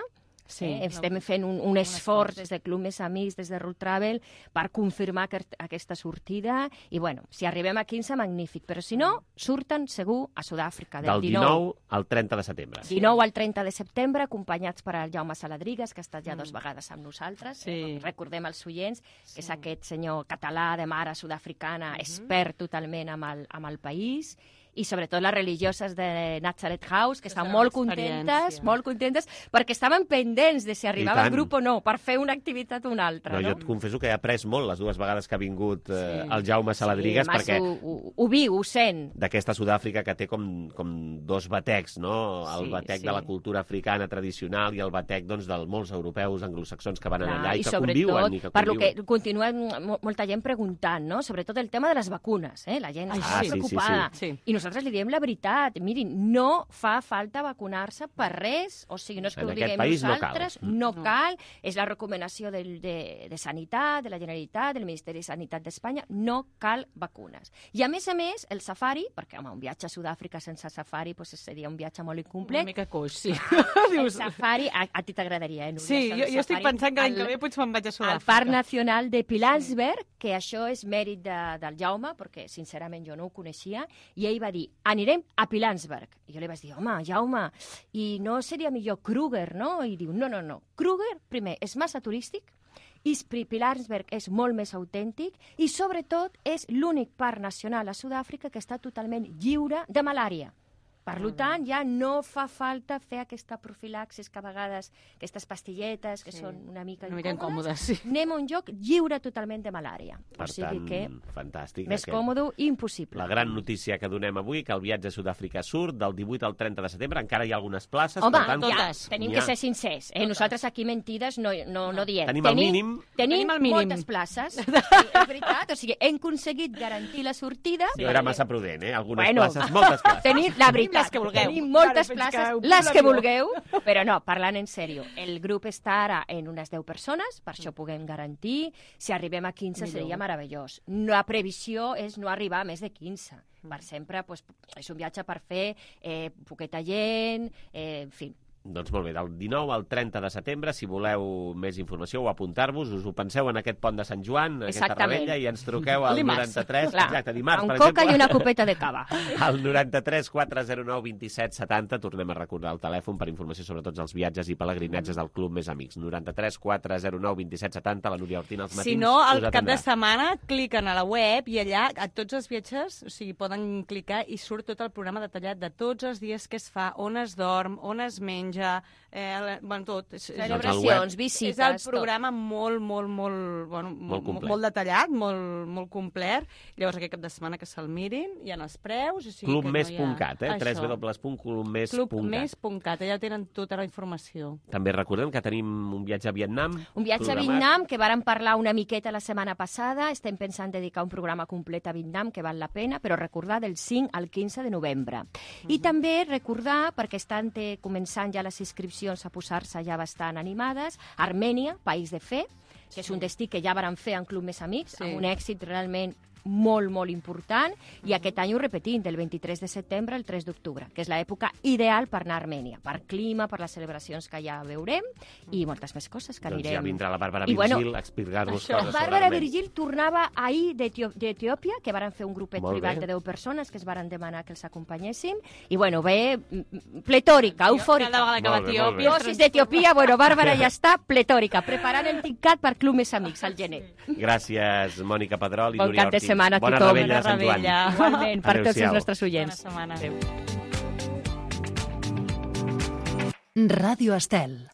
Estem fent un esforç des del Club Més Amics, des de Road Travel, per confirmar aquesta sortida. I, bueno, si arribem a 15, magnífic. Però si no, surten segur a Sud-àfrica. Del 19 al 30 de setembre. 19 al 30 de setembre, acompanyats per el Jaume Saladrigas, que ha estat ja 2 vegades amb nosaltres. Recordem els oients, que és aquest senyor català de mare sud-africana, expert totalment amb el país, i sobretot les religioses de Nazareth House, que estan molt contentes, perquè estaven pendents de si arribava el grup o no, per fer una activitat o una altra. Jo et confesso que he après molt les 2 vegades que ha vingut el Jaume Saladrigas, perquè ho viu, ho sent. D'aquesta Sud-àfrica que té com 2 batecs, no? El batec de la cultura africana tradicional i el batec de molts europeus anglosaxons que van allà i que conviuen. Per lo que continua molta gent preguntant, no? Sobretot el tema de les vacunes, la gent està preocupada. I nosaltres li diem la veritat. Mirin, no fa falta vacunar-se per res. O sigui, no és que ho diguem nosaltres. No cal. És la recomanació de Sanitat, de la Generalitat, del Ministeri de Sanitat d'Espanya. No cal vacunes. I a més, el safari, perquè home, un viatge a Sud-àfrica sense safari seria un viatge molt incomplet. Una mica coix, sí. El safari, a ti t'agradaria, Núria? Sí, jo estic pensant que l'any que ve potser me'n vaig a Sud-àfrica. Al Parc Nacional de Pilanesberg, que això és mèrit del Jaume, perquè sincerament jo no ho coneixia, i ell va dir, anirem a Pilanesberg. I jo li vaig dir, home, Jaume, i no seria millor Kruger, no? I diu, no. Kruger, primer, és massa turístic, i Pilanesberg és molt més autèntic i, sobretot, és l'únic parc nacional a Sud-àfrica que està totalment lliure de malària. Per tant, ja no fa falta fer aquesta profilaxis que a vegades, aquestes pastilletes que són una mica incòmodes, anem a un lloc lliure totalment de malària. Per tant, fantàstic. Més còmode, impossible. La gran notícia que donem avui, que el viatge a Sud-àfrica surt del 18 al 30 de setembre, encara hi ha algunes places. Home, totes. Tenim que ser sincers. Nosaltres aquí mentides no diem. Tenim el mínim. Tenim moltes places. És veritat, o sigui, hem aconseguit garantir la sortida. No era massa prudent, algunes places, moltes places. Tenim la veritat. Les que vulgueu. Tenim moltes places, les que vulgueu, però no, parlant en sèrio, el grup està ara en unes 10 persones, per això puguem garantir, si arribem a 15 seria meravellós. La previsió és no arribar a més de 15. Per sempre és un viatge per fer poqueta gent, en fi. Doncs molt bé, del 19 al 30 de setembre, si voleu més informació o apuntar-vos, us ho penseu en aquest pont de Sant Joan, aquesta rebella, i ens truqueu al 93... Exacte, dimarts, per exemple. Amb coca i una copeta de cava. Al 93 409 27 70, tornem a recordar el telèfon per informació sobre tots els viatges i pelegrinatges del Club Més Amics. 93 409 27 70, la Núria Ortín als matins. Si no, al cap de setmana cliquen a la web i allà a tots els viatges, o sigui, poden clicar i surt tot el programa detallat de tots els dies que es fa, on es dorm, on es menja, menjar, tot. Celebracions, visites, És el programa molt detallat, molt complet. Llavors aquest cap de setmana que se'l mirin, hi ha els preus. Clubmes.cat, www.clubmes.cat. Clubmes.cat, allà tenen tota la informació. També recordem que tenim un viatge a Vietnam. Un viatge a Vietnam, que vàrem parlar una miqueta la setmana passada. Estem pensant dedicar un programa complet a Vietnam, que val la pena, però recordar del 5 al 15 de novembre. I també recordar, perquè estan començant ja les inscripcions a posar-se ja bastant animades, Armènia, País de Fe, que és un destí que ja vàrem fer en Club Més Amics, amb un èxit realment molt important, i aquest any ho repetim, del 23 de setembre al 3 d'octubre, que és l'època ideal per anar a Armènia, per clima, per les celebracions que ja veurem, i moltes més coses que anirem. Doncs ja vindrà la Bàrbara Virgil a explicar-nos coses sobre Armènia. Bàrbara Virgil tornava ahir d'Etiòpia, que varen fer un grupet privat de 10 persones que es varen demanar que els acompanyéssim, i ve pletòrica, eufòrica. Cada vegada que va a Etiòpia. Dosis d'Etiòpia, Bàrbara ja està pletòrica, preparant el TICAT per Club Més Amics al gener. Gràcies, Mònica Pedrol i Núria Ortiz. Setmana a Bona tothom. Rebella de Sant Joan. Igualment, per tots els nostres oients. Bona setmana. Adéu. Ràdio Estel.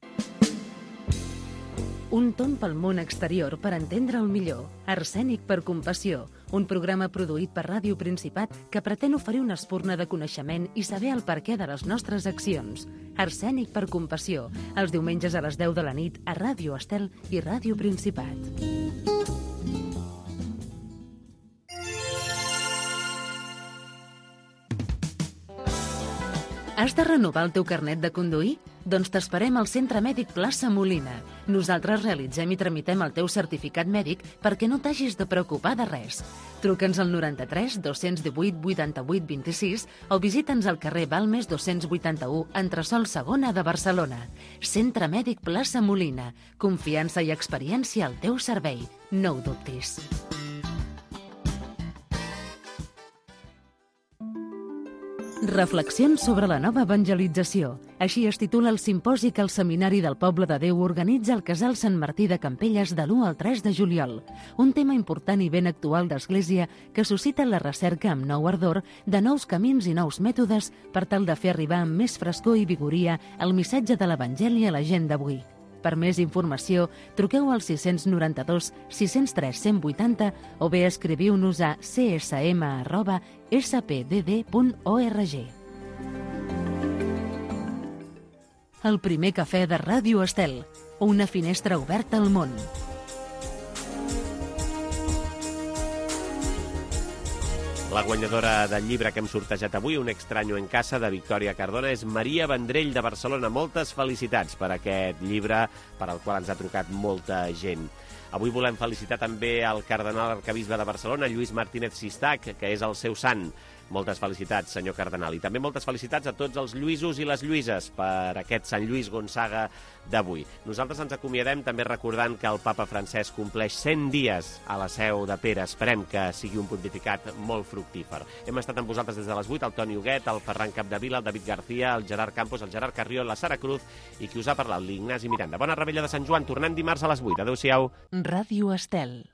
Un tomb pel món exterior per entendre'l millor. Arsènic per compassió. Un programa produït per Ràdio Principat que pretén oferir una espurna de coneixement i saber el perquè de les nostres accions. Arsènic per compassió. Els diumenges a les 10 de la nit a Ràdio Estel i Ràdio Principat. Has de renovar el teu carnet de conduir? Doncs t'esperem al Centre Mèdic Plaça Molina. Nosaltres realitzem i tramitem el teu certificat mèdic perquè no t'hagis de preocupar de res. Truca'ns al 93 218 88 26 o visita'ns al carrer Balmes 281, entresòl segona de Barcelona. Centre Mèdic Plaça Molina. Confiança i experiència al teu servei. No ho dubtis. Reflexions sobre la nova evangelització. Així es titula el simposi que el Seminari del Poble de Déu organitza al Casal Sant Martí de Campelles de l'1 al 3 de juliol. Un tema important i ben actual d'Església que suscita la recerca amb nou ardor de nous camins i nous mètodes per tal de fer arribar amb més frescor i vigoria el missatge de l'Evangeli a la gent d'avui. Per més informació, truqueu al 692 603 180 o bé escriviu-nos a csm@spdd.org. El primer cafè de Ràdio Estel, una finestra oberta al món. La guanyadora del llibre que hem sortejat avui, Un extraño en casa, de Victòria Cardona, és Maria Vendrell, de Barcelona. Moltes felicitats per aquest llibre, per al qual ens ha trucat molta gent. Avui volem felicitar també el cardenal arquebisbe de Barcelona, Lluís Martínez Sistac, que és el seu sant. Moltes felicitats, senyor cardenal. I també moltes felicitats a tots els Lluïsos i les Lluïses per aquest Sant Lluís Gonçaga d'avui. Nosaltres ens acomiadem també recordant que el papa Francesc compleix 100 dies a la Seu de Pere. Esperem que sigui un pontificat molt fructífer. Hem estat amb vosaltres des de les 8, el Toni Huguet, el Ferran Capdevila, el David García, el Gerard Campos, el Gerard Carrió, la Sara Cruz i qui us ha parlat, l'Ignasi Miranda. Bona Rebella de Sant Joan. Tornem dimarts a les 8. Adéu-siau. Ràdio Estel.